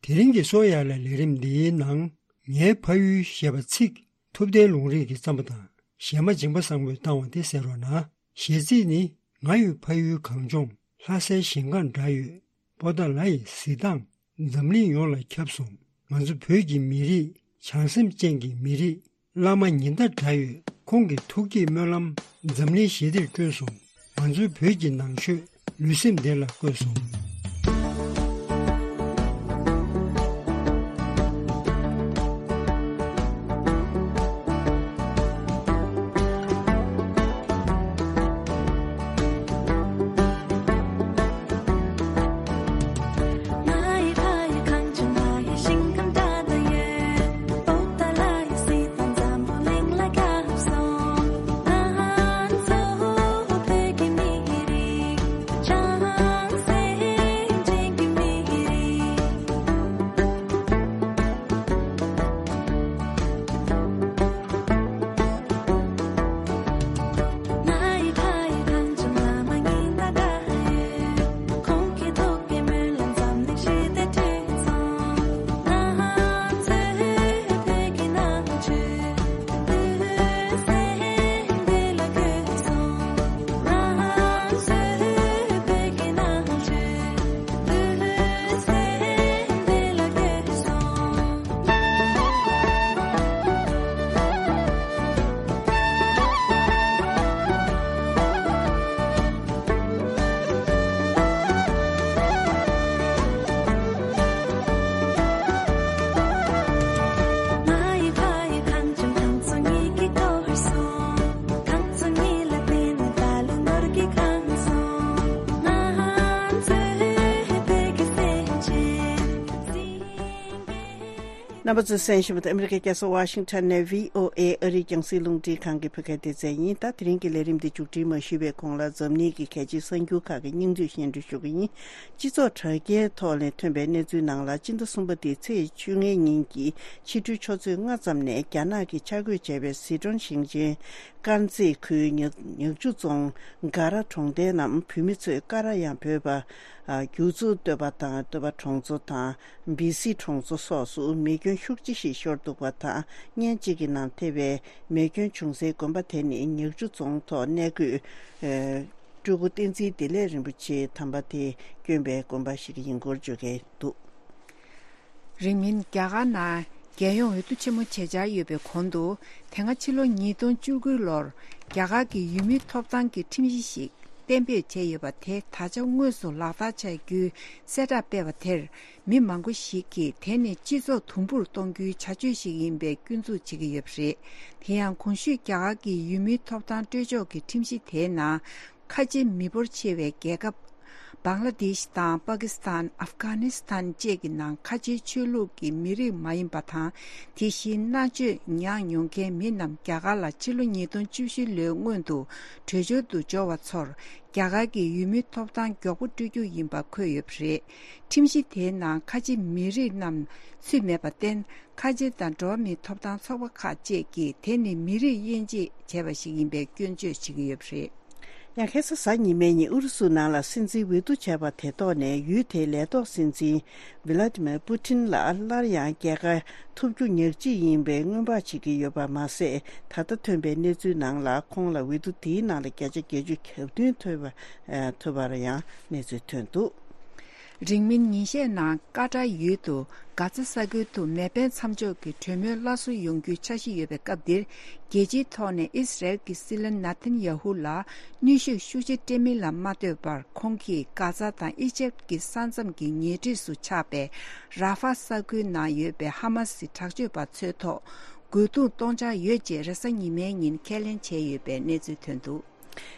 དེ་རིང་གི་སོ་ཡ་ལ་ལས་རིམ་འདིའི་ནང་། ངའི་ཕ་ཡུལ་ཞེས་པ་ཚིག་ཐུབ་བསྟན་ལུང་རིགས་ཀྱི་བརྩམས་པ་དང་། གཞས་མ་འཇིང་པ་བཟང་པོས་བཏང་བ་དེ་གསན་རོགས་གནང་། གཞས་ཚིག་ནི། ང་ཡི་ཕ་ཡུལ་གངས་ལྗོངས། ལྷ་སའི་ཞིང་ཁམས་འདྲ་ཡོད། པོ་ཏཱ་ལ་ཡི་གཟི་མདངས། འཛམ་གླིང་ཡོངས་ལ་ཁྱབ་སོང་། ང་ཚོ་བོད་ཀྱི་མི་རིགས། བྱང་སེམས་ཅན་གྱི་མི་རིགས། བླ་མ་ཉི་ཟླ་འདྲ་ཡོད། ཁོང་གི་ཐུགས་བསྐྱེད་སྨོན་ལམ། འཛམ་གླིང་ཞི་བདེར་བསྐྲུན་སོང་། ང་ཚོའི་བོད་ཀྱི་ནང་ཆོས། ལུས་སེམས་བདེ་ལ་བཀོད་སོང་། རྣམ་པ་ཚོས་གསན་བཞིན་པ་དེ་ཨ་མི་རི་ཀའི་རྒྱལ་ས་ཝ་ཤིང་ཊོན་ནས་བྷི་ཨོ་ཨེ་ཨ་རིའི་རྒྱང་སྲིང་རླུང་འཕྲིན་ཁང་གི་བོད་སྐད་སྡེ་ཚན་ཡིན། ད་དེ་རིང་གི་ལས་རིམ་འདི་མཇུག་སྒྲིལ་མ་ཞུས་པའི་གོང་ལ་འཛམ་གླིང་གི་གལ་ཆེའི་གསར་འགྱུར་ཁག་གི་སྙིང་བསྡུས་ཞུ་གི་ཡིན། སྤྱི་ཚོགས་དྲ་རྒྱའི་ཐོག་ནས་ཐོན་པའི་གནས་ཚུལ་ནང་ལ། སྤྱི་ཟླ་གསུམ་པ་འདིའི་ཚེས་བཅོ་ལྔའི་ཉིན་གྱི་ཕྱི་དྲོའི་ཆུ་ཚོད་ལྔ་ཙམ་ནས་རྒྱ་ནག་གིས་འཆར་འགོད་བྱས་པའི་ཟི་ཁྲོན་ཞིང་ཆེན་དཀར་མཛེས་ཁུལ་ཉག་ཉག་ཆུ་རྫོང་སྒ་ར་གྲོང་རྡལ་ནང་བོད་མི་ཚོས་ཀ་ར་ཡང་བོད་པ། ཨ། རྒྱུ་ཚོ་སྟོད་པ་དང་སྟོད་པ་གྲོང་ཚོ་དང་། སྦི་སི་གྲོང་ཚོ་སོགས་སུ་མེ་སྐྱོན་ཤུགས་ཆེ་ཞིག་ཤོར་འདུག་པ་དང་། བརྙན་གཅིག་གི་ནང་ཐེ་བའི་མེ་སྐྱོན་བྱུང་སའི་དགོན་པ་དེ་ནི་ཉག་ཆུ་རྫོང་ཐོག་གནས་འཁོད། ཨ། སྤྲུལ་སྐུ་བསྟན་འཛིན་བདེ་ལེགས་རིན་པོ་ཆེ་དམ་པ་དེ་བསྐྱོན་པའི་དགོན་པ་ཞིག་ཡིན་སྐོར་བརྗོད་ཀྱི་འདུག། རིང་མིན་རྒྱ་གར་ནང་རྒྱལ་ཡོངས་འོས་བསྡུ་ཆེན་མོ་བྱེད་འཆར་ཡོད་པའི་གོང་དུ། དེ་སྔ་ཕྱི་ལོ་ཉིས་སྟོང་བཅུ་དགུ་ལོར་རྒྱ་གར་གྱི་ཡུལ་མིའི་ཐོབ་ཐང་གི་ཁྲིམས་གཞི་ཞིག་གཏན་འབེབས་བྱས་ཡོད་པ་དེ་ད་ཆ་དངོས་སུ་ལག་བསྟར་བྱ་རྒྱུའི་གསལ་བསྒྲགས་སྤེལ་བ་དེར། མི་མང་པོ་ཞིག་གིས་དེ་ནི་སྤྱི་ཚོགས་དུམ་བུར་གཏོང་རྒྱུའི་བྱ་སྤྱོད་ཞིག་ཡིན་པའི་སྐྱོན་འཛུགས་བྱེད་ཀྱི་ཡོད་པ་རེད། དེ་ཡང་གོང་ཞུས་རྒྱ་གར་གྱི་ཡུལ་མིའི་ཐོབ་ཐང་སྤྲོད་ཕྱོགས་ཀྱི་ཁྲིམས་གཞི་དེའི་ནང་། ཁ་ཆེ་མི་འབོར་ཆེ་བའི་རྒྱལ་ཁབ། བང་ལ་དེཤ་དང་པ་ཀི་སི་ཐན། ཨབ་གྷ་ནི་སི་ཐན་བཅས་ཀྱི་ནང་ཁ་ཆེའི་ཆོས་ལུགས་ཀྱི་མི་རིགས་མ་ཡིན་པ་དང་། དེ་བཞིན་མནར་གཅོད་མྱངས་མྱོང་མཁན་མི་རྣམས་རྒྱ་གར་ལ་ཕྱི་ལོ་ཉིས་སྟོང་བཅུ་བཞི་ལོའི་སྔོན་དུ་བྲོས་བྱོལ་དུ་འབྱོར་བ་ཚོར་རྒྱ་གར་གྱི་ཡུལ་མིའི་ཐོབ་ཐང་མགྱོགས་པོ་སྤྲོད་རྒྱུ་ཡིན་པ་འཁོད་ཡོད་པ་རེད། ཁྲིམས་གཞི་དེའི་ནང་ཁ་ཆེ་མི་རིགས་རྣམས་ཚུད་མེད་པར་བརྟེན། ཁ་ཆེ་དང་འགྲོ་བ་མིའི་ཐོབ་ཐང་ཚོགས་པ་ཁག་བཅས་ཀྱིས་དེ་ནི་མི་རིགས་དབྱེ་འབྱེད་བྱས་པ་ཞིག་ཡིན་པའི་སྐྱོན་བརྗོད་བྱེད་ཀྱི་ཡོད་པ་རེད། ཡང་ཁ་སང་གཟའ་ཉི་མའི་ཉིན་ཨུ་རུ་སུ་ནང་ལ་སྲིད་འཛིན་འོས་བསྡུ་བྱས་པ་དེ་ཐོག་ནས་ཡུལ་དེའི་ལས་ཐོག་སྲིད་འཛིན་ཝི་ལ་ཏི་མེར་པུ་ཏིན་ལ་སླར་ཡང་རྒྱལ་ཁ་ཐོབ་རྒྱུ་ཉག་གཅིག་ཡིན་པའི་སྔོན་དཔག་བྱེད་ཀྱི་ཡོད་པ་མ་ཟད། ད་ལྟ་ཐོན་པའི་གནས་ཚུལ་ནང་ལ་ཁོང་ལ་འོས་བསྡུ་དེའི་ནང་ལ་བརྒྱ་ཆ་བརྒྱད་ཅུ་གྱ་བདུན་ཐོབ་པ། ཐོབ་པར་ཡང་གནས་ཚུལ་ཐོན་འདུག། རིང་མིན་ཉིན་ཤས་ནང་ཀ་ཏར་ཡུལ་དུ་གྷ་ཛ་ས་ཁུལ་དུ་མེ་འཕེན་མཚམས་འཇོག་གི་གྲོས་མོལ་སླར་གསོ་ཡོང་རྒྱུའི་འཆར་གཞི་ཡོད་པའི་སྐབས་འདིར། རྒྱལ་སྤྱིའི་ཐོག་ནས་ཨི་སི་རེལ་གྱི་སྲིད་བློན་ནཱ་ཐན་ཡ་ཧུ་ལ་གནོན་ཤུགས་ཤུགས་ཆེ་སྤྲད་མིན་ལ་མ་ལྟོས་པར། ཁོང་གིས་གྷ་ཛ་དང་ཨི་ཇེབ་ཀྱི་ས་མཚམས་ཀྱི་ཉེ་འཁྲིས་སུ་ཆགས་པའི་ར་ཧྥ་ས་ཁུལ་ནང་ཡོད་པའི་ཧ་མ་སི་དྲག་སྤྱོད་པ་ཚོའི་ཐོག་རྒོལ་རྡུང་གཏོང་འཆར་ཡོད་ཅེས་རེས་གཟའ་ཉི་མའི་ཉིན་ཁས་ལེན་བྱས་ཡོད་པའི་གནས་ཚུལ་ཐོན་འདུག།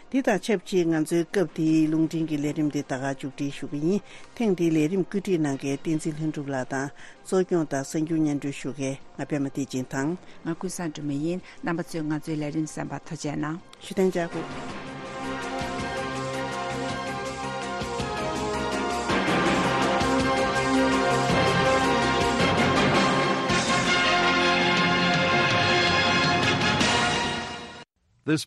འདི་དང་ཆབས་ཅིག་ང་ཚོའི་སྐབས་འདིའི་རླུང་འཕྲིན་གྱི་ལས་རིམ་འདི་ད་ག་མཇུག་སྒྲིལ་ཞུ་གི་ཡིན། ཐེངས་འདིའི་ལས་རིམ་བཀོད་སྒྲིག་གནང་མཁན་བསྟན་འཛིན་ལྷུན་གྲུབ་ལགས་དང་། གཙོ་སྐྱོང་དང་གསར་འགྱུར་སྙན་སྒྲོན་ཞུ་མཁན་ང་པད་མ་བདེ་ཆེན་དང་། ང་ཀུན་བཟང་སྒྲོལ་མ་ཡིན། རྣམ་པ་ཚོས་ང་ཚོའི་ལས་རིམ་གསན་པར་ཐུགས་རྗེ་གནང་། ཞུ་ཐེངས་བཅར་དགོས། This